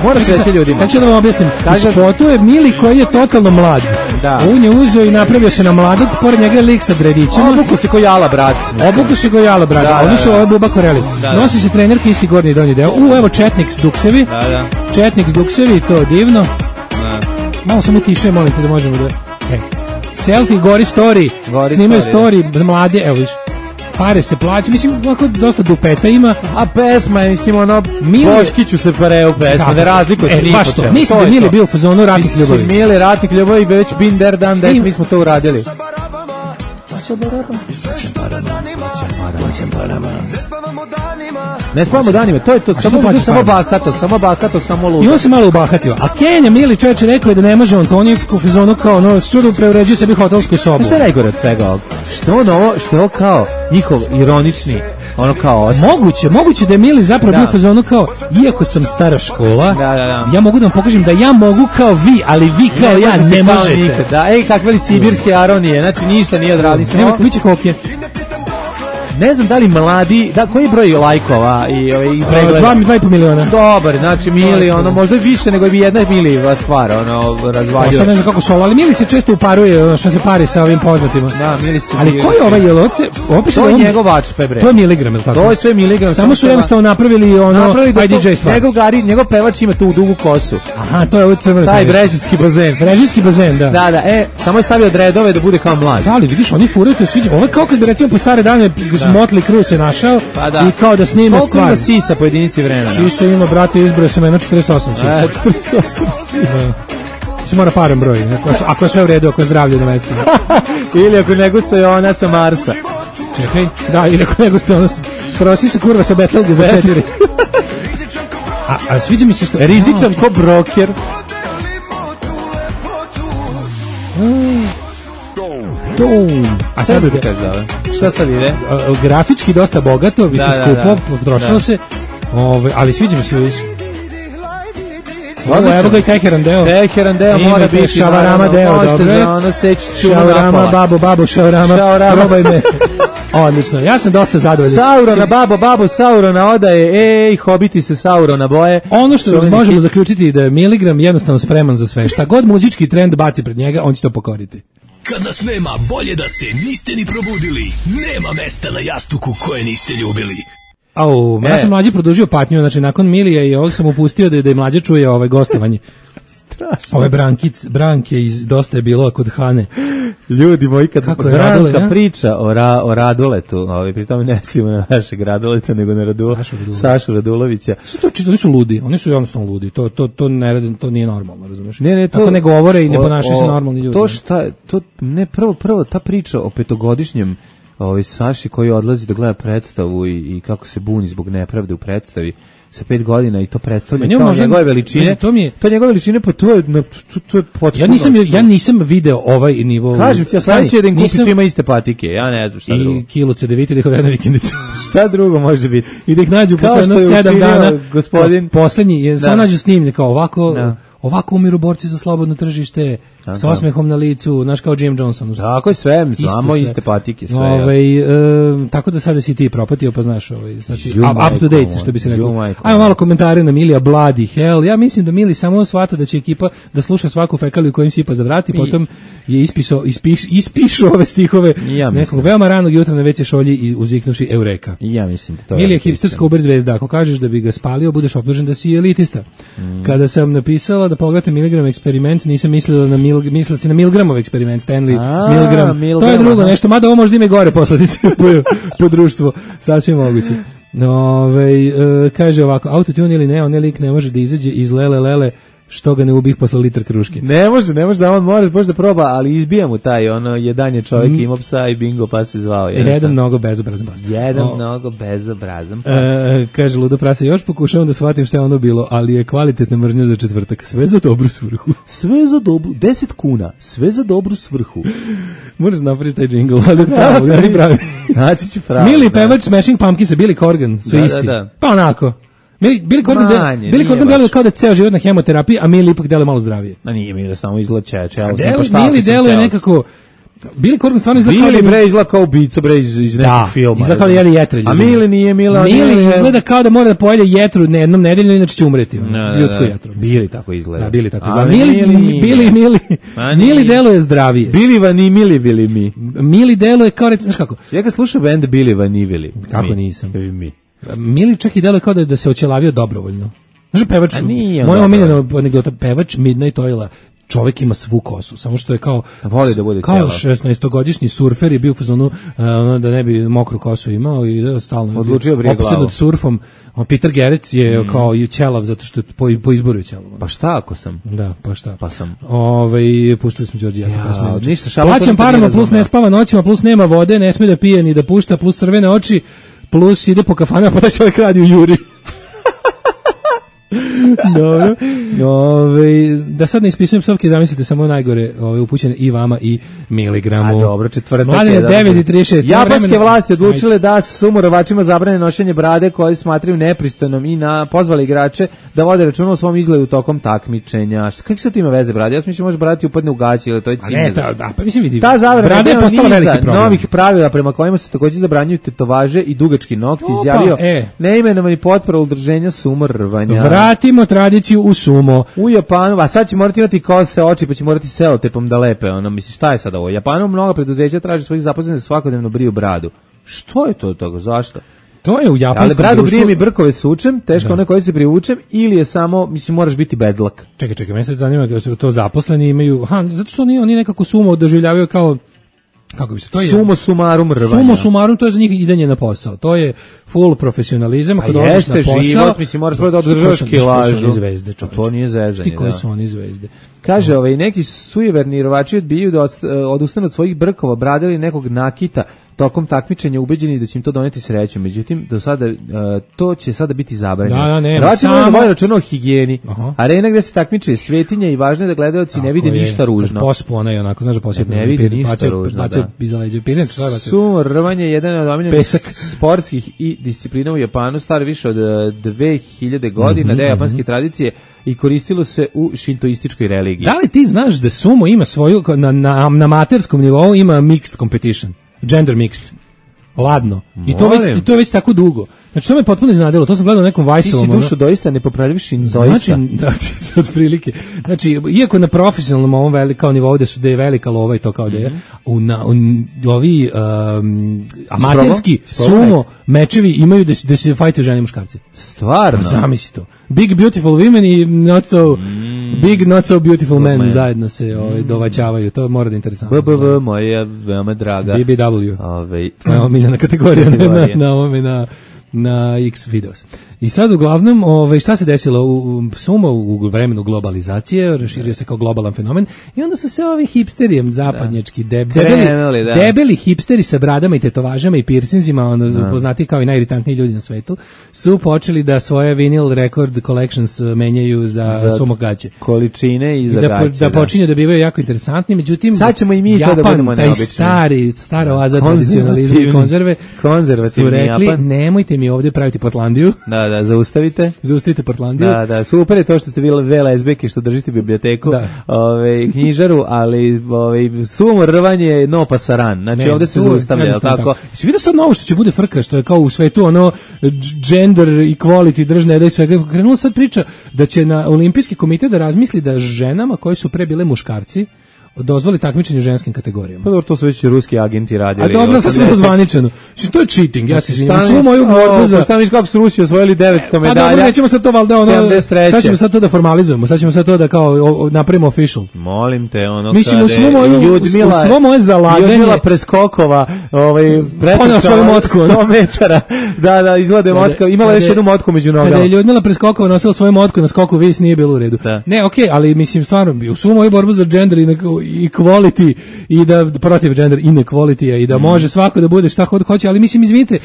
moraš reći ljudima. Sad ću da vam objasnim. U spotu je Mili koji je totalno mlad. Da. On je uzeo i napravio se na mladog, pored njega je lik sa dredićima. Obuku se ko Jala, brat. Oni su ovo Buba Koreli. Nosi se trenerke, isti gornji i donji deo. Evo Četnik s duksevi. Četnik s duksevi, to je divno. Malo samo tiše, molim te da možemo da... Selfie, gori story. Snimaju story, mlade, evo viš. Pare se plaća, mislim, ovako dosta dupeta ima. A pesma, mislim, ono, Boškiću se pareu pesma, ne razlikuje se ni po čemu. Mislim da Mili bio u fazonu Ratnik ljubavi. Mili, Ratnik ljubavi, već been there, done that, mi smo to uradili. Ne spavamo danima, to je to, samo bahato, samo ludo. I on se malo ubahatio. A Kenja Mili čovječe rekao je da ne može on, to on je u fazonu kao, ono, s čudom preuređuje sebi hotelsku sobu. Što je najgore od svega ovog? Što je ovo kao njihov ironični, ono kao osam. Moguće da je Mili zapravo bio u fazonu kao, iako sam stara škola, ja mogu da vam pokažem da ja mogu kao vi, ali vi kao ja ne možete. Kakve li sibirske aronije, znači ništa nije odradi. Nema kuće kokje. Ne znam da li mladi, koji je broj lajkova i pregleda? 2,5 miliona. Dobar, znači Mili, ono, možda više nego bi jedna Miliva stvar, ono, razvaljuje. Sad ne znam kako su ovo, ali Mili se često uparuje, što se pari sa ovim poznatima. Da, Mili se... Ali koji je ovaj jeloce? To je njegov vačpe, bre. To je miligram, ili tako? To je sve miligram. Samo su jednostavno napravili ono, IDJ stvar. Njegov pevač ima tu dugu kosu. Aha, to je ovo crveno. Taj Brežinski bazen. Brežinski bazen, da. Da, samo je stavio dredove da bude kao mlad. Da, ali vidiš, oni furaju, to je sviđa. Ovo je kao kad bi recimo po stare dane Motley Crue se našao i kao da snime stvar. Koliko ima sisa po jedinici vremena? Sisa ima, brate, izbroj sam jedno 48 sisa. 48 sisa. Se mora paran broj, ako je sve u redu, ako je zdravlje na mestu. Ili ako ne gustuje ona sa Marsa. Čekaj, da, ili ako ne gustuje ona sa... Prosi se kurva sa Betelge za 4. A sviđa mi se što... Rizičan ko broker. A sad šta sad ide? Grafički dosta bogato, više skupo, potrošilo se, ali sviđa mi se više. Evo ga i Teheran deo. Teheran deo mora biti. Šavarama deo, dobro. Šavarama, babo, šavarama, probaj me. Odlično, ja sam dosta zadovoljan. Saurona, babo, Saurona odaje, hobiti se Saurona boje. Ono što možemo zaključiti da je Miligram jednostavno spreman za sve. Šta god muzički trend baci pred njega, on će to pokoriti. Kad nas nema, bolje da se niste ni probudili. Nema mesta na jastuku koje niste ljubili. Ja sam mlađi produžio patnju, znači nakon Milija i ovog sam upustio da je mlađe čuje gostovanje. Strašno. Ove Branke iz Dosta je bilo kod Hane. Ljudi moji, kad Branka priča o Raduletu, pri tome ne mislimo na našeg Raduleta, nego na Sašu Radulovića. Oni su ludi, oni su jednostavno ludi, to nije normalno, razumiješ? Tako ne govore i ne ponašaju se normalni ljudi. Prvo ta priča o petogodišnjem Saši koji odlazi da gleda predstavu i kako se buni zbog nepravde u predstavi sa 5 godina i to predstavlja kao njegove veličine. To njegove veličine, pa to je potpuno. Ja nisam video ovaj nivo. Kažem ti, ja sam će da im kupi svima iste patike, ja ne znam šta drugo. I kilo CDVite da ih odvede na vikendicu. Šta drugo može biti? I da ih nađu posle 7 dana. Gospodin. Poslednji, samo nađu snimlje kao ovako umiru borci za slobodno tržište, s osmehom na licu, znaš kao Jim Johnson. Tako je sve, samo iste patike. Tako da sada si ti propatio, pa znaš, znači, up to date, što bi se rekao. Ajmo malo komentare na Milija, bloody hell. Ja mislim da Mili samo shvata da će ekipa da sluša svaku fekaliju kojim sipa za vrat i potom je ispišu ove stihove nekog veoma ranog jutra na WC šolji i uzviknuši Eureka. Ja mislim da to Milija je hipsterska Uber zvezda. Ako kažeš da bi ga spalio, budeš optužen da si elitista. Kada sam napisala da pogledate Milgram eksperiment, nisam mislila na Milgramov eksperiment, Stanley Milgram. To je drugo nešto, mada ovo možda ima i gore posledice po društvu, sasvim moguće. Kaže ovako, autotune ili ne, onaj lik ne može da izađe iz lele, što ga ne ubih posle litra kruške. Ne može da on može da proba, ali izbija mu taj, jedan je čovjek imao psa i bingo pa se zvao. Jedan mnogo bezobrazan pas. Mnogo bezobrazan pas. Kaže Ludo Prase, još pokušavam da shvatim šta je ono bilo, ali je kvalitetna mržnja za četvrtak. Sve za dobru svrhu. 10 kuna, sve za dobru svrhu. Moraš napraviti taj džingl, ali pravi. Naći ću pravi. Mili pevač Smashing Pumpkinsa, Billy Corgan, su isti. Pa onako. Billy Corgan deluje kao da ceo život na hemoterapiji, a Mili ipak deluje malo zdravije. A nije Mili, samo izgleda Mili deluje nekako... Billy Corgan stvarno izgleda kao... Mili izgleda kao ubica iz nekog filma. Da, izgleda kao da jeli jetre. A Mili nije Mila. Mili izgleda kao da mora da pojede jetru jednom nedeljno, inače će umreti. Ljudsku jetru. Billy tako izgleda. Da, Billy tako izgleda. Mili deluje zdravije. Billy Vani Mili mi. Mili deluje kao, znaš kako? Ja kad slušam band Billy Vani Vili. Kako nisam? Mili čak i deluje kao da se očelavio dobrovoljno. Znaš, pevač, moja omiljena anegdota, pevač Midnight Oila, čovjek ima svu kosu, samo što je kao voli da bude kao 16-godišnji surfer i bio u fazonu da ne bi mokru kosu imao i stalno odlučio brije glavu. Opsednut surfom. Peter Gerets je kao i ćelav zato što po izboru je ćelav. Pa šta ako sam? Da, pa šta? Pa sam. Pustili smo Đorđijata. Ništa, plaćam parama, plus ne spava noćima, plus nema vode, ne sme da pije ni da pušta, plus crvene oči, plus ide po kafanama, pa taj čovjek radi u Juri. Dobro. Da sad ne ispisujem psovke, zamislite samo najgore upućene i vama i miligramu. A dobro, četvrtak. Mladine 9:36. Japanske vlasti odlučile da sumorovačima zabrane nošenje brade koje smatraju nepristojnom i pozvali igrače da vode računa o svom izgledu tokom takmičenja. Kako se to ima veze brade? Ja mislim može brati upadne u gaći ili to je cinizam. Da, pa mislim vidi. Ta zabrana je postala veliki problem. Novih pravila prema kojima se takođe zabranjuju tetovaže i dugački nokti, izjavio neimenovani potpora udruženja sumorvanja. Vratimo tradiciju u sumo. U Japanu, a sad će morati imati kose oči, pa će morati selotepom da lepe. Misli, šta je sad ovo? U Japanu mnogo preduzeća traži svojih zaposlenih da svakodnevno briju bradu. Što je to toga? Zašto? To je u japanskom društvu. Ali bradu brijem i brkove sučem, teško one koje se privučem, ili je samo, moraš biti bedlak. Čekaj, mene se zanima da su to zaposleni imaju, zato što oni nekako sumo doživljavaju kao, kako bi se to je? Sumo sumarum rvanja. Sumo sumarum, to je za njih idanje na posao. To je full profesionalizam. A jeste život, moraš prvo da održavaš kilažu. To nije zezanje. Koji su oni zvezde? Kaže, neki sujeverni rvači odbijaju da odustanu od svojih brkova, brade ili nekog nakita tokom takmičenja, ubeđeni da će im to doneti sreću. Međutim, do sada to će sada biti zabranjeno. Rvači moraju da vode računa o higijeni. Arena gde se takmiče svetinja i važno je da gledaoci ne vide ništa ružno. Pospu onaj onako, znaš da posjetno. Ne vidi ništa ružno, da. Sumo rvanje je jedan od omiljenih sportskih i disciplina u Japanu, star više od 2000 godina, da je japanske tradicije i koristilo se u šintoističkoj religiji. Da li ti znaš da sumo ima svoju, na amaterskom nivou ima mixed competition, gender mixed, ladno. I to je već tako dugo. Znači, to me potpuno iznadilo, to sam gledao u nekom Vajsovom. Ti si dušo doista nepopravljiviš doista. Znači, da, otprilike. Znači, iako na profesionalnom ovom kao nivou da je velika lova i to kao da je, ovi amaterski sumo mečevi imaju da se fajte žene i muškarci. Stvarno? Pa zamisli to. Big beautiful women i not so big not so beautiful men zajedno se dovaćavaju. To mora da je interesantno. BBV, moja veoma draga. BBW. Moja omiljena kategorija na X videos. I sad uglavnom, šta se desilo u sumo u vremenu globalizacije, raširio se kao globalan fenomen i onda su se ovi hipsterijem zapadnjački debeli hipsteri sa bradama i tetovažama i piercingima, poznati kao i najiritantniji ljudi na svetu, su počeli da svoje vinyl record collections menjaju za sumo gaće. Količine i za gaće. Da počinju da bivaju jako interesantni, međutim sad ćemo i mi Japan, to da budemo taj stara oaza tradicionalizma i konzervativni Japan. Su rekli, nemojte mi ovdje praviti Portlandiju. Da, zaustavite Portlandiju. Da, super je to što ste bili VLSB-ke što držite biblioteku, knjižaru, ali sumo rvanje no pasaran. Znači ovdje se zaustavlja, tako. Si vidio sad novo što će bude frka, što je kao u svetu gender equality držne da i svega. Krenula sad priča da će na Olimpijski komitet da razmisli da ženama koji su pre bile muškarci dozvoli takmičenje u ženskim kategorijama. Pa dobro, to su već ruski agenti radili. A dobro, sad smo dozvaničeno. To je cheating, ja se izvinjam. Svu moju borbu za... Šta misliš kako su Rusi osvojili 900 medalja? Pa dobro, nećemo sad to valjda ono... 73. Sad ćemo sad to da formalizujemo, sad ćemo sad to da kao napravimo official. Molim te, ono mislim, u svo moje zalaganje... Ljudmila Preskokova, ponela svoju motku. 100 metara. Da, izgleda motka. Imala još jednu motku među nogama. Kada je Ljudmila Preskokova nosila svoju motku na skoku vis, nije bilo u redu. Ne, okej, ali mislim, stvarno, u svu moju borbu za gender i equality i da protiv gender inequality i da može svako da bude šta hoće, ali mislim, izvinite,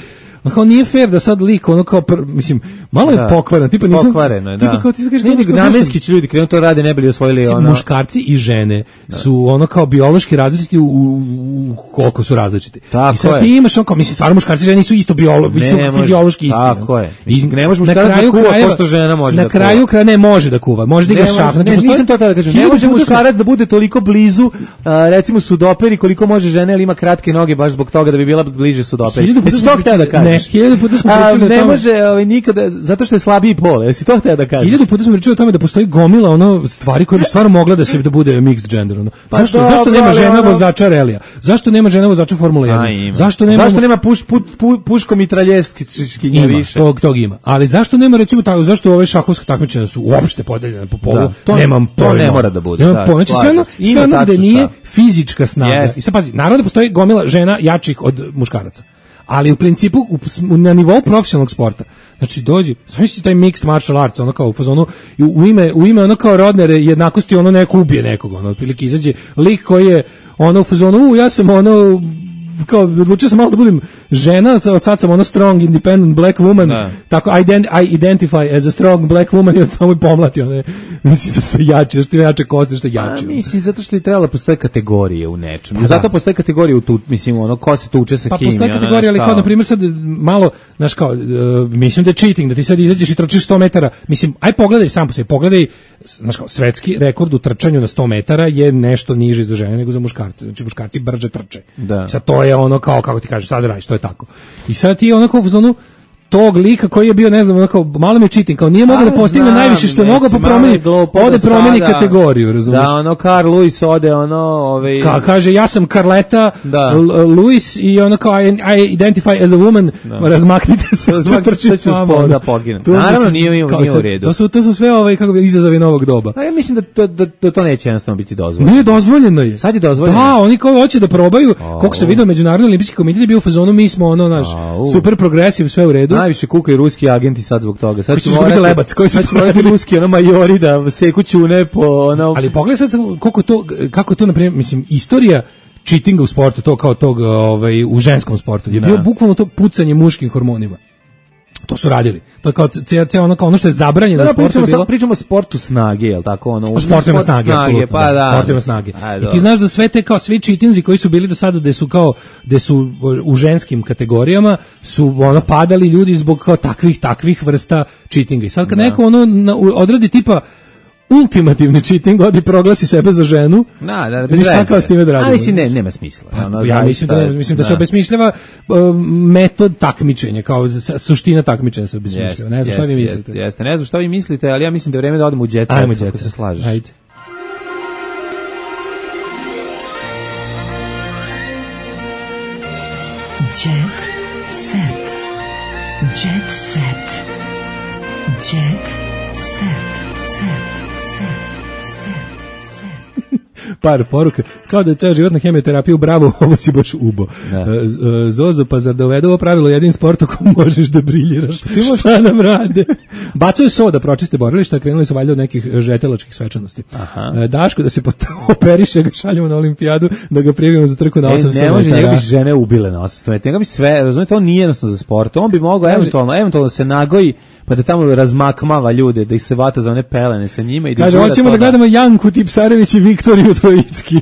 kao nije fair da sad lik ono kao mislim malo je pokvaren, tipa nisam pokvareno je, tipa kao ti kažeš namenski će ljudi krenu to rade ne bili osvojili ono muškarci i žene su ono kao biološki različiti u koliko su različiti. I sad ti imaš ono kao mislim stvarno muškarci i žene nisu isto fiziološki isti. Tako je. I ne može muškarac da kuva kao što žena može. Na kraju kraja ne može da kuva. Može da igra šah. Znači nisam to da kažem. Ne može muškarac da bude toliko blizu recimo sudoperi koliko može žena, ali ima kratke noge baš zbog toga da bi bila bliže sudoperi. Što hteo da kažem? 1000 puta smo pričali o tome. Ne može nikada, zato što je slabiji pol. Jesi to hteo da kažeš? 1000 puta smo pričali o tome da postoji gomila ono stvari koje bi stvarno mogla da se da bude mixed gender. Ono. Zašto nema žena vozača relija? Zašto nema žena vozača Formule 1? Zašto nema puško mitraljevski više? Tog ima. Ali zašto nema recimo tako, zašto ove šahovske takmičenja su uopšte podeljene po polu? Nemam pojma. To ne mora da bude. Znači sve ono gde nije fizička snaga. I sad pazi, naravno da postoji gomila žena jačih od muškaraca. Ali u principu na nivou profesionalnog sporta. Znači dođi, znači taj mixed martial arts, ono kao u fazonu u ime ono kao rodne jednakosti, ono neko ubije nekog, ono otprilike izađe lik koji je ono u fazonu ja sam ono kao odlučio sam malo da budem žena, od sad sam ono strong independent black woman, tako I identify as a strong black woman i on tamo i pomlati one, mislim da su jače, što jače koste, što jače. Mislim, zato što je trebalo postoje kategorije u nečemu. Zato postoje kategorije u tu, mislim, ono, ko se tuče sa kim. Pa postoje kategorije, ali kao, na primjer, sad malo, znaš kao, mislim da je cheating, da ti sad izađeš i trčiš 100 metara, mislim, aj pogledaj sam po sebi, pogledaj, znaš kao, svetski rekord u trčanju na 100 metara je nešto niži za žene nego za muškarce, znači muškarci brže trče. Sad to je ono kao, kako ti kažeš, sad radiš, to je tako. I sad ti onako u zonu tog lika koji je bio, ne znam, onako, malo mi je cheating, kao nije mogao da postigne najviše što je mogao, pa promeni kategoriju, razumiješ? Da, ono, Carl Lewis ode, ono, kaže, ja sam Carleta Lewis i ono kao, I identify as a woman, razmaknite se, trči s vama. Da poginem. Naravno, nije u redu. To su sve kako izazovi novog doba. A ja mislim da to neće jednostavno biti dozvoljeno. Nije dozvoljeno je. Sad je dozvoljeno. Da, oni kao hoće da probaju, koliko se vidio Međunarodni olimpijski komitet je bio u fazonu, mi smo ono, naš, super progresiv, sve u redu. Najviše kukaju ruski agenti sad zbog toga. Sad ćemo lebac, koji su morati ruski majori da seku ćune po ono. Ali pogledaj sad kako je to na primjer, mislim, istorija cheatinga u sportu, to kao tog u ženskom sportu je bio bukvalno to pucanje muškim hormonima. To su radili. To je kao ono što je zabranjeno u sportu bilo. Pričamo o sportu snage, je l' tako? O sportima snage, apsolutno. Pa da. Sportima snage. I ti znaš da sve te kao svi cheatinzi koji su bili do sada gde su u ženskim kategorijama su ono padali ljudi zbog kao takvih vrsta cheatinga. I sad kad neko odradi tipa ultimativni cheating, odi proglasi sebe za ženu. Bez šta s time da radimo? Mislim, nema smisla. Ja mislim da se obesmišljava metod takmičenja, kao suština takmičenja se obesmišljava. Ne znam šta vi mislite. Jeste, ne znam šta vi mislite, ali ja mislim da je vreme da odemo u jet set, ako se slažeš. Ajde. Jet set. Jet set. Jet set. Par poruka, kao da je ceo život na hemioterapiju, bravo, ovo si baš ubo. Zozo, pa zar da uvedu ovo pravilo jedin sport u kojem možeš da briljiraš? Šta nam rade? Bacaju soda, pročiste borilišta, krenuli su valjda od nekih žetelačkih svečanosti. Daško da se operiše, ga šaljemo na olimpijadu, da ga prijavimo za trku na 800 metara. Ne može, njega bi žene ubile na 800 metara. Njega bi sve, razumijete, on nije jednostavno za sport. On bi mogao eventualno se nagoji, pa da tamo razmakmava ljude, da ih se vata za one pelene sa njima. I kaže, hoćemo da gledamo Janku Tipsarević i Viktoriju Trojicki.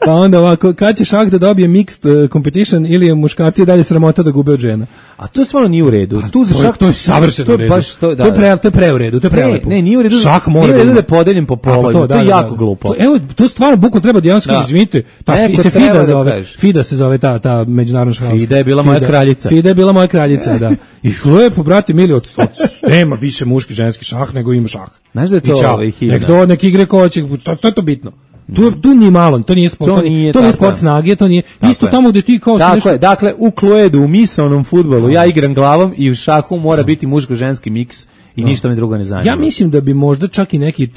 Pa onda ovako, kad će šah da dobije mixed competition ili je muškarci dalje sramota da gube od žena? A to stvarno nije u redu. To je savršeno u redu. To je pre u redu, to je prelepo. Ne, nije u redu. Šah mora da je podeljen po polovima. To je jako glupo. Evo, to stvarno bukvalno treba da javno izvinite. FIDA se zove ta međunarodna šahovska. FIDA je bila moja kraljica. FIDA je bila moja kraljica, da. I lepo, brate mili, nema više muški ženski šah nego ima šah. Znaš da je to himna? Nek igre ko će, to je to bitno. Tu ni malo, to nije sport, to nije sport snage, to nije isto tamo gde ti kao nešto. Dakle, u kloedu, u misaonom fudbalu, ja igram glavom i u šahu mora biti muško-ženski miks. I ništa me drugo ne zanima. Ja mislim da bi možda čak i neki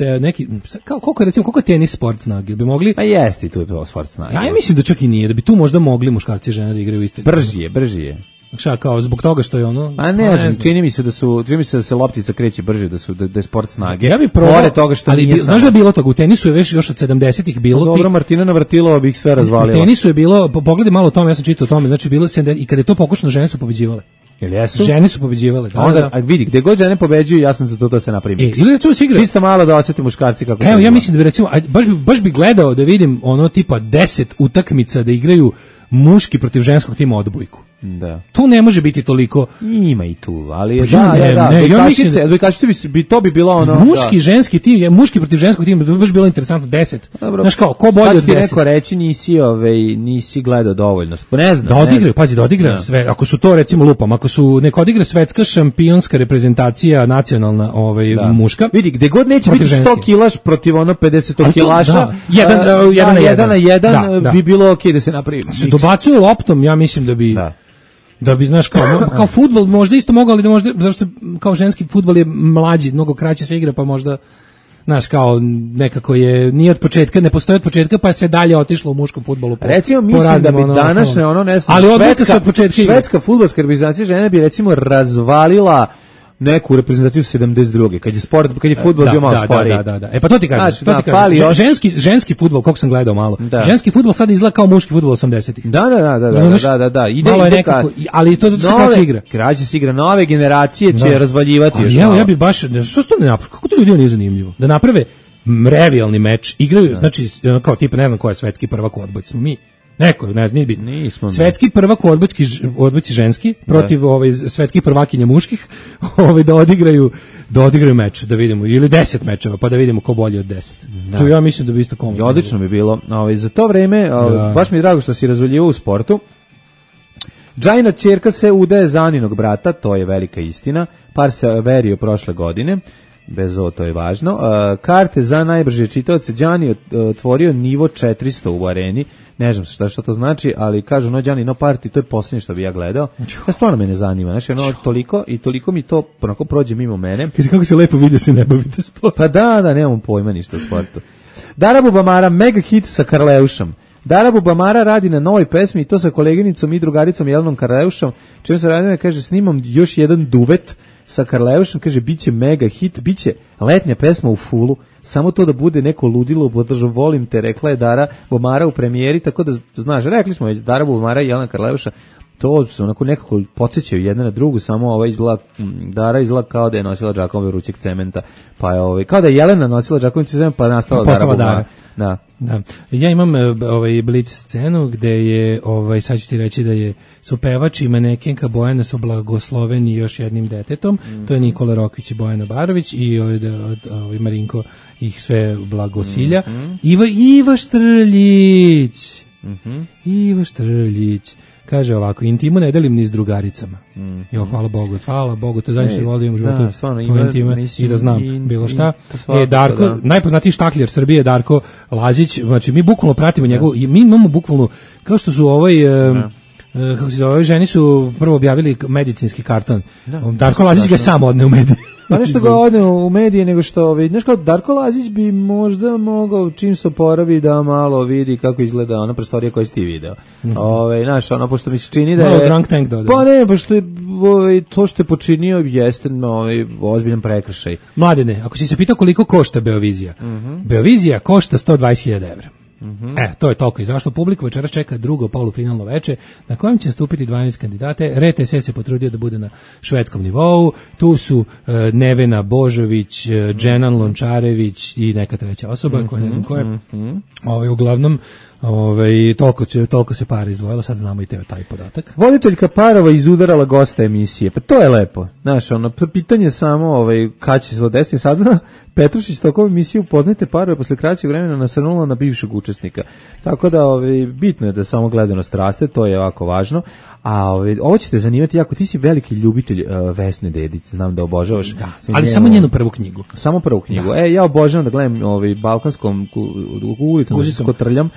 koliko je tenis sport snage, bi mogli. Pa jeste, tu je to sport snage. Ja mislim da čak i nije, da bi tu možda mogli muškarci i žene da igraju isto. Brži je. Šta, kao zbog toga što je ono. A ne znam, čini mi se da se loptica kreće brže, da je sport snage. Ja bih probao, toga što ali znaš da je bilo toga, u tenisu je već još od 70-ih bilo. Dobro, Martina Navratilova bi ih sve razvalila. U tenisu je bilo, pogledaj malo o tome, ja sam čitao o tome, znači bilo i kada je to pokušano, žene su pobeđivale. Žene su pobeđivale. Onda vidi, gde god žene pobeđuju, ja sam za to da se napravi miks. Ili recimo se igra. Čisto malo da osete muškarci kako. Evo, ja mislim da bi recimo, baš bi gledao da vidim ono tipa 10 utakmica da igraju muški protiv ženskog tima odbojku. Da. To ne može biti toliko. Ima i tu, ali ja mislim bi to bi bilo ono. Muški ženski tim, muški protiv ženskog tima, bi baš bilo interesantno 10. Znaš kao, ko bolje od 10? Sad ti neko reći nisi gledao dovoljno. Ne znam. Da odigraju sve. Ako su to recimo lupam, ako su neko odigra svetska šampionska reprezentacija nacionalna, muška. Vidi, gde god neće biti 100 kilaš protiv ono 50 kilaša. Jedan na jedan bi bilo okej da se napravi. Se dobacuju loptom, ja mislim da bi, znaš, kao fudbal možda isto mogao, ali da možda, zašto kao ženski fudbal je mlađi, mnogo kraće se igra, pa možda, znaš, kao nekako nije od početka, ne postoji od početka, pa se dalje otišlo u muškom fudbalu. Recimo, mislim da bi današnje, ne znam, ali odluka se od početka igra. Švedska fudbalska reprezentacija žene bi, recimo, razvalila neku reprezentaciju 72. kad je fudbal bio malo sporiji. Da. Pa to ti kažem. Ženski fudbal, koliko sam gledao malo. Ženski fudbal sad izgleda kao muški fudbal 80-ih. Da. Ide nekako, ali to zato se kraće igra. Kraće se igra, nove generacije će razvaljivati još. Ja bi baš, što to ne napravi? Kako to ljudima nije zanimljivo? Da naprave revijalni meč, igraju, znači, kao tipa, ne znam ko je svetski prvak u odbojci, smo mi. Neko, ne znam, nije bitno. Svetski prvak u odbojci ženski protiv svetskih prvakinja muških, da odigraju meč, da vidimo, ili 10 mečeva, pa da vidimo ko bolje od 10. To ja mislim da bi isto komotno. Odlično bi bilo. Za to vreme, baš mi je drago što si razvaljivao u sportu. Džajina ćerka se udaje za Aninog brata, to je velika istina. Par se verio prošle godine. Bez ovo, to je važno. Karte za najbrže čitaoce. Đani otvorio nivo 400 u areni. Ne znam šta to znači, ali kažu Đani no party, to je posljednje što bi ja gledao. Ja stvarno me ne zanima. Znači, toliko mi to onako prođe mimo mene. Kako se lepo vidi se ne bavite sportom. Pa da, nemam pojma ništa o sportu. Dara Bubamara, mega hit sa Karleušom. Dara Bubamara radi na novoj pesmi i to sa koleginicom i drugaricom Jelenom Karleušom. Čemu se radi, kaže, snimam još jedan duvet sa Karleušom, kaže, biće mega hit, biće letnja pesma u fulu, samo to da bude neko ludilo, podržam, volim te, rekla je Dara Bubamara u premijeri, tako da, znaš, rekli smo već, Dara Bubamara i Jelena Karleuša, to su onako nekako podsjećaju jedna na drugu, samo Dara izgleda kao da je nosila džakove vrućeg cementa, pa je kao da je Jelena nosila džakove vrućeg cementa, pa je nastala Dara Bubamara. Da. Ja imam blic scenu gde je, sad ću ti reći da su pevač i manekenka Bojana su blagosloveni još jednim detetom, to je Nikola Rokvić i Bojana Barović i Marinko ih sve blagosilja. Iva Štrljić. Iva Štrljić. Kaže ovako, intimu ne delim ni s drugaricama. Hvala Bogu, to zadnje što volim u životu, to intima i da znam bilo šta. Darko, najpoznatiji štakljer Srbije, Darko Lazić, znači mi bukvalno pratimo njegov, mi imamo bukvalno, kao što su kako se zove, ženi su prvo objavili medicinski karton. Darko Lazić ga sam odne u medije. Pa nešto ga odne u medije, nego što, znaš kao, Darko Lazić bi možda mogao, čim se oporavi, da malo vidi kako izgleda ona prostorija koju si ti video. Znaš, pošto mi se čini da je... Malo drunk tank dodao. Pa ne, pošto je to što je počinio jeste ozbiljan prekršaj. Mladene, ako si se pitao koliko košta Beovizija, Beovizija košta 120.000 evra. To je toliko izašlo. Publiku večeras čeka drugo polufinalno veče na kojem će nastupiti 12 kandidate. RTS se potrudio da bude na švedskom nivou. Tu su Nevena Božović, Dženan Lončarević i neka treća osoba koja ne znam ko je. Uglavnom toliko se para izdvojilo, sad znamo i taj podatak. Voditeljka Parova izudarala gosta emisije, pa to je lepo. Znaš, pitanje samo kad će se desiti. Sad Petrušić tokom emisije upoznajte Parove posle kraćeg vremena nasrnula na bivšeg učesnika. Tako da bitno je da samo gledanost raste, to je jako važno. A ovo će te zanimati jako, ti si veliki ljubitelj Vesne Dedić, znam da obožavaš. Da, ali samo njenu prvu knjigu. Samo prvu knjigu. Da. Ja obožavam da gledam balkanskom ulicom, da se kotrljam.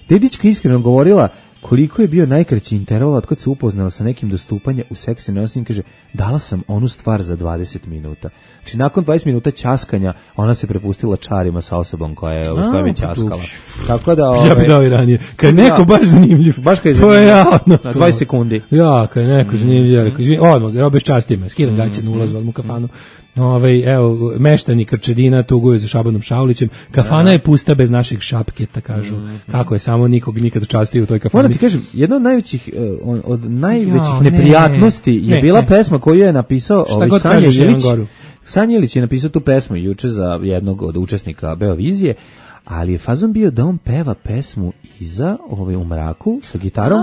Dedićka iskreno govorila koliko je bio najkraći interval od kad se upoznala sa nekim dostupanja u seksi nosim, kaže, dala sam onu stvar za 20 minuta. Znači, nakon 20 minuta ćaskanja, ona se prepustila čarima sa osobom koja je s kojom je ćaskala. Tako da... Ja bih dao i ranije. Kad je neko baš zanimljiv. Baš kad je zanimljiv. Na 20 sekundi. Ja, kad je neko zanimljiv. Odmah, robeš časti me. Skidam gaće na ulazu, odmah u kafanu. Evo, meštani Krčedina tuguju za Šabanom Šaulićem. Kafana je pusta bez naših šapketa, kažu. Kako je, samo nikog nikad častio u toj kafani. Moram ti kažem, jedna od najvećih neprijatnosti je bila pesma koju je napisao Sanja Ilić. Sanja Ilić je napisao tu pesmu juče za jednog od učesnika Beovizije, ali je fazon bio da on peva pesmu iza u mraku sa gitarom,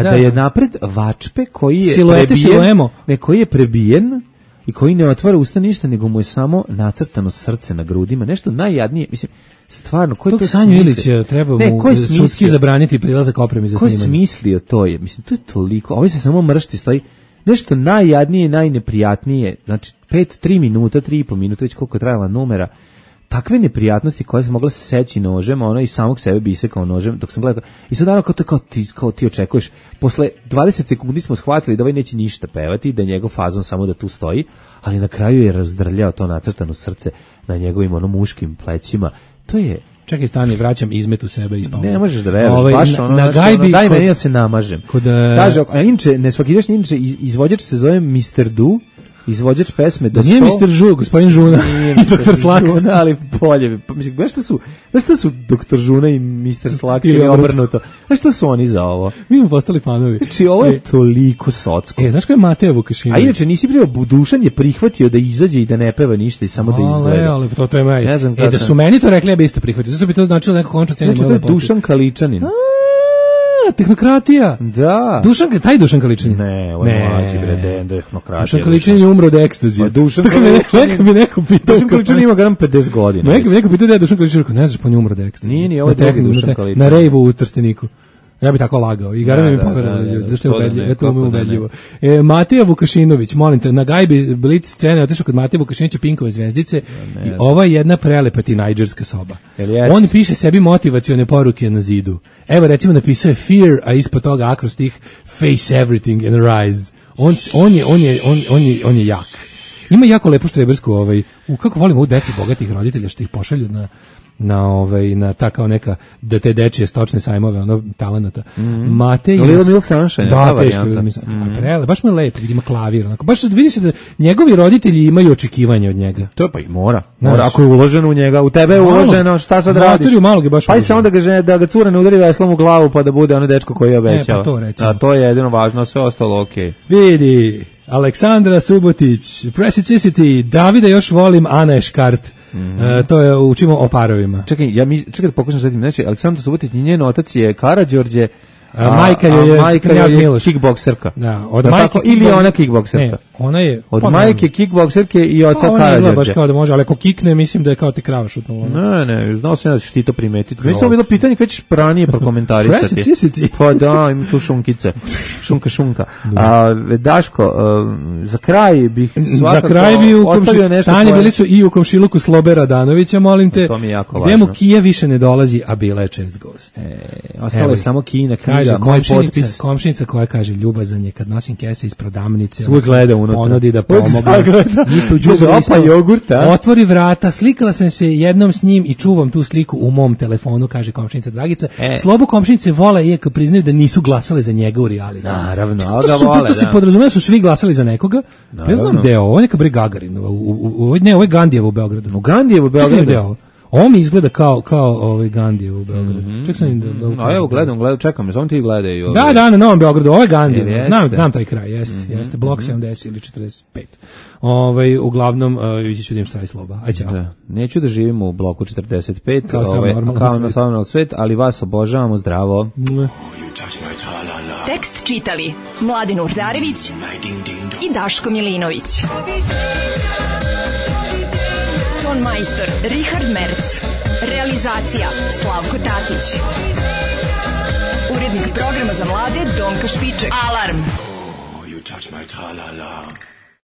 da je napred Vačpe koji je koji je prebijen i koji ne otvara usta ništa, nego mu je samo nacrtano srce na grudima, nešto najjadnije, mislim, stvarno, ko je to Sanju Ilića treba mu sudski zabraniti prilazak opremi za snimanje. Ko je smislio to je? Mislim, to je toliko, ovo se samo mršti, stoji nešto najjadnije, najneprijatnije, znači 3 minuta, 3,5 minuta, već koliko je trajala numera, takve neprijatnosti koje se mogla seći nožem, ono i samog sebe bi isekao nožem, dok sam gledao, i sad kao ti očekuješ, posle 20 sekundi smo shvatili da ovaj neće ništa pevati, da je njegov fazon samo da tu stoji, ali na kraju je razdrljao to nacrtano srce na njegovim muškim plećima, to je... Čekaj, stani, vraćam izmet u sebe i spavljam. Ne možeš da veruješ, baš daj meni da se namažem. Kaže, a inče, nesvakidašnji inče, izvođač se zove Mr. Du, izvođač pesme do 100. Nije Mr. Žu, gospodin Žuna i Dr. Slaks. Žuna, ali polje. Pa mislim, znaš šta su Dr. Žuna i Mr. Slaks ili obrnuto? Znaš šta su oni za ovo? Mi smo postali fanovi. Znači, ovo je toliko socko. Znaš ko je Mateja Vukašinović? A inače, nisi prije Dušan je prihvatio da izađe i da ne peva ništa i samo da izgleda. Ali to je maj. Da su meni to rekli, ja bi isto prihvatio. Zato bi to značilo neko končno cenje moje lepote. Dušan Kaličanin. Tehnokratija. Da. Taj Dušan Kaličanin. Ne, ovo je mlađi bre, tehnokratija. Dušan Kaličanin je umro od ekstazije. Dušan Kaličanin ima garam 50 godina. Neko pitao da je Dušan Kaličanin, ne znaš, pa on je umro od ekstazije. Nije, ovo je drugi Dušan Kaličanin. Na rejvu u Trsteniku. Ja bi tako lagao. I garam mi poverovali ljudi. Zašto je ubedljivo? Eto mi ubedljivo. Mateja Vukašinović, molim te, na gajbi Blic scene otišao kod Mateja Vukašinovića Pinkove zvezdice i ova je jedna prelepa tinajđerska soba. On piše sebi motivacione poruke na zidu. Evo recimo napisao je fear, a ispod toga akrostih face everything and rise. On je jak. Ima jako lepu štrebersku kako volim ovu decu bogatih roditelja što ih pošalju na ta kao neka da te dečije stočne sajmove talenata. Matej Little Milk Sunshine, da, teško baš mu je lepo, ima klavir, onako baš vidi se da njegovi roditelji imaju očekivanja od njega. To pa i mora. Ako je uloženo u njega, u tebe je uloženo, šta sad radiš? Pa samo da ga cura ne udari veslom u glavu pa da bude ono dečko koji je obećao. A to je jedino važno, sve ostalo okej. Vidi, Aleksandra Subotić, Preciosity, Davida još volim, Ana je škart. To je učimo o parovima. Čekaj da pokušam setim. Znači, Aleksandar Subotić, njen otac je Karađorđe, majka je kickbokserka. Da, od majke ili ona kickbokserka. Ne, ona je od majke kickbokserke i oca Karađorđe. Baš kao da može, ali ako kikne, mislim da je kao ti krava šutnulo. Ne, znao sam ja da ćeš ti to primetiti. Mislim, bilo pitanje kada ćeš pranije prokomentarisati. Pa da, ima tu šunkice. Šunka. Daško, za kraj bih svakako ostavio nešto. Stanje bili su i u komšiluku Slobe Radanovića, molim te. To mi je jako važno. Gde mu Kija više ne dolazi, a bila je čest gost. Ostalo je samo Kijina knjiga. Komšinica koja kaže ljubazan je kad nosim kese iz prodavnice, gleda unutra, ponudi da pomogne, isto u đubre otvori vrata, slikala sam se jednom s njim i čuvam tu sliku u mom telefonu, kaže komšinica Dragica. Slobo komšinice vole, iako priznaju da nisu glasali za njega u reality. Naravno, to se podrazumeva su svi glasali za nekoga. Ne znam gde je ovo, neka bre Gagarinova, ovo je Gandijevo u Beogradu. U Gandijevo u Beogradu. Ovo mi izgleda kao Gandijevo u Beogradu. Ček sam evo gledam, čekam, samo ti gledaj. Da, na Novom Beogradu, ovo je Gandijevo. Znam taj kraj, jeste. Blok 70 ili 45. Uglavnom, vidjet ću da im štraj Sloba. Aj, ćao. Neću da živimo u bloku 45, kao na normalan svet, ali vas obožavamo, zdravo. Tekst čitali Mladin Urdarević i Daško Milinović. Ton majstor Richard Merc. Realizacija Slavko Tatić. Urednik programa za mlade Donka Špiček. Alarm! You touch my tra-la-la.